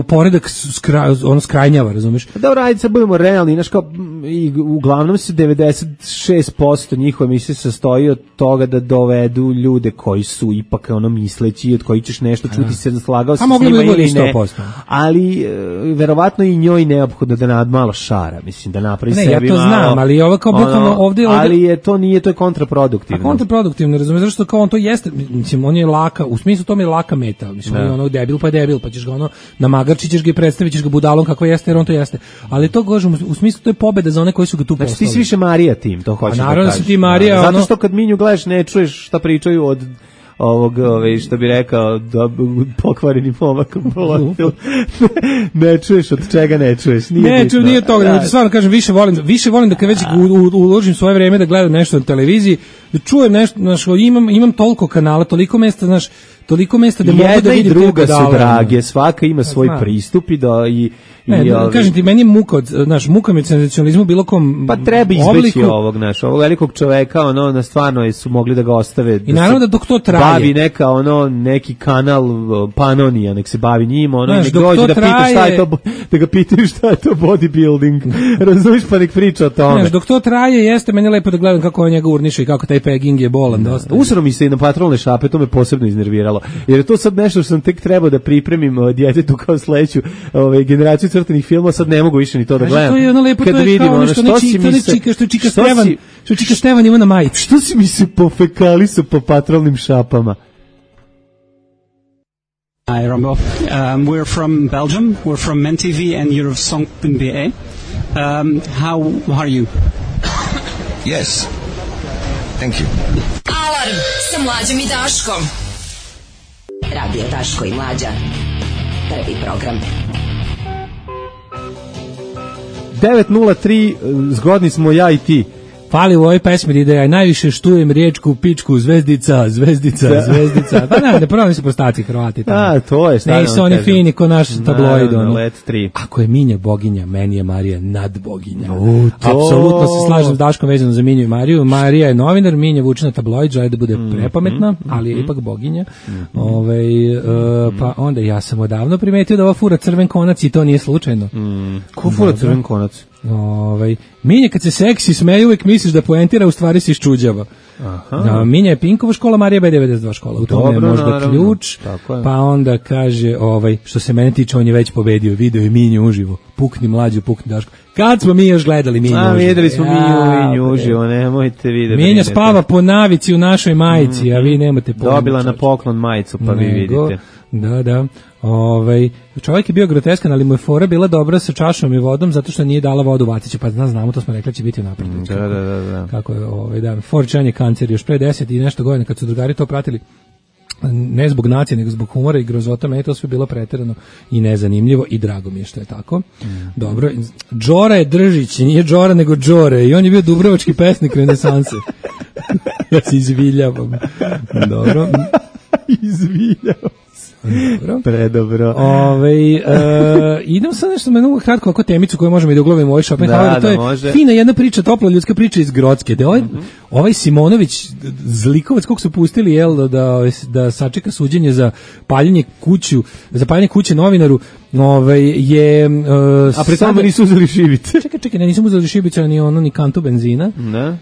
poredak skra, ono skrajnjava, razumeš? Dobro, ajde sad budemo realni, znaš kao i uglavnom se devedeset šest posto njihove emisije sastoji od toga da dovedu ljude koji su ipak ono misleći, od kojih ćeš nešto čuti, se slagao se s njima ili ne. Ali e, verovatno i njoj neophodno da nad malo šara, mislim da napravi ne, sebi ja to malo, znam, ali ovo kao bukvalno ono, ovde, ovde ali je to nije, to je kontraproduktivno. A kontraproduktivno, razumeš, zašto kao on to jeste, mislim on je laka, u smislu tome je laka meta, mislim on je ono debil pa je debil, pa ćeš ga ono namagarčić ćeš ga i predstavit ćeš ga budalom kako jeste, jer on to jeste. Ali to kažem u smislu to je pobeda za one koji su ga tu postavili. Znači ti si više Marija tim, to hoćeš da kažeš. Naravno da si ti Marija, zato ono... što kad Minju gledaš ne čuješ šta pričaju od ovog, ove, što bi rekao, do, pokvareni momak ne čuješ od čega ne čuješ. Nije ne čujem, nije toga, da, stvarno kažem, više volim, više volim da kad već uložim svoje vreme da gledam nešto na televiziji, da čujem nešto, znaš, imam, imam toliko kanala, toliko mesta, znaš, toliko mesta da mogu da vidim. Jedna i druga su drage, svaka ima svoj Zna. pristup i da i Ne, I, ovi... kažem ti, meni je muka od, znaš, muka mi od senzacionalizmu bilo kom pa treba izbeći ovog, znaš, ovog velikog čoveka, ono, na stvarno su mogli da ga ostave. I naravno da dok to traje. Bavi neka, ono, neki kanal Panonija, nek se bavi njima, ono, znaš, nek dođe da traje... pita šta je to, da ga pitaju šta je to bodybuilding, razumiješ, pa nek priča o tome. Znaš, dok to traje, jeste meni lepo da gledam kako on njega urniše i kako taj pegging je bolan dosta. Usro mi se i na patrolne šape, to me posebno iznerviralo, jer je to sad nešto što sam tek trebao da pripremim djetetu kao sledeću ovaj, generaciju crtanih filmova, sad ne mogu više ni to da gledam. To je ono lepo, kad to je vidim, kao ono što, ono, što, ne čika, što čika što Stevan, si, što čika Stevan ima na majici. Što si mi se pofekali su po patrolnim šapama? Hi, Rombo. Um, we're from Belgium. We're from M T V and you're of song dot b a. Um, how, how are you? Yes. Thank you. Alarm sa Mlađom i Daškom. Radio Daško i Mlađa. Prvi program. devet nula tri, zgodni smo ja i ti. Fali u ovoj pesmi da ja najviše štujem riječku, pičku, zvezdica, zvezdica, da. zvezdica. Pa ne, ne pravo se prostaci Hrvati. Tamo. A, to je stvarno. Ne su oni fini ko naš tabloid. Naravno, let tri. Ako je Minja boginja, meni je Marija nadboginja. U, apsolutno se slažem s Daškom vezano za Minju i Mariju. Marija je novinar, Minja vuče na tabloid, želi da bude mm, prepametna, mm, ali je mm, ipak boginja. Mm, Ove, uh, pa onda ja sam odavno primetio da ova fura crven konac i to nije slučajno. Mm. Ko fura crven konac? Ovaj Minja kad se seksi smeje uvek misliš da poentira, u stvari se iščuđava. Aha. Da, Minja je Pinkova škola, Marija B devedeset dva škola. U tome je možda naravno. ključ. Pa onda kaže, ovaj, što se mene tiče, on je već pobedio, video je Minju uživo. Pukni Mlađu, pukni Daško. Kad smo mi još gledali Minju a, uživo? Videli smo ja, Minju uživo, nemojte vidjeti. Minja spava po navici u našoj majici, mm, a vi nemate pojma. Dobila na poklon majicu, pa Nego, vi vidite. Da, da. Ovaj čovjek je bio groteskan, ali mu je fora bila dobra sa čašom i vodom zato što nije dala vodu Vaciću, pa zna, znamo, to smo rekli će biti unapred. Da, da, da, da. Kako je, ovaj da, Forčan je kancer još pre deset i nešto godina kad su drugari to pratili. Ne zbog nacije, nego zbog humora i grozota, meni to sve bilo preterano i nezanimljivo i drago mi je što je tako. Mm. Dobro, Đora je Držić, nije Đora nego Đore i on je bio dubrovački pesnik renesanse. Ja se izviljavam. Dobro. Izviljavam. Dobro. Predobro. Ove, uh, idem sad nešto menu kratko oko temicu koju možemo i da uglavimo u ovaj shopping. Da, to da, je može. Fina jedna priča, topla ljudska priča iz Grocke. Da ovaj, mm-hmm. ovaj Simonović, zlikovac, kog su pustili jel, da, da, da sačeka suđenje za paljenje kuću, za paljenje kuće novinaru, ovaj, je... Uh, A pre tome nisu uzeli šibice. Čekaj, čekaj, ne, nisam uzeli šibice, ni ono, ni kantu benzina. Ne. Uh,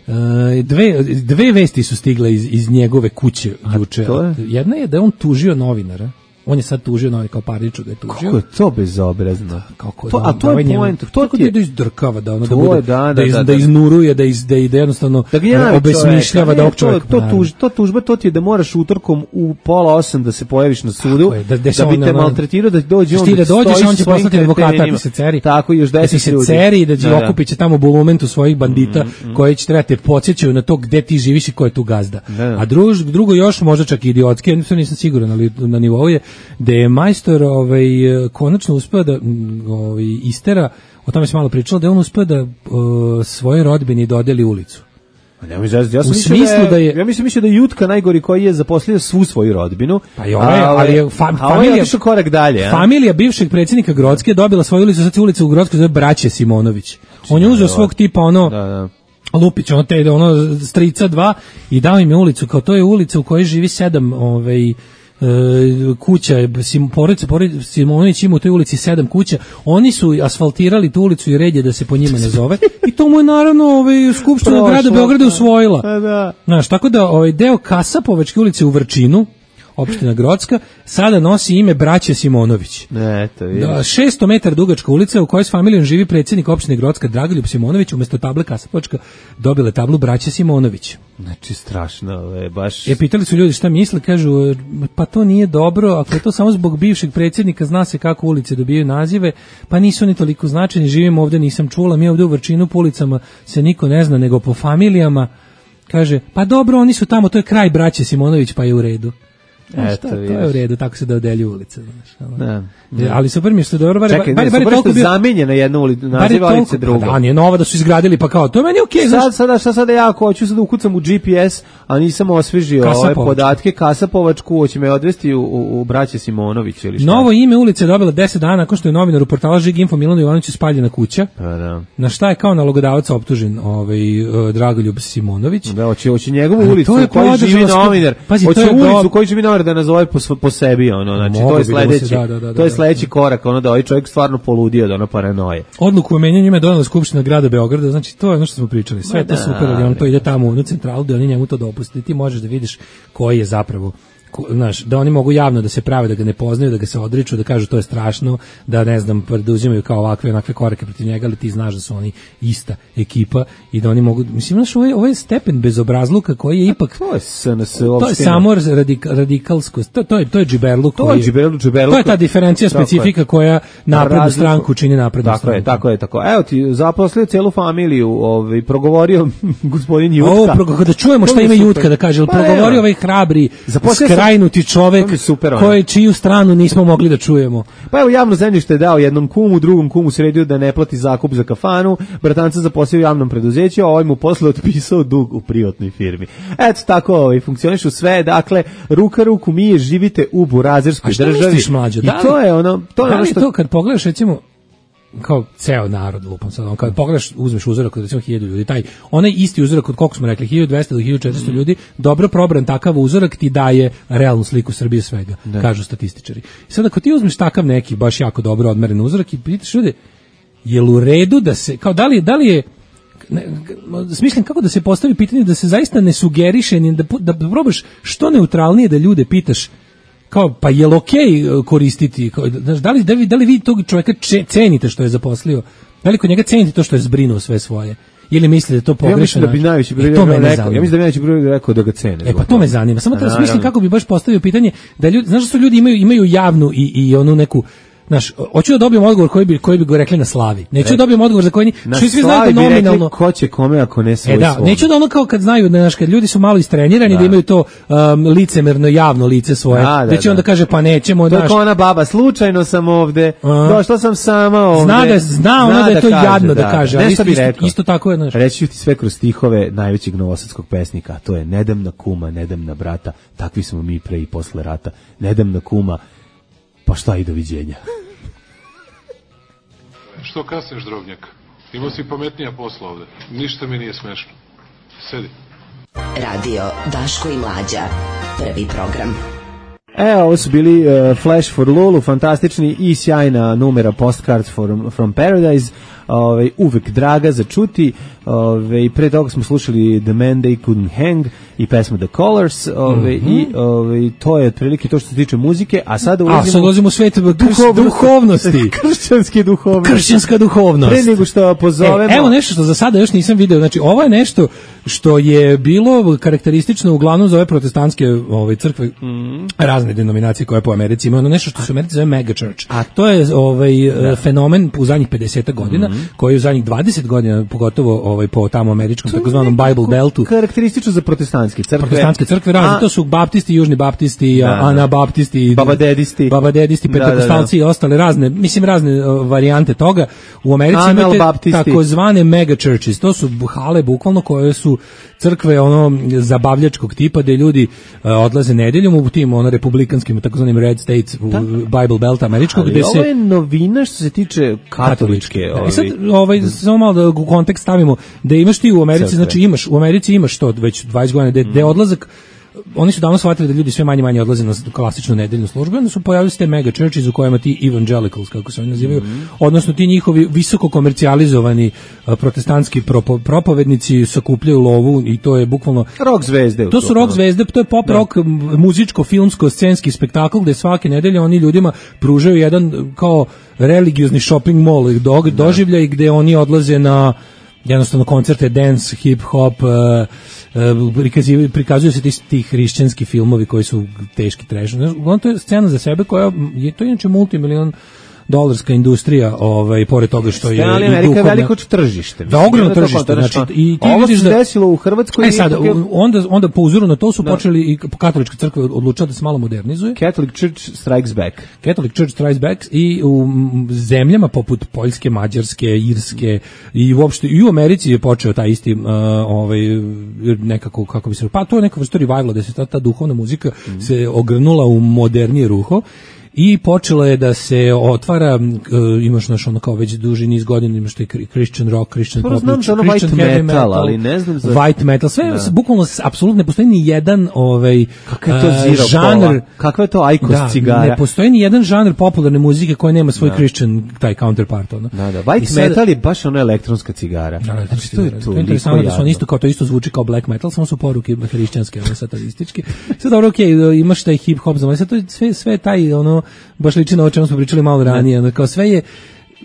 dve, dve vesti su stigle iz, iz njegove kuće juče. Jedna je da je on tužio novinara. On je sad tužio novi kao parniču da je tužio. Kako je to bezobrazno? Kako to, da, a to da, je point. To ti je da izdrkava, da ono to da bude, je, da, da, da, iz, da, da, da iznuruje, da iz, da ide jednostavno da obesmišljava da ovog čovjeka. To, to, tuž, to tužba, to ti je da moraš utorkom u pola osam da se pojaviš na sudu, je, da, da, da bi te maltretirao, da dođe on da dođeš, on će svojim poslati advokata, ti se ceri. Tako, još deset ljudi. Da se ceri, da će okupiće tamo bulumentu svojih bandita mm, mm. koji će trebati podsjećaju na to gde ti živiš i ko je tu gazda. Da. A druž, drugo još, možda čak i idiotski, ja nisam siguran, ali na nivou je da je majstor ovaj, konačno uspeo da ovaj, istera, o tome se malo pričalo, da je on uspeo da uh, svoje rodbini dodeli ulicu. Ja, ja, ja u smislu da je, ja mislim mislio da je Jutka najgori koji je zaposlio svu svoju rodbinu. Pa i ovaj, ali je fam, familija je korak dalje, a? Familija bivšeg predsjednika Grocke dobila svoju ulicu, sad se ulica u Grockoj zove Braće Simonović. On je uzeo svog tipa ono da, da. Lupić, ono te ono strica dva i dao im je ulicu, kao to je ulica u kojoj živi sedam ovaj kuća, porodica Simonović ima u toj ulici sedam kuća, oni su asfaltirali tu ulicu i red je da se po njima ne zove i to mu je naravno ovaj, Skupština grada Beograda usvojila. Da. Znaš, tako da ovaj deo Kasapovačke ulice u Vrčinu, opština Grocka, sada nosi ime Braće Simonović. Eto, vidiš. Da, šesto metara dugačka ulica u kojoj s familijom živi predsjednik opštine Grocka Dragoljub Simonović, umjesto table Kasapovačka dobile tablu Braće Simonović. Znači, strašno, je baš... E, pitali su ljudi šta misle, kažu, pa to nije dobro, ako je to samo zbog bivšeg predsjednika, zna se kako ulice dobijaju nazive, pa nisu oni toliko značajni, živimo ovdje, nisam čula, mi ovdje u Vrčinu po ulicama se niko ne zna, nego po familijama, kaže, pa dobro, oni su tamo, to je kraj Braće Simonović, pa je u redu. Eto, šta, to je u redu, tako se dodelju ulice. Znaš, da, da. Ali super mi što dobro, čekaj, bar, ne, bar, super što bio... zamenjena jedna ulica, naziva ulice druga. Da, nije nova da su izgradili, pa kao, to je meni okej. Okay, sad, sada, šta sada ja hoću sad ukucam u G P S, a nisam osvežio ove podatke, Kasapovačku, hoće me odvesti u, u, u Braće Simonović ili šta? Novo ime ulice je dobila deset dana nakon što je novinar u portalu Žig Info Milanu Jovanoviću spaljena kuća. Pa da. Na šta je kao nalogodavac optužen ovaj, uh, Dragoljub Simonović. Da, hoće, hoće njegovu ulicu u kojoj živi novinar, hoće ulicu u kojoj živi novinar da nazove po po sebi, ono, znači to je sledeći, da, da, da, to je sledeći da, korak, ono da ovaj čovjek stvarno poludio, da ono paranoje. Odluku o menjanju ime donela Skupština grada Beograda, znači to je ono što smo pričali, sve je to super, ali on to ide tamo u centralu, da oni njemu to dopuste, ti možeš da vidiš koji je zapravo, znaš, da oni mogu javno da se prave, da ga ne poznaju, da ga se odriču, da kažu to je strašno, da ne znam, preduzimaju kao ovakve onakve korake protiv njega, ali ti znaš da su oni ista ekipa i da oni mogu, mislim, znaš, ovaj, ovaj stepen bezobrazluka koji je ipak, to je S N S, to je samo radik, radikalsko, to, to je to je džiberluk, to je džiberluk, džiberluk, to je ta diferencija specifika koja naprednu stranku čini naprednu tako stranku. Je, tako je, tako. Evo ti zaposlio celu familiju, ovaj progovorio gospodin Jutka. Ovo, da čujemo šta ima Jutka da kaže, pa, progovorio ovaj hrabri, skrajnuti čovek koji čiju stranu nismo mogli da čujemo. Pa evo, javno zemljište je dao jednom kumu, drugom kumu sredio da ne plati zakup za kafanu, bratanca zaposlio u javnom preduzeću, a ovaj mu posle otpisao dug u privatnoj firmi. Eto tako, ovaj, funkcionišu sve, dakle, ruka ruku mije, živite u burazerskoj državi. A šta misliš, mlađo? I to je ono, to je da ono što... to kad pogledaš, recimo, kao ceo narod, lupam sad, on, kad pogledaš, uzmeš uzorak od recimo hiljadu ljudi, taj, onaj isti uzorak od koliko smo rekli, hiljadu dvesta do hiljadu četiristo ljudi, dobro probran takav uzorak ti daje realnu sliku Srbije svega, da, kažu statističari. I sad ako ti uzmeš takav neki, baš jako dobro odmeren uzorak i pitaš ljudi, je li u redu da se, kao da li, da li je, ne, smišljam kako da se postavi pitanje da se zaista ne sugeriše, da, da, da probaš što neutralnije da ljude pitaš, kao, pa je li okej okay koristiti, kao, da, li, da, li, da li vi tog čovjeka cenite što je zaposlio, da li kod njega cenite to što je zbrinuo sve svoje, ili mislite da je to pogrešno? Ja mislim da bi najveći broj rekao, ja mislim da bi najveći broj rekao da ga cene. E pa to me zanima, samo da smislim kako bi baš postavio pitanje, da ljudi, znaš da su ljudi imaju, imaju javnu i, i onu neku, znaš, hoću da dobijem odgovor koji bi koji bi go rekli na slavi. Neću da dobijem odgovor za koji ni svi svi znaju da nominalno ko će kome ako ne svoj. E da, svoj. Neću da ono kao kad znaju da, znaš, kad ljudi su malo istrenirani da, da imaju to um, licemerno javno lice svoje. Da, da, da će onda kaže pa nećemo, znaš. To je ona baba, slučajno sam ovde. Došla sam sama ovde. Zna da zna ona da je to jadno da kaže, ali isto, isto tako je, znaš. Reći ti sve kroz stihove najvećeg novosadskog pesnika, a to je nedam na kuma, nedam na brata, takvi smo mi pre i posle rata. Nedam na kuma, Pa šta i doviđenja. Što kasniš, drobnjak? Imao si pametnija posla ovde. Ništa mi nije smešno. Sedi. Radio Daško i Mlađa. Prvi program. E, ovo su bili uh, Flash for Lulu, fantastični i sjajna numera Postcards from, from Paradise, ove, uvek draga za čuti, ove, pre toga smo slušali The Man They Couldn't Hang i pesmu The Colors, ove, mm-hmm. i ove, to je otprilike to što se tiče muzike, a sada ulazimo... A sad ulazimo u svet duhov, duhovnosti. Kršćanske duhovnosti. Kršćanska duhovnost. Pre nego što pozovemo... E, evo nešto što za sada još nisam video, znači ovo je nešto što je bilo karakteristično uglavnom za ove protestantske ove, crkve, mm. razne denominacije koje po Americi imaju, ono nešto što se u Americi zove mega church. A to je ovaj, da. fenomen u zadnjih pedeset godina, mm. koji u zadnjih dvadeset godina, pogotovo ovaj, po tamo američkom takozvanom Bible Beltu. Karakteristično za protestantske crkve. Protestantske crkve razne, to su baptisti, južni baptisti, da, anabaptisti, babadedisti, babadedisti, pentakostalci da, da, da. i ostale razne, mislim razne uh, varijante toga. U Americi Anal imate baptisti. takozvane mega churches, to su hale bukvalno koje su crkve ono zabavljačkog tipa gde ljudi uh, odlaze nedeljom u tim ono republikanskim takozvanim red states u da. Bible Belt američkog ali gde se... ovo je novina što se tiče katoličke. Da, i sad ovaj, samo malo da u kontekst stavimo, da imaš ti u Americi, crkve. Znači imaš, u Americi imaš to već dvadeset godina, gde, gde odlazak, oni su davno shvatili da ljudi sve manje manje odlaze na klasičnu nedeljnu službu, onda su pojavili se te mega churches u kojima ti evangelicals, kako se oni nazivaju, mm-hmm. odnosno ti njihovi visoko komercijalizovani uh, protestantski propo, propovednici sakupljaju lovu i to je bukvalno... Rock zvezde. To su rock zvezde, to je pop da. rock, muzičko, filmsko, scenski spektakl gde svake nedelje oni ljudima pružaju jedan kao religiozni shopping mall do, da. doživljaj gde oni odlaze na jednostavno koncerte, dance, hip hop, uh, uh, prikazuju, prikazuju se ti, ti hrišćanski filmovi koji su teški trash. Uglavnom to je scena za sebe koja je, to je inače multimilion dolarska industrija, ovaj pored toga što je ali Amerika je veliko tržište. Da, ogromno tržište, znači i ti ovo vidiš se da desilo u Hrvatskoj. E sad, onda onda po uzoru na to su da. počeli i katolička crkva odlučila da se malo modernizuje. Catholic Church strikes back. Catholic Church strikes back i u zemljama poput Poljske, Mađarske, Irske i uopšte i u Americi je počeo taj isti uh, ovaj nekako kako bi se pa to je neka vrsta revivala da se ta, ta duhovna muzika mm. se ogrnula u modernije ruho. I počelo je da se otvara, uh, imaš naš ono kao već duži niz godina, imaš taj Christian rock, Christian pop, znam za ono white metal, metal, ali ne znam za... White metal, sve, da. bukvalno, apsolutno ne postoji ni jedan ovaj, kakav je to zero uh, žanr... Kakva je to Aikos da, cigara? Ne postoji ni jedan žanr popularne muzike koji nema svoj da. Christian, taj counterpart. Ono. Da, da, white sad, metal je baš ono elektronska cigara. Da, znači, to je to. To je interesantno da su on isto, kao to isto zvuči kao black metal, samo su poruke hrišćanske, ono satanističke. Sve dobro, okej, okay, imaš taj hip hop, znači, sve, sve, sve taj, ono, baš liči na o čemu smo pričali malo ranije, ono, kao sve je,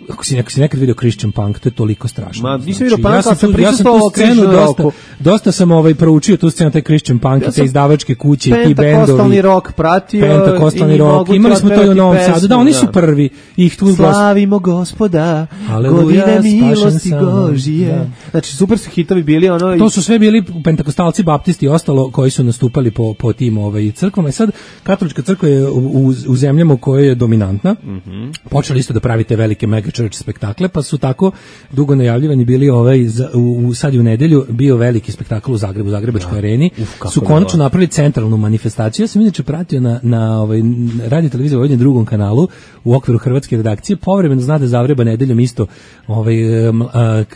ako si, ako si nekad vidio Christian punk, to je toliko strašno. Ma, nisam znači, vidio punk, ja sam, tu, ja sam tu scenu dosta, dosta sam ovaj, proučio tu scenu, taj Christian punk ja i te izdavačke kuće, i ti bendovi. Pentakostalni rock pratio. Pentakostalni rock, imali smo to i u Novom Sadu. Da, oni su prvi. Ih tu slavimo Gospoda, godine milosti Božije. Znači, super su hitovi bili. Ono, to su sve bili pentakostalci, baptisti i ostalo koji su nastupali po, po tim ovaj, crkvama. I sad, katolička crkva je u, u, u zemljama koja je dominantna. Mm-hmm. Počeli isto da pravite velike mega church spektakle, pa su tako dugo najavljivani bili ovaj za, u, sad i u nedelju bio veliki spektakl u Zagrebu, u Zagrebačkoj areni. Uf, su konačno napravili centralnu manifestaciju. Ja sam inače pratio na, na ovaj, radio televiziji Vojvodine drugom kanalu u okviru hrvatske redakcije. Povremeno zna da Zavreba nedeljom isto ovaj,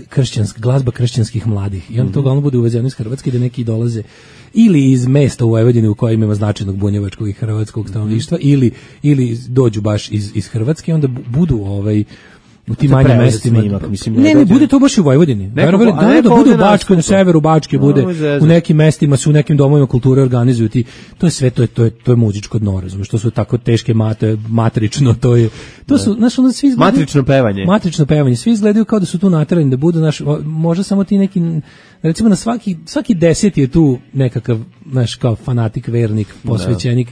kršćansk, glazba kršćanskih mladih. I onda mm-hmm. to uglavnom bude uvezeno iz Hrvatske da neki dolaze ili iz mesta u Vojvodini u kojem ima značajnog bunjevačkog i hrvatskog stanovništva mm-hmm. ili, ili dođu baš iz, iz Hrvatske i onda budu ovaj u tim manjim mestima. Snimak, mislim, ne, ne, bude to baš u Vojvodini. Verovali, da, ne, da bude u Bačkoj, na severu Bačke, bude u nekim mestima, su u nekim domovima kulture organizuju ti. To je sve, to je, to je, to je muzičko dno, razumiješ, to su tako teške mate, matrično, to je, to su, znaš, onda svi izgledaju... Matrično pevanje. Matrično pevanje, svi izgledaju kao da su tu naterani, da budu, naš, možda samo ti neki, recimo na svaki, svaki deseti je tu nekakav, znaš, kao fanatik, vernik, posvećenik,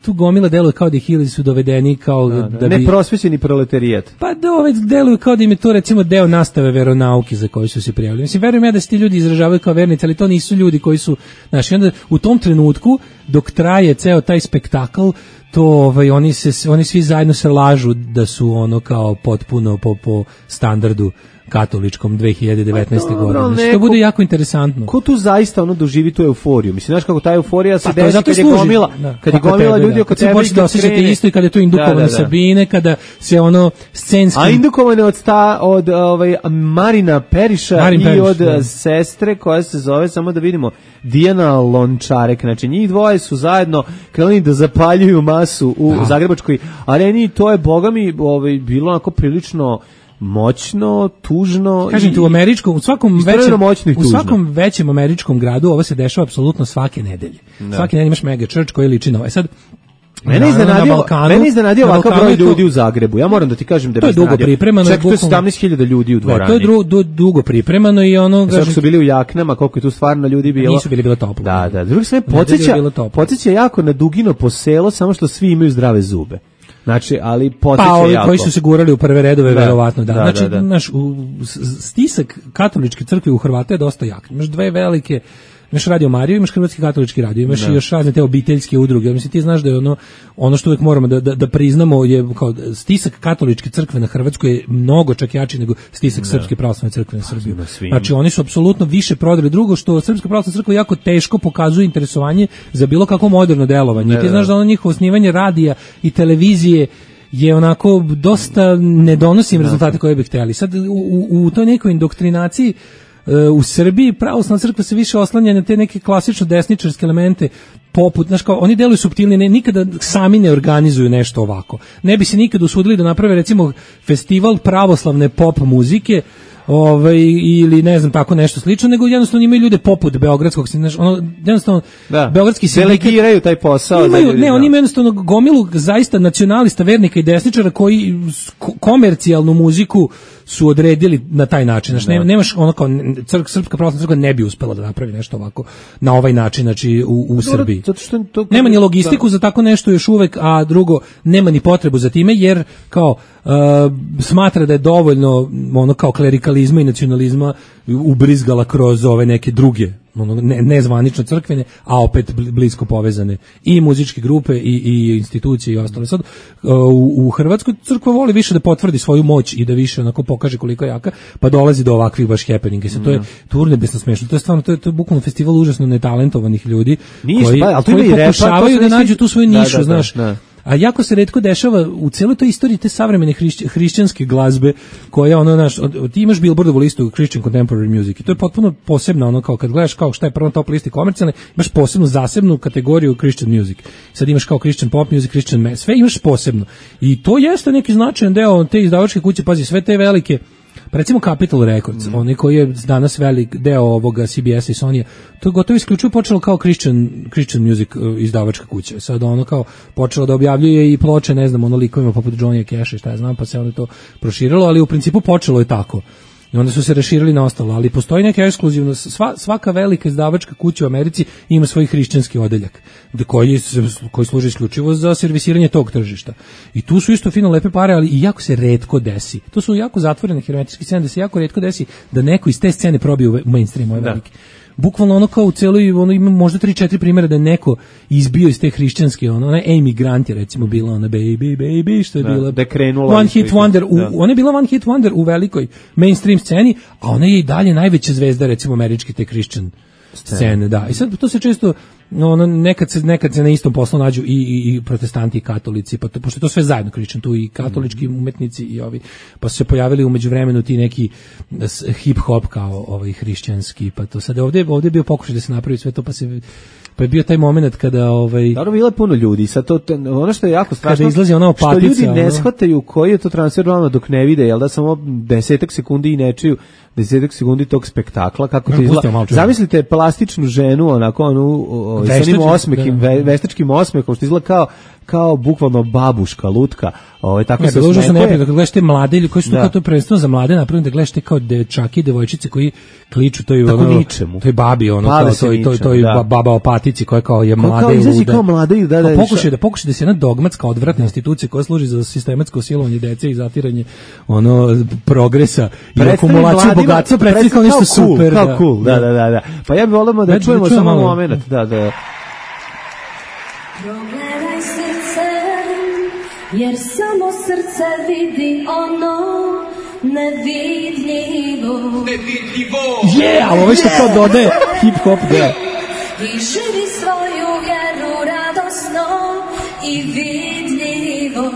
tu gomila deluje kao da ih ili su dovedeni kao da, da, da bi... Neprosvećeni proletarijat. Pa da ove deluju kao da im je to recimo deo nastave veronauke za koju su se prijavili. Mislim, verujem ja da se ti ljudi izražavaju kao vernici, ali to nisu ljudi koji su... Znaš, onda u tom trenutku, dok traje ceo taj spektakl, to ovaj, oni, se, oni svi zajedno se lažu da su ono kao potpuno po, po standardu katoličkom dve hiljade devetnaeste godine. Znači, to bude jako interesantno. Ko tu zaista ono doživi tu euforiju? Mislim, znaš kako ta euforija se pa, desi kad je gomila, da, kad je gomila ljudi da. oko tebe. Kad se da osjećate isto i kada je to indukovano da, da, da. Sabine, kada se ono scenski... A indukovano od, sta, od ovaj, Marina Periša Marin i Periš, od da. sestre koja se zove, samo da vidimo, Dijana Lončarek. Znači, njih dvoje su zajedno krenuli da zapaljuju masu u da. Zagrebačkoj areni i to je, boga mi, ovaj, bilo onako prilično moćno, tužno. Kažem ti, u američkom, u svakom većem, u svakom većem američkom gradu ovo se dešava apsolutno svake nedelje. Da. Svake nedelje imaš mega church koji liči na ovaj. Sad Mene iznenadio, mene iznenadio ovakav broj ljudi u Zagrebu. Ja moram da ti kažem da to je dugo pripremano. Čak to je sedamnaest hiljada ljudi u dvorani. To je dru, du, dugo pripremano i ono... Sad su bili u jaknama, koliko je tu stvarno ljudi bilo. Nisu bili bilo toplo. Da, da. Drugi sve podsjeća, podsjeća jako na Dugino po selo, samo što svi imaju zdrave zube. Znači, ali podsjeća pa, ovi jako. koji su se gurali u prve redove, da, verovatno, da. da znači, da, da. Naš, u, stisak katoličke crkve u Hrvata je dosta jak. Imaš dve velike... Imaš Radio Mariju, imaš Hrvatski katolički radio, imaš i još razne te obiteljske udruge. Mislim, ti znaš da je ono, ono što uvijek moramo da, da, da priznamo je kao stisak katoličke crkve na Hrvatskoj je mnogo čak jači nego stisak da. Srpske pravoslavne crkve na Srbiju. Znači, oni su apsolutno više prodali. Drugo, što Srpska pravoslavna crkva jako teško pokazuje interesovanje za bilo kako moderno delovanje. I ti znaš da ono njihovo osnivanje radija i televizije je onako dosta ne donosi im rezultate koje bi htjeli. Sad, u, u, u toj nekoj indoktrinaciji u Srbiji pravoslavna crkva se više oslanja na te neke klasično desničarske elemente poput, znaš kao, oni deluju suptilnije, ne, nikada sami ne organizuju nešto ovako. Ne bi se nikada usudili da naprave recimo festival pravoslavne pop muzike, ovaj, ili ne znam tako nešto slično, nego jednostavno imaju ljude poput beogradskog, znaš, ono jednostavno da. Beogradski sindikat delegiraju taj posao imaju, za ljudi, ne, oni imaju jednostavno gomilu zaista nacionalista, vernika i desničara koji komercijalnu muziku su odredili na taj način. Znači, ne, nemaš ono kao crk, Srpska pravoslavna crkva ne bi uspela da napravi nešto ovako na ovaj način, znači u, u Srbiji. Zato što to, nema ni logistiku da. Za tako nešto još uvek, a drugo, nema ni potrebu za time, jer kao uh, smatra da je dovoljno ono kao klerikalizma i nacionalizma ubrizgala kroz ove neke druge ono, ne, nezvanično crkvene, a opet blisko povezane i muzičke grupe i, i institucije i ostale. Sad, u, u Hrvatskoj crkva voli više da potvrdi svoju moć i da više onako pokaže koliko je jaka, pa dolazi do ovakvih baš happeninga. Sad, to je turnebesno smešno. To je stvarno, to je, to je bukvalno festival užasno netalentovanih ljudi Niš, koji, pa, koji pokušavaju da nađu tu svoju nišu, da, da, znaš. Da. A jako se retko dešava u cijeloj toj istoriji te savremene hrišć, hrišćanske glazbe koja ono naš od, ti imaš Billboardovu listu Christian Contemporary Music i to je potpuno posebna ono kao kad gledaš kao šta je prvo top listi komercijalne, imaš posebnu zasebnu kategoriju Christian music. Sad imaš kao Christian pop music, Christian mass, sve imaš posebno. I to jeste neki značajan deo te izdavačke kuće, pazi, sve te velike. Pa recimo Capitol Records, mm. onaj koji je danas velik deo ovoga C B S-a i Sony-a, to je gotovo isključivo počelo kao Christian, Christian music izdavačka kuća. Sad ono kao počelo da objavljuje i ploče, ne znam, ono likovima poput Johnny Cash i šta ja znam, pa se onda to proširilo, ali u principu počelo je tako. I onda su se raširili na ostalo, ali postoji neka ekskluzivno, sva, svaka velika izdavačka kuća u Americi ima svoj hrišćanski odeljak, koji, koji služi isključivo za servisiranje tog tržišta. I tu su isto fino lepe pare, ali i jako se retko desi. To su jako zatvorene hermetičke scene, da se jako retko desi da neko iz te scene probije u mainstream, ovaj veliki. Bukvalno ono kao u celoj, ono ima možda tri četiri primjera da je neko izbio iz te hrišćanske, ono, ona Amy Grant je recimo bila ona Baby, Baby, što je da, bila da krenula One Hit Wonder, u, da. Ona je bila One Hit Wonder u velikoj mainstream sceni, a ona je i dalje najveća zvezda recimo američke te Christian scene, da. I sad to se često ono, nekad se nekad se na istom poslu nađu i, i, i protestanti i katolici, pa to, pošto je to sve zajedno Christian, tu i katolički mm. umetnici i ovi, pa su se pojavili u međuvremenu ti neki hip hop kao ovaj hrišćanski, pa to sad ovdje ovdje je bio pokušaj da se napravi sve to, pa se pa je bio taj moment kada ovaj dobro bilo je puno ljudi, sad to ono što je jako strašno kada izlazi ona opatica, što ljudi ne ono... shvataju koji je to transfer realno dok ne vide, jel da samo desetak sekundi i ne čuju desetak sekundi tog spektakla kako to izgleda. Zamislite plastičnu ženu onako onu o, sa onim osmekim da, da. veštačkim osmehom što izgleda kao kao bukvalno babuška lutka, ovaj tako ne, se osmehuje. Ne, kad gledaš te mlade ili koji su da. To prvenstveno za mlade napravljeni, da gledaš te kao dečaki i devojčice koji kliču toj ono toj babi ono Pale kao toj toj toj da. Baba opatici koja kao je mlada kao, i luda. Kao mlada i da da. Pokušaj da pokušaj da se jedna dogmatska odvratna institucija koja služi za sistematsko silovanje dece i zatiranje ono progresa i akumulaciju bogatstva predstavlja kao nešto cool, super. Kao cool, da, da, da, da. Pa ja bih volio da čujemo samo momenat, da, da. Progledaj srce, jer samo srce vidi ono nevidljivo. Nevidljivo. Je, ali ovo što to dodaje hip-hop deo. I živi svoju vjeru radosno i vidljivo.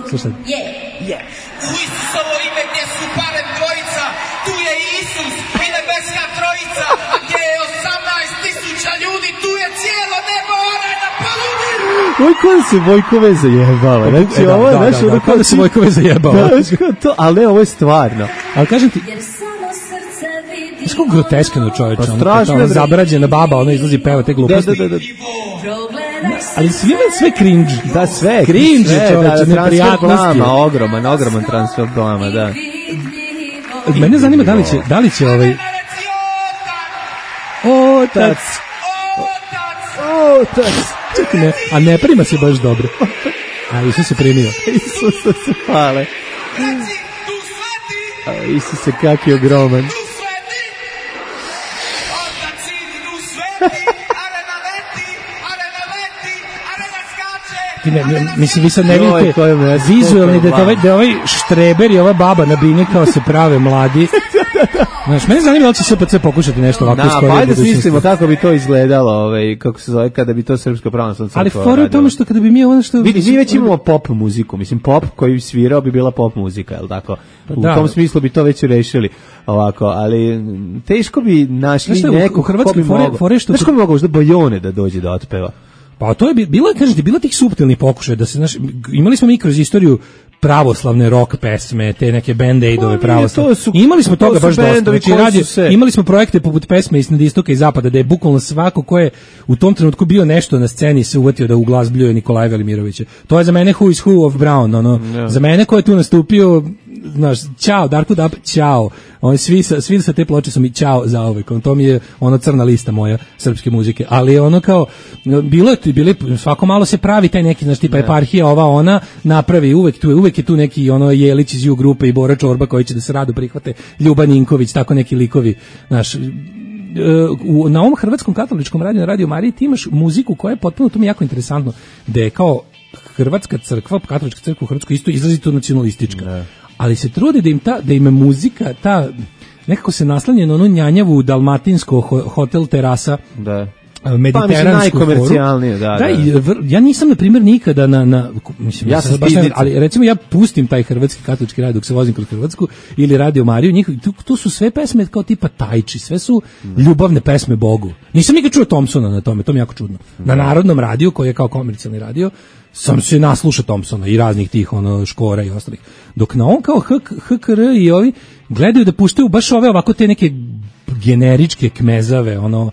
Slušaj. Je, je. U Isusovo ime gdje su barem dvojica, tu je Isus i nebeska trojica, a gdje je osamnaest tisuća ljudi, tu je cijelo nebo, ona je na paludi. Oj, kada se Vojkove zajebava. Znači, e, da, ovo je, da, znaš, da, da, kada se Vojkove zajebava. Da, to, ali ne, ovo je stvarno. Ali kažem ti, znaš kako groteskano čovječe, pa ono, ono, ono zabrađena baba, ono izlazi peva te gluposti. Da, da, da, da. Ali sve, sve cringe. Da, sve. Cringe, sve, čovječe, da, neprijatnosti. Blama, ogroman, ogroman transfer blama, da. Mene zanima da li će, da li će ovaj... Otac. Otac. Čekaj, ne, a ne prima se baš dobro. A Isus se primio. Isus se hvale. A Isus se kak je ogroman. Ne, ne, mislim, vi sad ne vidite vizualni da je ovaj, da ovaj štreber i ova baba na bini kao se prave mladi. Znaš, mene zanima da će S P C pokušati nešto ovako skoro. Pa ajde smislimo kako bi to izgledalo, ovaj, kako se zove, kada bi to Srpska pravoslavna crkva radila. Ali fora je u tome što kada bi mi ono što... Vidi, mi već imamo pop muziku, mislim, pop koji bi svirao bi bila pop muzika, je li tako? U da. tom smislu bi to već rešili ovako, ali teško bi našli neko ko bi mogao. Znaš ko bi mogao možda Bojone da dođe da otpeva? Pa to je bilo, kažete, bilo tih suptilnih pokušaja da se, znaš, imali smo mi kroz istoriju pravoslavne rock pesme, te neke band-aidove pravoslavne. Imali smo to toga baš dosta. Znači, radio, se... Imali smo projekte poput pesme Iznad istoka i zapada, da je bukvalno svako ko je u tom trenutku bio nešto na sceni se uvatio da uglazbljuje Nikolaja Velimirovića. To je za mene who is who of Brown, ono. Yeah. Za mene ko je tu nastupio, znaš, ćao, Darko Dab, ćao. Oni svi sa, svi sa te ploče su mi ćao za uvek. On, to mi je ono crna lista moja srpske muzike. Ali ono kao, bilo je tu, bili, svako malo se pravi taj neki, znaš, tipa eparhija, ova, ona, napravi uvek tu, uvek je tu neki ono Jelić iz U grupe i Bora Čorba koji će da se rado prihvate, Ljuba Ninković, tako neki likovi, znaš, u, na ovom hrvatskom katoličkom radiju, na Radio Mariji, ti imaš muziku koja je potpuno, to mi je jako interesantno, da je kao hrvatska crkva, katolička crkva u Hrvatskoj isto izrazito nacionalistička. Ne. Ali se trude da im ta, da im muzika, ta, nekako se naslanja na onu njanjavu dalmatinsko hotel terasa, da. Mediteransku pa, najkomercijalnije, da, da. da i, ja nisam, na primjer, nikada na, na mislim, ja sam baš ne, ali recimo ja pustim taj hrvatski katolički radio dok se vozim kroz Hrvatsku ili Radio Mariju, njih, tu, tu su sve pesme kao tipa Tajči, sve su ljubavne pesme Bogu. Nisam nikad čuo Thompsona na tome, to mi je jako čudno. Na Narodnom radiju, koji je kao komercijalni radio, sam se naslušao Thompsona i raznih tih ono Škora i ostalih. Dok na on kao H K R i ovi gledaju da puštaju baš ove ovako te neke generičke kmezave, ono,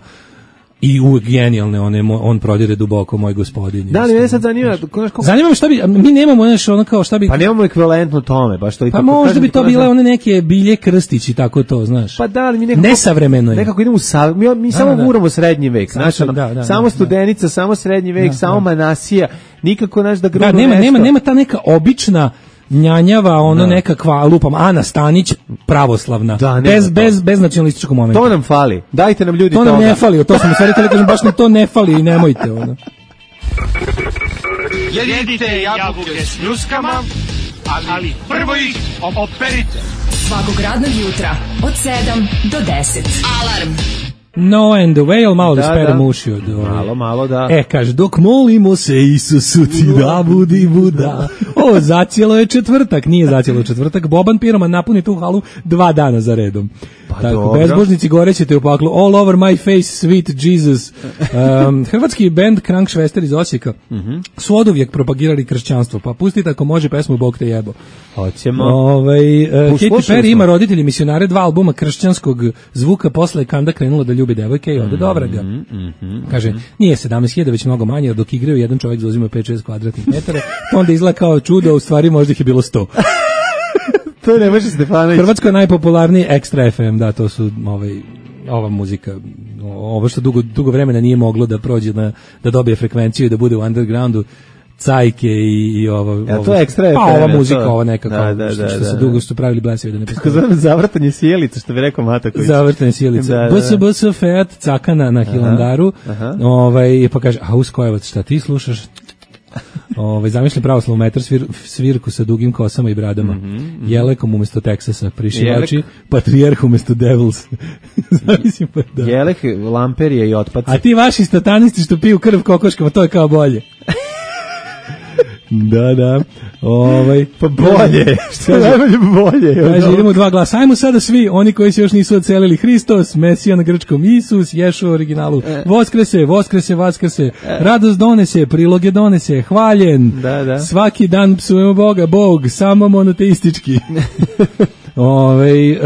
i uvijek genijalne, one, on prodire duboko, moj gospodin. Da li me sad zanima? Zanima me šta bi, mi nemamo nešto ono kao šta bi... Pa nemamo ekvivalentno tome, baš to i pa kako možda kažem, bi to bile one neke Bilje Krstić i tako to, znaš. Pa da, ali mi nekako... Nesavremeno je. Nekako idemo u sav... Mi, mi da, samo da. Guramo srednji vek, znaš, ono, da, da, samo da, Studenica, da. Samo srednji vek, da, samo da. Manasija, nikako, naš da grunu da, nema, nešto. nema, nema ta neka obična njanjava, ono da. Nekakva, lupam, Ana Stanić, pravoslavna, da, bez, bez, bez nacionalističkog momenta. To nam fali, dajte nam ljudi to toga. To nam ne fali, to smo stvari tali kažem, baš nam to ne fali i nemojte, ono. Jedite jabuke s pljuskama, ali prvo ih operite. Svakog radnog jutra, od sedam do deset. Alarm. No and the whale, malo da, da sperem uši od ove. Malo, malo, da. E, kaže, dok molimo se Isusu ti da budi buda. O, zacijelo je četvrtak, nije zacijelo četvrtak. Boban Piroman napuni tu halu dva dana za redom. Pa tako, dobro. Bezbožnici gorećete u paklu. All over my face, sweet Jesus. Um, hrvatski band Krankšvester iz Osijeka mm-hmm. su oduvijek propagirali kršćanstvo. Pa pustite ako može pesmu Bog te jebo. Hoćemo. Ovaj, uh, Katy Perry ima roditelji misionare, dva albuma kršćanskog zvuka, posle je Kanda krenula da ljubi devojke i ode do vraga. Mm-hmm. Kaže, nije sedamnaest hiljada, već mnogo manje, dok igraju jedan čovjek zauzima pet šest kvadratnih metara, to onda izgleda kao čudo, a u stvari možda ih je bilo sto. To ne može Stefanović. Hrvatsko je najpopularniji Extra F M, da, to su ovaj, ova muzika, ovo što dugo, dugo vremena nije moglo da prođe, na, da dobije frekvenciju i da bude u undergroundu, Cajke i, i ovo. Ja, to je Extra F M. Pa ova muzika, ova nekako, da, da, što, što da, se da. dugo su pravili blesevi da ne postoji. Kako zovem zavrtanje sjelica, što bi rekao Mataković. Zavrtanje sjelica. Da, da. B S B S Fiat Cakana na Hilandaru, aha, aha. Ovaj, pa kaže, a Uskojevac, šta ti slušaš? Ovaj zamišljam pravoslavnu metar svir, svirku sa dugim kosama i bradama. Mm -hmm. Jelekom umesto Teksasa, prišivači, Jelek. Patrijarh umesto Devils. Zamislim pa da. Jelek, lamperije i otpaci. A ti vaši satanisti što piju krv kokoškama, to je kao bolje. Da, da. Ovaj pa bolje. Što je najbolje bolje. Kaže, idemo dva glasa. Ajmo sada svi, oni koji se još nisu odselili. Hristos, Mesija na grčkom, Isus, Ješua u originalu. Voskrese, Voskrese, Vaskrese. Radost donese, priloge donese, hvaljen. Da, da. Svaki dan psujemo Boga, Bog, samo monoteistički. Ove,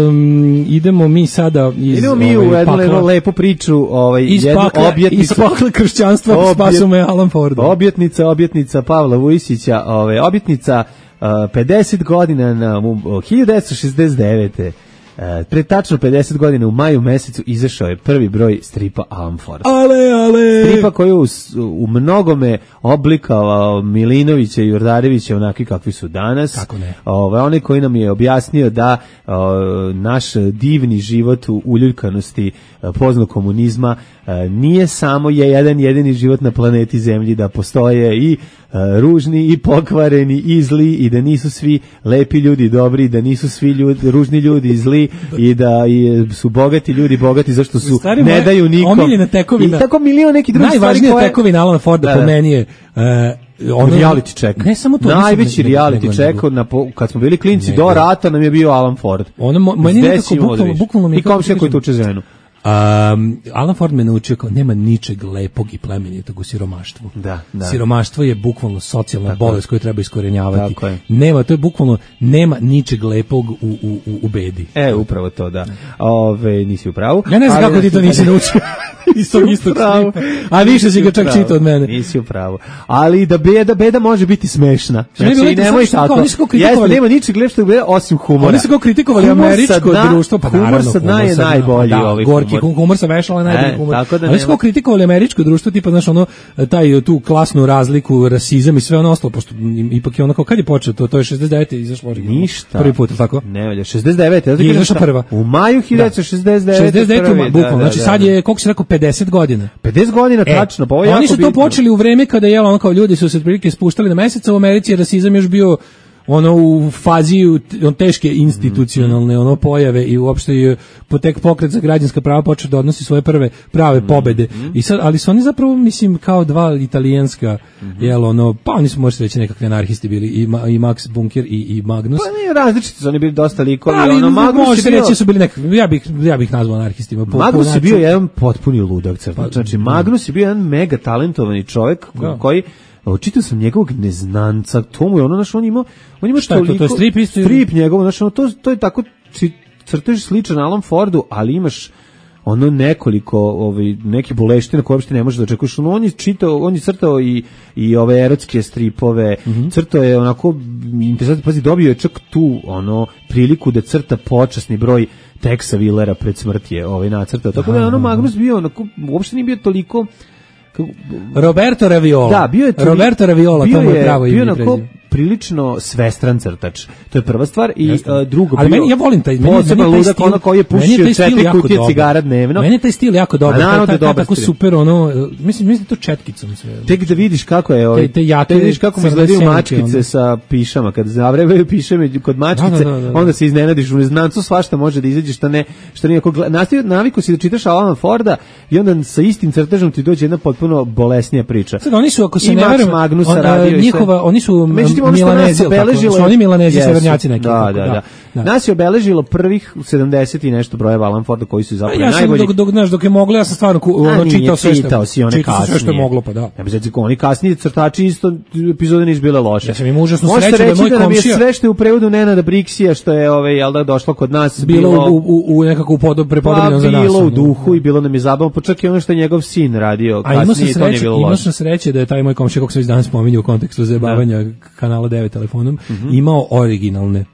um, idemo mi sada iz, idemo mi ovaj, u jednu pakla, lepu priču ovaj, iz jednu pakla, objetnicu iz pakla kršćanstva objet, spasu me Alan Ford. Objetnica, objetnica Pavla Vujsića, ovaj, objetnica uh, pedeset godina na uh, hiljadu devetsto šezdeset devete. Uh, pre tačno pedeset godina u maju mesecu izašao je prvi broj stripa Alan Ford. Ale, ale! Stripa koji u, u mnogome oblikovao Milinovića i Jordarevića onaki kakvi su danas. Kako ne? Ove, onaj koji nam je objasnio da o, naš divni život u uljuljkanosti poznog komunizma e, nije samo je jedan jedini život na planeti Zemlji, da postoje i e, ružni i pokvareni i zli i da nisu svi lepi ljudi dobri, da nisu svi ljudi, ružni ljudi zli i da i, su bogati ljudi bogati zašto su stari ne daju nikom. Omiljena tekovina. I tako milion nekih drugih stvari. Najvažnija koje... tekovina Alana Forda po meni je uh, ono, reality check. Ne samo to. Najveći reality check na kad smo bili klinci do rata nam je bio Alan Ford. Ono meni nekako bukvalno bukvalno mi i komšija koji tuče ženu. Um, Alan Ford me naučio kao nema ničeg lepog i plemenitog u siromaštvu. Da, da. Siromaštvo je bukvalno socijalna tako bolest koju treba iskorenjavati. Tako je. Nema, to je bukvalno nema ničeg lepog u, u, u, u bedi. E, upravo to, da. Ove, nisi u pravu. Ja ne znam kako ti to nisi naučio. Iz tog istog stripa. A više si ga čak čitao od mene. Nisi u pravu. Ali da beda, beda može biti smešna. Znači, ne, nemoj tako. Jeste, nema ničeg lepšeg osim humora. Oni su kao kritikovali američko društvo, pa humor sad je najbolji ovaj gorki humor sa vešala najbolji humor. Ali su kao kritikovali američko društvo, tipa, znaš, ono, taj, tu klasnu razliku, rasizam i sve ono ostalo, pošto ipak je ono kao, kad je počeo to, to je šezdeset devete izašlo originalno. Ništa. Prvi put, tako? Ne valja, šezdeset devete Je izašla prva. U maju hiljadu devetsto šezdeset devete šezdeset devete bukvalno, znači sad je, koliko si rekao, pedeset godina. pedeset godina, tačno, pa ovo je jako oni su bitno. to počeli u vreme kada je ono kao ljudi su se otprilike spuštali na mesec, a u Americi je rasizam još bio ono u fazi on teške institucionalne ono pojave i uopšte je potek pokret za građanska prava počeo da odnosi svoje prve prave pobede. I sad, ali su oni zapravo mislim kao dva italijanska jel ono, pa oni su možda reći nekakvi anarhisti bili i, Ma, i Max Bunker i, i Magnus. Pa nije različiti su oni bili dosta likovi. Ali, ono, Magnus je bio... reći su bili nekakvi, ja bih, ja bih nazvao anarhistima. Po, Magnus je bio jedan potpuni ludak crtač. Znači, Magnus je bio jedan mega talentovani čovjek da. koji čitao sam njegovog Neznanca, to mu je ono, znaš, on ima, on ima šta je to, to je strip isto? Strip njegov, znaš, ono, to, to je tako, crtež sličan Alan Fordu, ali imaš ono nekoliko, ovaj, neki boleština koje uopšte ne možeš da očekuješ. On je čitao, on je crtao i, i ove erotske stripove, mm -hmm. crtao je onako, interesantno, pazi, dobio je čak tu, ono, priliku da crta počasni broj Texa Willera pred smrt je ovaj nacrtao. Tako da je ono Magnus bio, onako, uopšte nije bio toliko Roberto Raviola. Da, bio je to, Roberto Raviola, to mu je pravo ime. Bio je onako prilično svestran crtač. To je prva stvar i uh, drugo. Ali meni ja volim taj, meni, meni taj ludak, ono koji je pušio četiri kutije cigara dnevno. Meni je taj stil jako dobar. A taj, taj, tako super ono, mislim mislim to četkicom sve. Tek da vidiš kako je ovaj. Te jake, te vidiš kako izgledaju mačkice sa pišama kad zavrebaju pišeme kod mačkice, da, da, da, da. onda se iznenadiš u Neznancu, svašta može da izađe šta ne, što nije nastavio naviku si da čitaš Alana Forda i onda sa istim crtežom ti dođe jedna potpuno bolesnija priča. Sad oni su, ako se ne varam, Magnusa radio njihova, oni su Milanezi, su oni Milanezi, severnjaci neki. Da, da, da, da. Nas je obeležilo prvih sedamdeset i nešto brojeva Alan Forda koji su zapravo ja najbolji. Ja sam, dok, dok, znaš, dok je moglo, ja sam stvarno ono, čitao sve što, čitao si one čitao sve što je moglo, pa da. Ja bih znači, oni kasniji crtači isto epizode nisu bile loše. Ja sam im užasno srećan da je moj komšija. Možete reći da nam je sve što je u prevodu Nenada Briksija, što je ovaj, jel da, došlo kod nas. Bilo, bilo u, u, u nekako prepodobljeno za nas. Bilo u duhu i bilo nam je zabavno, pa čak i ono što je njegov sin radio kasnije, to nije bilo loše. Imao sam sreće da je taj moj komšija, kako se već danas spominje u kontekstu zajebavanja kanala devet telefonom, imao originalne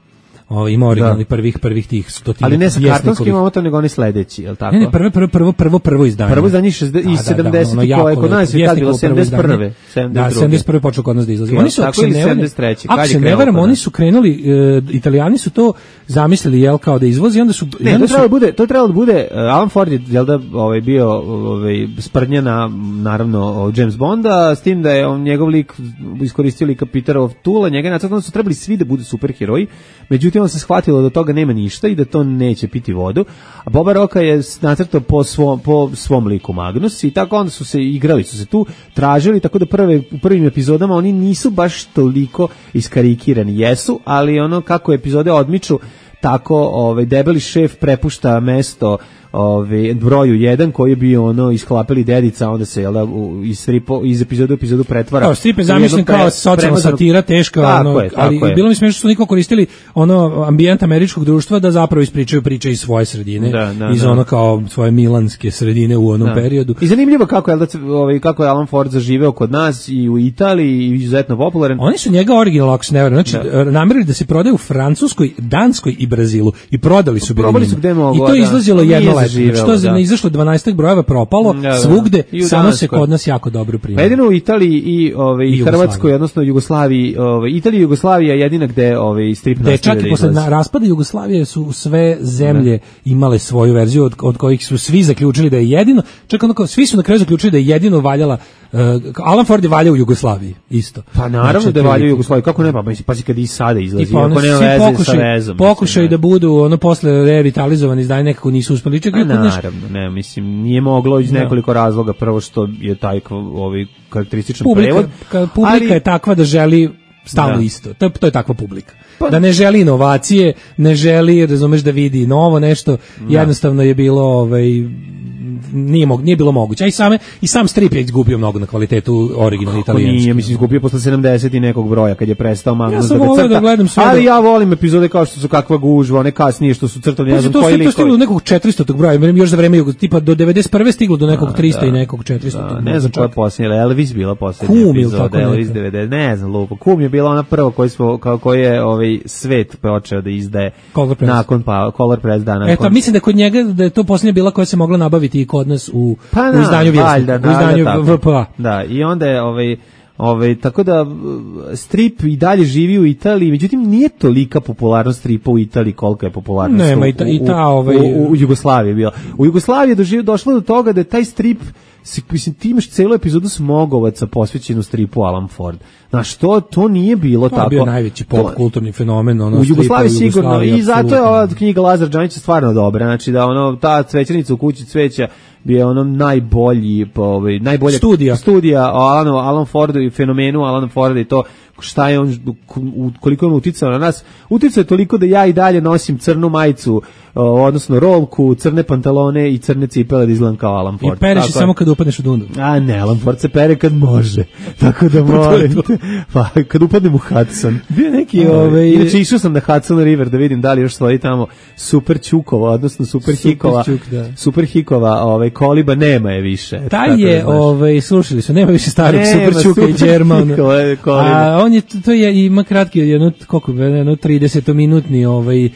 Ovo ima originalni prvih prvih tih stotina. Ali ne sa kartonskim omotom, nego oni sledeći, je l' tako? Ne, ne, prvo prvo prvo prvo prvo izdanje. Prvo izdanje iz sedamdesetih koje kod nas je tad bilo sedamdeset prve. Da, sedamdeset prve počelo kod nas da izlazi. Oni su tako ili sedamdeset treće. Ako se ne varam, oni su krenuli, Italijani su to zamislili jel kao da izvozi, onda su ne, to trebalo bude, to trebalo da bude Alan Ford je jel da ovaj bio ovaj sprdnja na naravno James Bonda, s tim da je on njegov lik iskoristio lika Peterov Tula, njega nacrtano su trebali svi da budu superheroji. Međutim, on se shvatilo da toga nema ništa i da to neće piti vodu, a Boba Rocka je nacrtao po svom, po svom liku Magnus i tako onda su se igrali, su se tu tražili, tako da prve, u prvim epizodama oni nisu baš toliko iskarikirani, jesu, ali ono kako epizode odmiču, tako ovaj, debeli šef prepušta mesto Ove, broju jedan koji je bio ono isklapili dedica, onda se jel, iz, stripo, iz epizodu u epizodu pretvara. Kao strip je zamišljen kao socijalna satira, teška, tako ono, je, ali je. Bilo mi smiješno što su niko koristili ono ambijent američkog društva da zapravo ispričaju priče iz svoje sredine, da, da, iz da. ono kao svoje milanske sredine u onom da. periodu. I zanimljivo kako je, ovaj, kako je Alan Ford zaživeo kod nas i u Italiji i izuzetno popularan. Oni su njega original, ako se ne varam, znači da. namerili da se prodaje u Francuskoj, Danskoj i Brazilu i prodali su bili su gde moglo, i to je izlazilo da. jedno leto. Što je ne izašlo dvanaestak brojeva propalo, da, da. svugde, samo se kod nas jako dobro prima. Jedino u Italiji i ovaj i Hrvatskoj, odnosno Jugoslaviji, ovaj Italija i Jugoslavija je jedina gde ovaj strip nastaje. Čak i posle raspada Jugoslavije su sve zemlje ne. imale svoju verziju od, od kojih su svi zaključili da je jedino, čak onako svi su na kraju zaključili da je jedino valjala uh, Alan Ford je valjao u Jugoslaviji isto. Pa naravno znači, da je valjao u Jugoslaviji, kako ne, pa pazi kad i sada izlazi, pa, ako nema veze pokušaj, sa vezom. Pokušaj da budu ono posle revitalizovani izdanje nekako nisu uspeli čak i naravno, ne, mislim nije moglo iz nekoliko razloga, prvo što je taj ovaj karakterističan publika, prevod. Publika ali, je takva da želi stalno da. isto. To, to je takva publika. Pa, da ne želi inovacije, ne želi, razumeš, da vidi novo nešto. Da. Jednostavno je bilo ovaj nije mog, nije bilo moguće. A i same i sam strip je izgubio mnogo na kvalitetu originalni italijanski. Nije, mislim izgubio posle sedamdeset i nekog broja kad je prestao Magnus ja da ga crta. Da gledam sve ali ja volim epizode kao što su Kakva gužva, one kasnije što su crtali, ne znam koji likovi. To stiglo do nekog četiristo broja, još za vreme tipa do devedeset prve stiglo do nekog trista da, i nekog četiristo. Da, ne znam koja je posljednja, Elvis bila posljednja epizoda, Elvis devedeset, ne znam, lupo. Kum je bila ona prva koji smo kao koji je ovaj svet počeo da izdaje nakon pa Color Press dana. Eto, mislim da kod njega da je to posljednja bila koja se mogla nabaviti i kod nas u Pa u izdanju Vjesnika, u izdanju V P A. Da, i onda je ovaj, ovaj, tako da strip i dalje živi u Italiji, međutim nije tolika popularnost stripa u Italiji kolika je popularnost Nema, u, i ta, i ta, ovaj... u, u, u Jugoslaviji bila. U Jugoslaviji je doživ, došlo do toga da je taj strip, mislim, ti imaš celu epizodu Smogovaca posvećenu stripu Alan Ford. Znaš, to, to nije bilo to tako. To je bio najveći pop kulturni fenomen. Ono, u Jugoslaviji sigurno, i zato je ova knjiga Lazar Đanića stvarno dobra. Znači da ono, ta cvećenica u kući cveća bi je ono najbolji, ovaj, najbolja studija, studija o Alanu, Alan Fordu i fenomenu Alan Forda i to šta je on, koliko je on uticao na nas. Uticao je toliko da ja i dalje nosim crnu majicu, odnosno rolku, crne pantalone i crne cipele da izgledam kao Alan Ford. I pereš samo kad upadneš u dundu. A ne, Alan Ford se pere kad može. Tako da molim te. Pa kad upadnem u Hudson. Bio neki ovaj... Inače išao sam na Hudson River da vidim da li još stoji tamo Super Čukova, odnosno Super, super Hikova. Čuk, da. Super Hikova, ovaj, koliba nema je više. Taj je, ovaj, slušali su, nema više starog nema, Super Čuka i Đerman. A on je, to je, ima kratki, jedno, koliko, jedno trideset-minutni ovaj,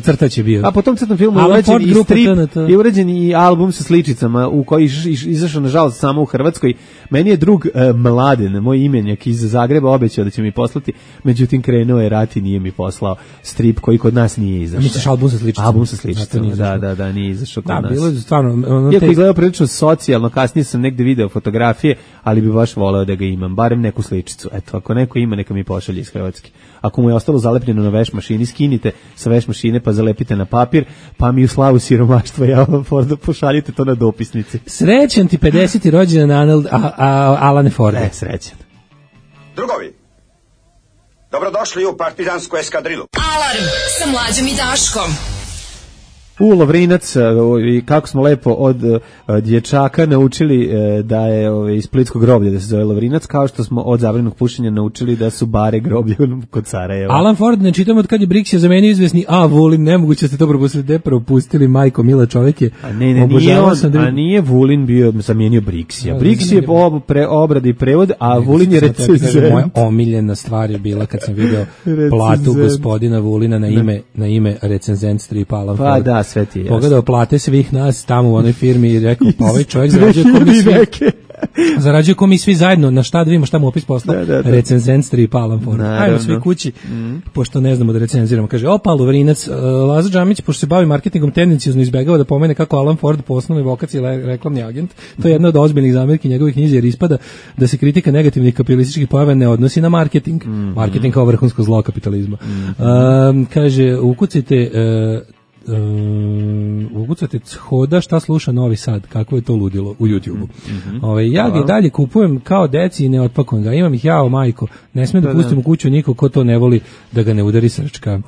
crtač je bio. A potom crtom filmu je urađen i strip, je urađen i album sa sličicama u koji je izašao nažalost samo u Hrvatskoj. Meni je drug uh, Mladen, moj imenjak iz Zagreba, obećao da će mi poslati, međutim krenuo je rat i nije mi poslao strip koji kod nas nije izašao. Misliš album sa sličicama? Album sa sličicama, da, da, da, nije izašao kod da, nas. Bilo je stvarno... Ono, Iako te... izgledao prilično socijalno, kasnije sam negde video fotografije, ali bi baš voleo da ga imam, barem neku sličicu. Eto, ako neko ima, neka mi pošalje iz Hrvatske. Ako mu je ostalo zalepljeno na veš mašini, skinite sa veš mašine pa zalepite na papir, pa mi u slavu siromaštva ja vam pošaljite to na dopisnici. Srećan ti pedeseti rođendan Alane Forda. E, srećan. Drugovi, dobrodošli u partizansku eskadrilu. Alarm sa Mlađom i Daškom. U Lovrinac, i kako smo lepo od uh, dječaka naučili uh, da je uh, iz Splitskog groblja da se zove Lovrinac, kao što smo od zabranjenog pušenja naučili da su bare groblje kod Sarajeva. Alan Ford, ne čitam od kad je Brix je zamenio izvesni A. Vulin, nemoguće ste to propustili, de propustili, majko, mila čovjek je. A ne, ne, nije on, da... a nije Vulin bio zamenio Brixija. Brix je ob, pre, obrad i prevod, a ne, Vulin je recenzent. Moja omiljena stvar je bila kad sam video platu gospodina Vulina na ime, na ime recenzent stripa Alan Ford. Pa da, sve ti je. Pogledao plate svih nas tamo u onoj firmi i rekao, pa ovaj čovjek zarađuje ko mi svi, zarađuje ko mi svi zajedno, na šta da vidimo šta mu opis posla, da, da, da. Recenzent strip Alan Ford. Ajmo svi kući, mm. pošto ne znamo da recenziramo. Kaže, opa, Lovrinac, uh, Laza Džamić, pošto se bavi marketingom, tendencijozno izbegava da pomene kako Alan Ford po osnovnoj vokaciji le, reklamni agent. To je jedna od ozbiljnih zamerki njegovih knjizi, jer ispada da se kritika negativnih kapitalističkih pojava ne odnosi na marketing. Mm. Marketing kao vrhunsko zlo kapitalizma. Mm. Uh, kaže, ukucajte... Uh, Um, ugucate Hoda šta sluša Novi Sad, kako je to ludilo u YouTubeu. Mm-hmm. Ove, ja ga dalje kupujem kao deci i ne otpakujem ga, imam ih jao majko, ne smijem da, da pustim u kuću niko ko to ne voli da ga ne udari srčka.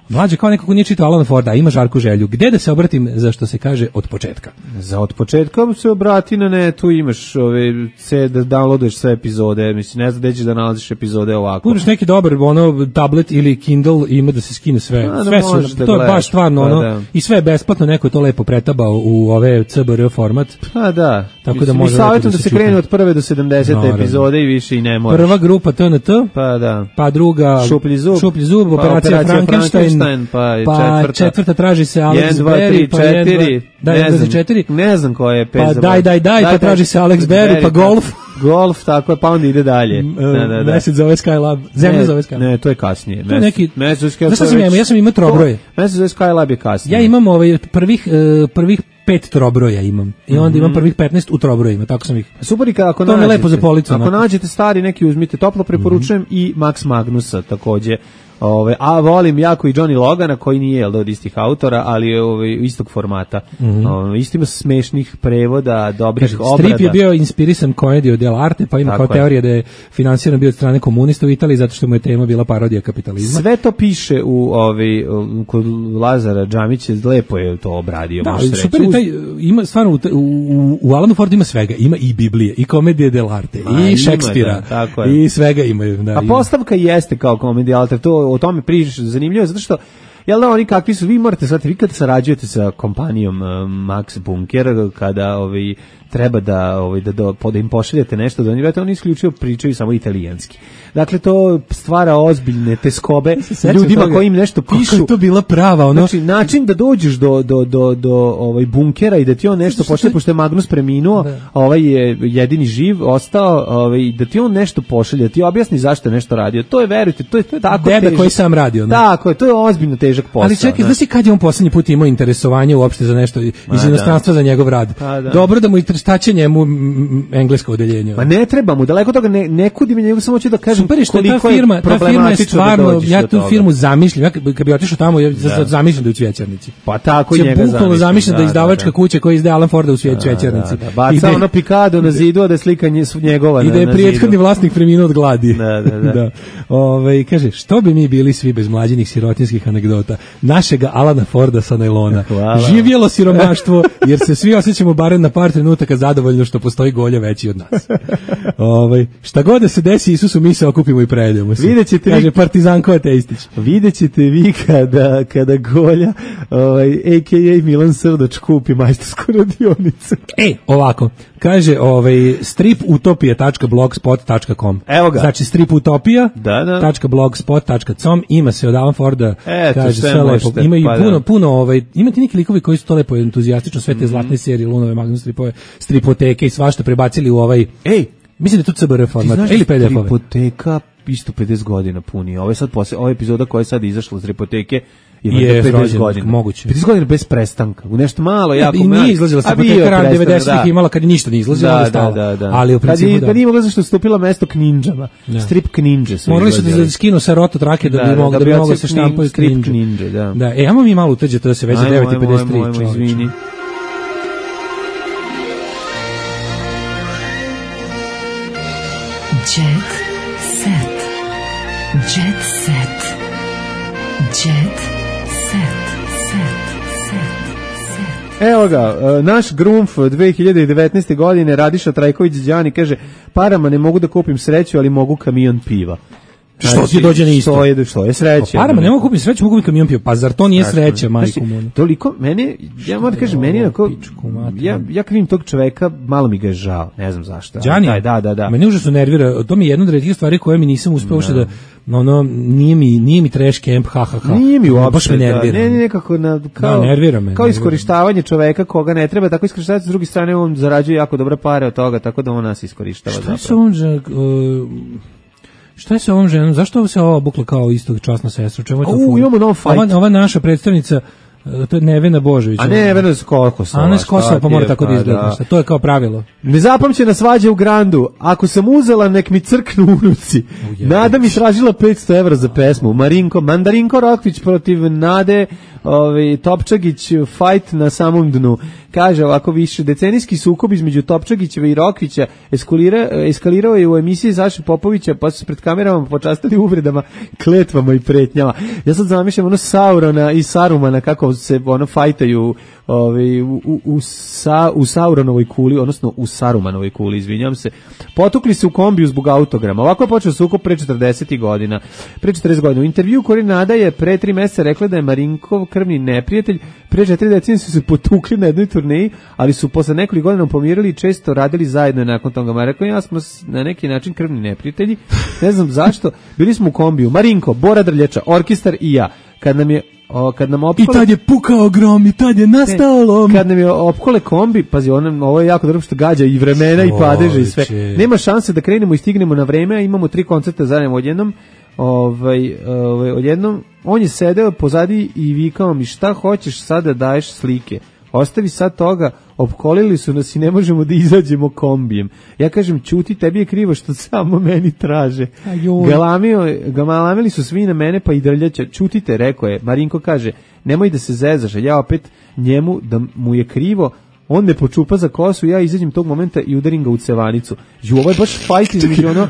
Mlađe kao neko ko nije čitao Alana Forda, ima žarku želju. Gde da se obratim za što se kaže od početka? Za od početka se obrati na netu, imaš ove, se da downloaduješ sve epizode, mislim, ne znam gde ćeš da nalaziš epizode ovako. Uzmeš neki dobar ono, tablet ili Kindle, ima da se skine sve. A, sve su, da to gledaš, je baš stvarno pa, ono, da. I sve je besplatno, neko je to lepo pretabao u ove C B R format. Pa da, tako da može savjetujem da se krene od prve do sedamdesete epizode i više i ne moraš. Prva grupa T N T, pa da. Pa druga Šuplji zub, Šuplji zub, pa operacija, operacija Frankenstein, Frankenstein, pa, pa četvrta. četvrta traži se Alex Berry, pa četiri, da, ne znam, četiri. Ne znam ko je pet. Pa daj, daj, daj, pa traži se Alex Berry, pa golf. Golf, tako je, pa onda ide dalje. Da, da, da. Mesec zove Skylab, zemlja zove Skylab. Ne, to je kasnije. To je neki, mesec zove Skylab. Znaš šta sam imao, ja sam imao trobroje. Mesec zove Skylab je kasnije. Ja imam ovaj prvih, uh, prvih pet trobroja imam. I onda mm-hmm. imam prvih petnaest u trobrojima, tako sam ih. Super, ako to nađete. To lepo za policu. Ako onako. Nađete stari neki uzmite, toplo preporučujem mm-hmm. i Max Magnusa takođe. Ove, a volim jako i Johnny Logana koji nije jel, od istih autora, ali je ove, istog formata. Mm-hmm. Ove, isto ima smešnih prevoda, dobrih Kaže, obrada. Strip je bio inspirisan komedijom dell'arte, pa ima tako kao je. Teorija da je finansiran bio od strane komunista u Italiji zato što mu je tema bila parodija kapitalizma. Sve to piše u ovi kod Lazara Džamića, lepo je to obradio. Da, super je taj, ima stvarno u, u, u Alanu Fordu ima svega, ima i Biblije, i komedije dell'arte, i Šekspira, da, i svega imaju. Da, a ima. Postavka jeste kao komedija dell'arte, to o tome pričaš, zanimljivo je zato što jel da oni kakvi su, vi morate shvatiti, vi kad sarađujete sa kompanijom uh, Max Bunker, kada ovaj, treba da, ovaj, da, da, da im pošaljete nešto, da oni, vrati, oni isključivo pričaju samo italijanski. Dakle, to stvara ozbiljne teskobe ljudima toga, koji im nešto pišu. Kako je to bila prava, ono? Znači, način da dođeš do, do, do, do ovaj bunkera i da ti on nešto pošalje, pošto je Magnus preminuo, da. Ovaj je jedini živ, ostao, ovaj, da ti on nešto pošalje, da ti objasni zašto je nešto radio. To je, verujte, to je tako Deda težak. koji sam radio. Ne? Tako je, to je ozbiljno težak posao. Ali čekaj, znaš kad je on poslednji put imao interesovanje uopšte za nešto iz A, inostranstva da. Za njegov rad? A, da. Dobro da mu i šta njemu englesko odeljenje. Ma ne treba mu, daleko toga ne, ne kudi mi njegu, samo ću da kažem super, koliko ta firma, je ta firma je stvarno, ja tu firmu zamišljam, ja kad bi otišao tamo, ja da. Zamišljam da je u Cvjećarnici. Pa tako i njega zamišljam. Zamišljam da, da izdavačka da, da. kuća koja izdaje Alan Forda u Cvjećarnici. Da, da, da. Baca ono pikado na zidu, a da je slika njegova na, i da je prethodni vlasnik preminuo od gladi. Da, da, da. da. Ove, kaže, što bi mi bili svi bez mlađinih sirotinskih anegdota, našega Alana Forda sa najlona. Živjelo siromaštvo, jer se svi osjećamo barem na par trenutaka zadovoljno što postoji golja veći od nas. Ovaj šta god da se desi, Isusu mi se okupimo i prejedemo se. Videćete kaže vi, Partizanko Ateistić. Videćete vi kada kada golja, ovaj a k a. Milan Srdoč kupi majstorsku radionicu. E, ovako. Kaže, ovaj strip utopija tačka blogspot tačka com. Evo ga. Znači strip utopija da, da. tačka blogspot tačka com, ima se od Alan Forda. Eto, kaže sve lepo. Ima i pa puno da. puno ovaj ima ti neki likovi koji su to lepo entuzijastično sve te mm-hmm. zlatne serije, Lunove, Magnus stripove, stripoteke i svašta prebacili u ovaj. Ej, mislim da je to C B R format ili P D F-ove. Stripoteka isto pedeset godina puni. Ovo je sad posle, ova epizoda koja je sad izašla iz Stripoteke ima je pedeset godina. Moguće. pedeset godina bez prestanka. U nešto malo, jako malo. I nije izlazila Stripoteka ran devedesetih da. Imala kad ništa nije izlazila, da, onda stala. Da, da, da. Ali u principu kad da. Da nije mogla zašto stupila mesto Kninđama. Ja. Strip Kninđe su. Morali su da skinu sa roto trake da, da bi mogli da bi mogli se štampaju Strip Kninđe, da. Da, e, ajmo mi malo uteđe to da se veze devet i pedeset tri. Izvini. Jet set. Jet set. Jet set. Set. Set. Evo ga, naš Grumf dve hiljade devetnaeste. godine, Radiša Trajković Đani kaže, parama ne mogu da kupim sreću, ali mogu kamion piva. Što ti dođe na isto? Što je, što je sreća? Parama ne mogu kupiti sreću, mogu kupiti kamion piva. Pa zar to nije sreća, majku moju? Toliko, meni, ja moram da kažem, meni je ako, ja, ja kad vidim tog čoveka, malo mi ga je žao, ne znam zašto. Đani, da, da, da. Mene užasno nervira, to mi je jedna od retkih stvari koje mi nisam uspeo uopšte da, ono, nije mi, nije mi trash camp, ha, ha, ha. Nije mi uopšte, baš me nervira. Da, ne, ne, nekako, na, kao, da, nervira me, kao iskorištavanje čoveka koga ne treba, tako iskorištavati, s druge strane on zarađuje jako dobre pare od toga, tako da on nas iskorištava. Šta je sa ovom, uh, šta je sa ovom ženom? Zašto se ova obukla kao istog časna sestra? Čemu je to U, imamo nov fight. Ova, ova naša predstavnica, to je Nevena Božović. A ne, Nevena s Kosova. A ne s Kosova, pa mora tako da izgleda. Da. To je kao pravilo. Nezapamćena svađa u Grandu. Ako sam uzela, nek mi crknu unuci. Nada mi tražila petsto evra za pesmu. Marinko, Mandarinko Rokvić protiv Nade ovaj, Topčagić, fight na samom dnu. Kaže ovako, više decenijski sukob između Topčagićeva i Rokvića eskalira, eskalirao je u emisiji Saše Popovića, pa su se pred kamerama počastili uvredama, kletvama i pretnjama. Ja sad zamišljam ono Saurona i Sarumana kako se ono fajtaju ovaj, u, u, u, sa, u Sauronovoj kuli, odnosno u Sarumanovoj kuli, izvinjam se. Potukli se u kombiju zbog autograma. Ovako je počeo sukob pre četrdeset godina. Pre četrdeset godina. U intervju Kori Nada je pre tri meseca rekla da je Marinkov krvni neprijatelj. Pre četiri decenije su se potukli na jednoj turneji, ali su posle nekoliko godina pomirili i često radili zajedno nakon toga. Ma rekao, ja smo na neki način krvni neprijatelji. Ne znam zašto. Bili smo u kombiju. Marinko, Bora Drljača, orkestar i ja. Kad nam je O, kad nam opkole... I tad je pukao grom, i tad je nastao lom. Kad nam je opkole kombi, pazi, on, ovo je jako dobro što gađa i vremena i padeže i sve. Nema šanse da krenemo i stignemo na vreme, a imamo tri koncerta zajedno odjednom. Ovaj, ovaj, odjednom, on je sedeo pozadi i vikao mi, šta hoćeš sad da daješ slike? Ostavi sad toga, opkolili su nas i ne možemo da izađemo kombijem. Ja kažem, ćuti, tebi je krivo što samo meni traže. Galamio, galamili su svi na mene, pa i Drljača. Ćutite, rekao je. Marinko kaže, nemoj da se zezaš. Ja opet njemu, da mu je krivo, on me počupa za kosu, ja izađem tog momenta i udarim ga u cevanicu. Ju, ovo je baš fajt između ono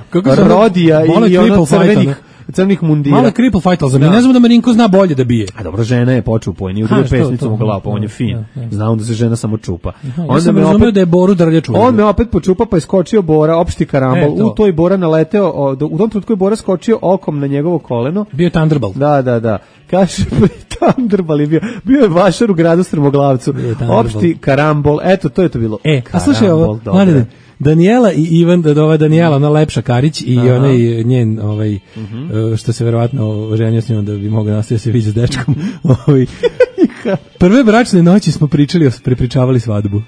Rodija i, i ono crvenih, crnih mundira. Malo cripple fight, ali za mene ne znam da Marinko zna bolje da bije. A dobro, žena je počupo, nije udario pesnicom u glavu, pa on je fin. Zna on da se žena samo čupa. Ja sam razumio da je Boru Drljaču. On me opet počupa, pa je skočio Bora, opšti karambol. U toj Bora naleteo, u tom trenutku je Bora skočio okom na njegovo koleno. Bio je Thunderbolt. Da, da, da. Kaže, Thunderbolt je bio. Bio je vašar u gradu Strmoglavcu. Opšti karambol. Eto, to je to bilo. E, a slušaj ovo, Mladine, Daniela i Ivan, da ova Daniela, ona Lepša Karić i Aha. onaj njen, ovaj, uh-huh. što se verovatno ženio s njom da bi mogao nastaviti se viđa s dečkom. ovaj. Prve bračne noći smo pričali, prepričavali svadbu.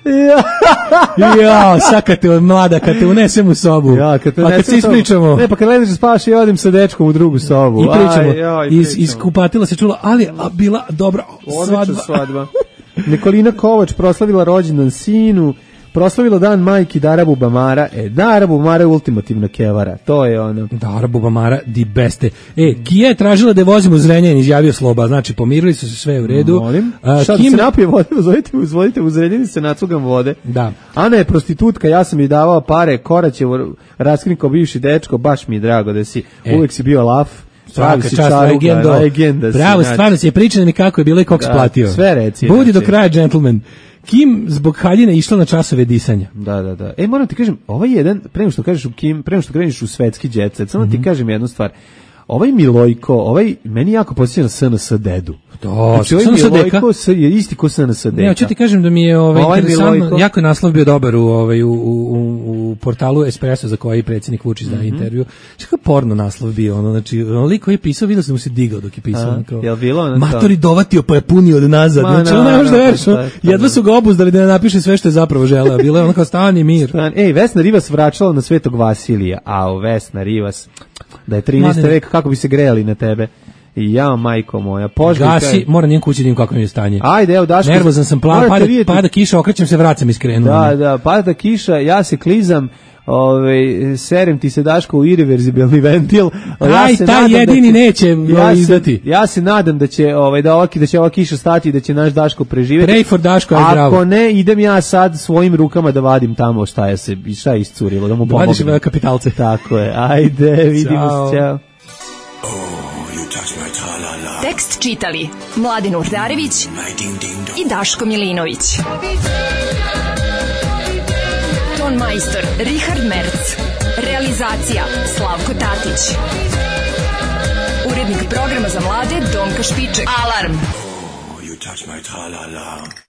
Ja, sad kad te mlada, kad te unesem u sobu, ja, kad te pa kad se ispričamo. Ne, pa kad ležeš spaš i odim sa dečkom u drugu sobu. I pričamo. Aj, aj, iz, iz kupatila se čulo, ali a bila dobra svadba. svadba. Nikolina Kovač proslavila rođendan sinu. Proslavilo dan majki Dara Bubamara. E, Dara Bubamara je ultimativna kevara. To je ono. Dara Bubamara di beste. E, Kija je tražila da je vozimo u Zrenjanin, izjavio Sloba. Znači, pomirili su se sve u redu. Molim. A, Šta Kim... da se napije vode, uzvodite, uzvodite u Zrenjanin, se nacugam vode. Da. Ana je prostitutka, ja sam joj davao pare, Koraćevo, raskrinko bivši dečko, baš mi je drago da si, e. uvek si bio laf. Svaka čast, legendo. legenda. Bravo, si, stvarno si je pričano mi kako je bilo i koliko da, splatio. Sve reci. Budi znači. do kraja, gentleman. Kim zbog haljine išla na časove disanja. Da, da, da. E, moram ti kažem, ovaj jedan, pre nego što kažeš u Kim, pre nego što kreneš u svetski jet set, samo mm-hmm. ti kažem jednu stvar. Ovaj Milojko, ovaj, meni jako podsjeća na S N S Dedu. Da, znači, ovaj Milojko je isti ko S N S Deka. Ne, hoću ti kažem da mi je ovaj, ovaj interesantno, jako je naslov bio dobar u, ovaj, u, u, u portalu Espresso za koji predsjednik Vučić daje mm-hmm. intervju. Što je porno naslov bio, ono, znači, onoliko koji je pisao, vidio sam mu se digao dok je pisao. A, jel bilo ono Matori dovatio pa je punio od nazad. Ma, znači, ono ne možeš da veriš, jedva su ga obuzdali da ne napiše sve što je zapravo želeo. Bilo je ono kao stan i mir. Ej, Vesna Rivas vraćala na Svetog Vasilija, a o Vesna Rivas, da je trinaesti vek, kako bi se grejali na tebe. I ja, majko moja, požgaj. Gasi, mora nijem kući da im kako mi je stanje. Ajde, evo, Daško. Nervozan sam, plan, pada, pada kiša, okrećem se, vracam iskrenu. Da, da, pada kiša, ja se klizam, ovaj, serem ti se, Daško, u irreverzibilni ventil. Ja Aj, taj jedini će, neće ja izdati. Se, ja se nadam da će, ovaj, da, ovaki, da će ova kiša stati i da će naš Daško preživjeti. Pray for Daško, je bravo. Ako ne, idem ja sad svojim rukama da vadim tamo šta je se, šta je iscurilo, da mu pomognem. Da vadiš kapitalce. Tako je, ajde, vidimo se, čao. Tek Tekst čitali Mladin Urdarević i Daško Milinović. Ton majstor Richard Merc. Realizacija Slavko Tatić. Urednik programa za mlade Donka Špiček. Alarm! You touch my tra-la-la.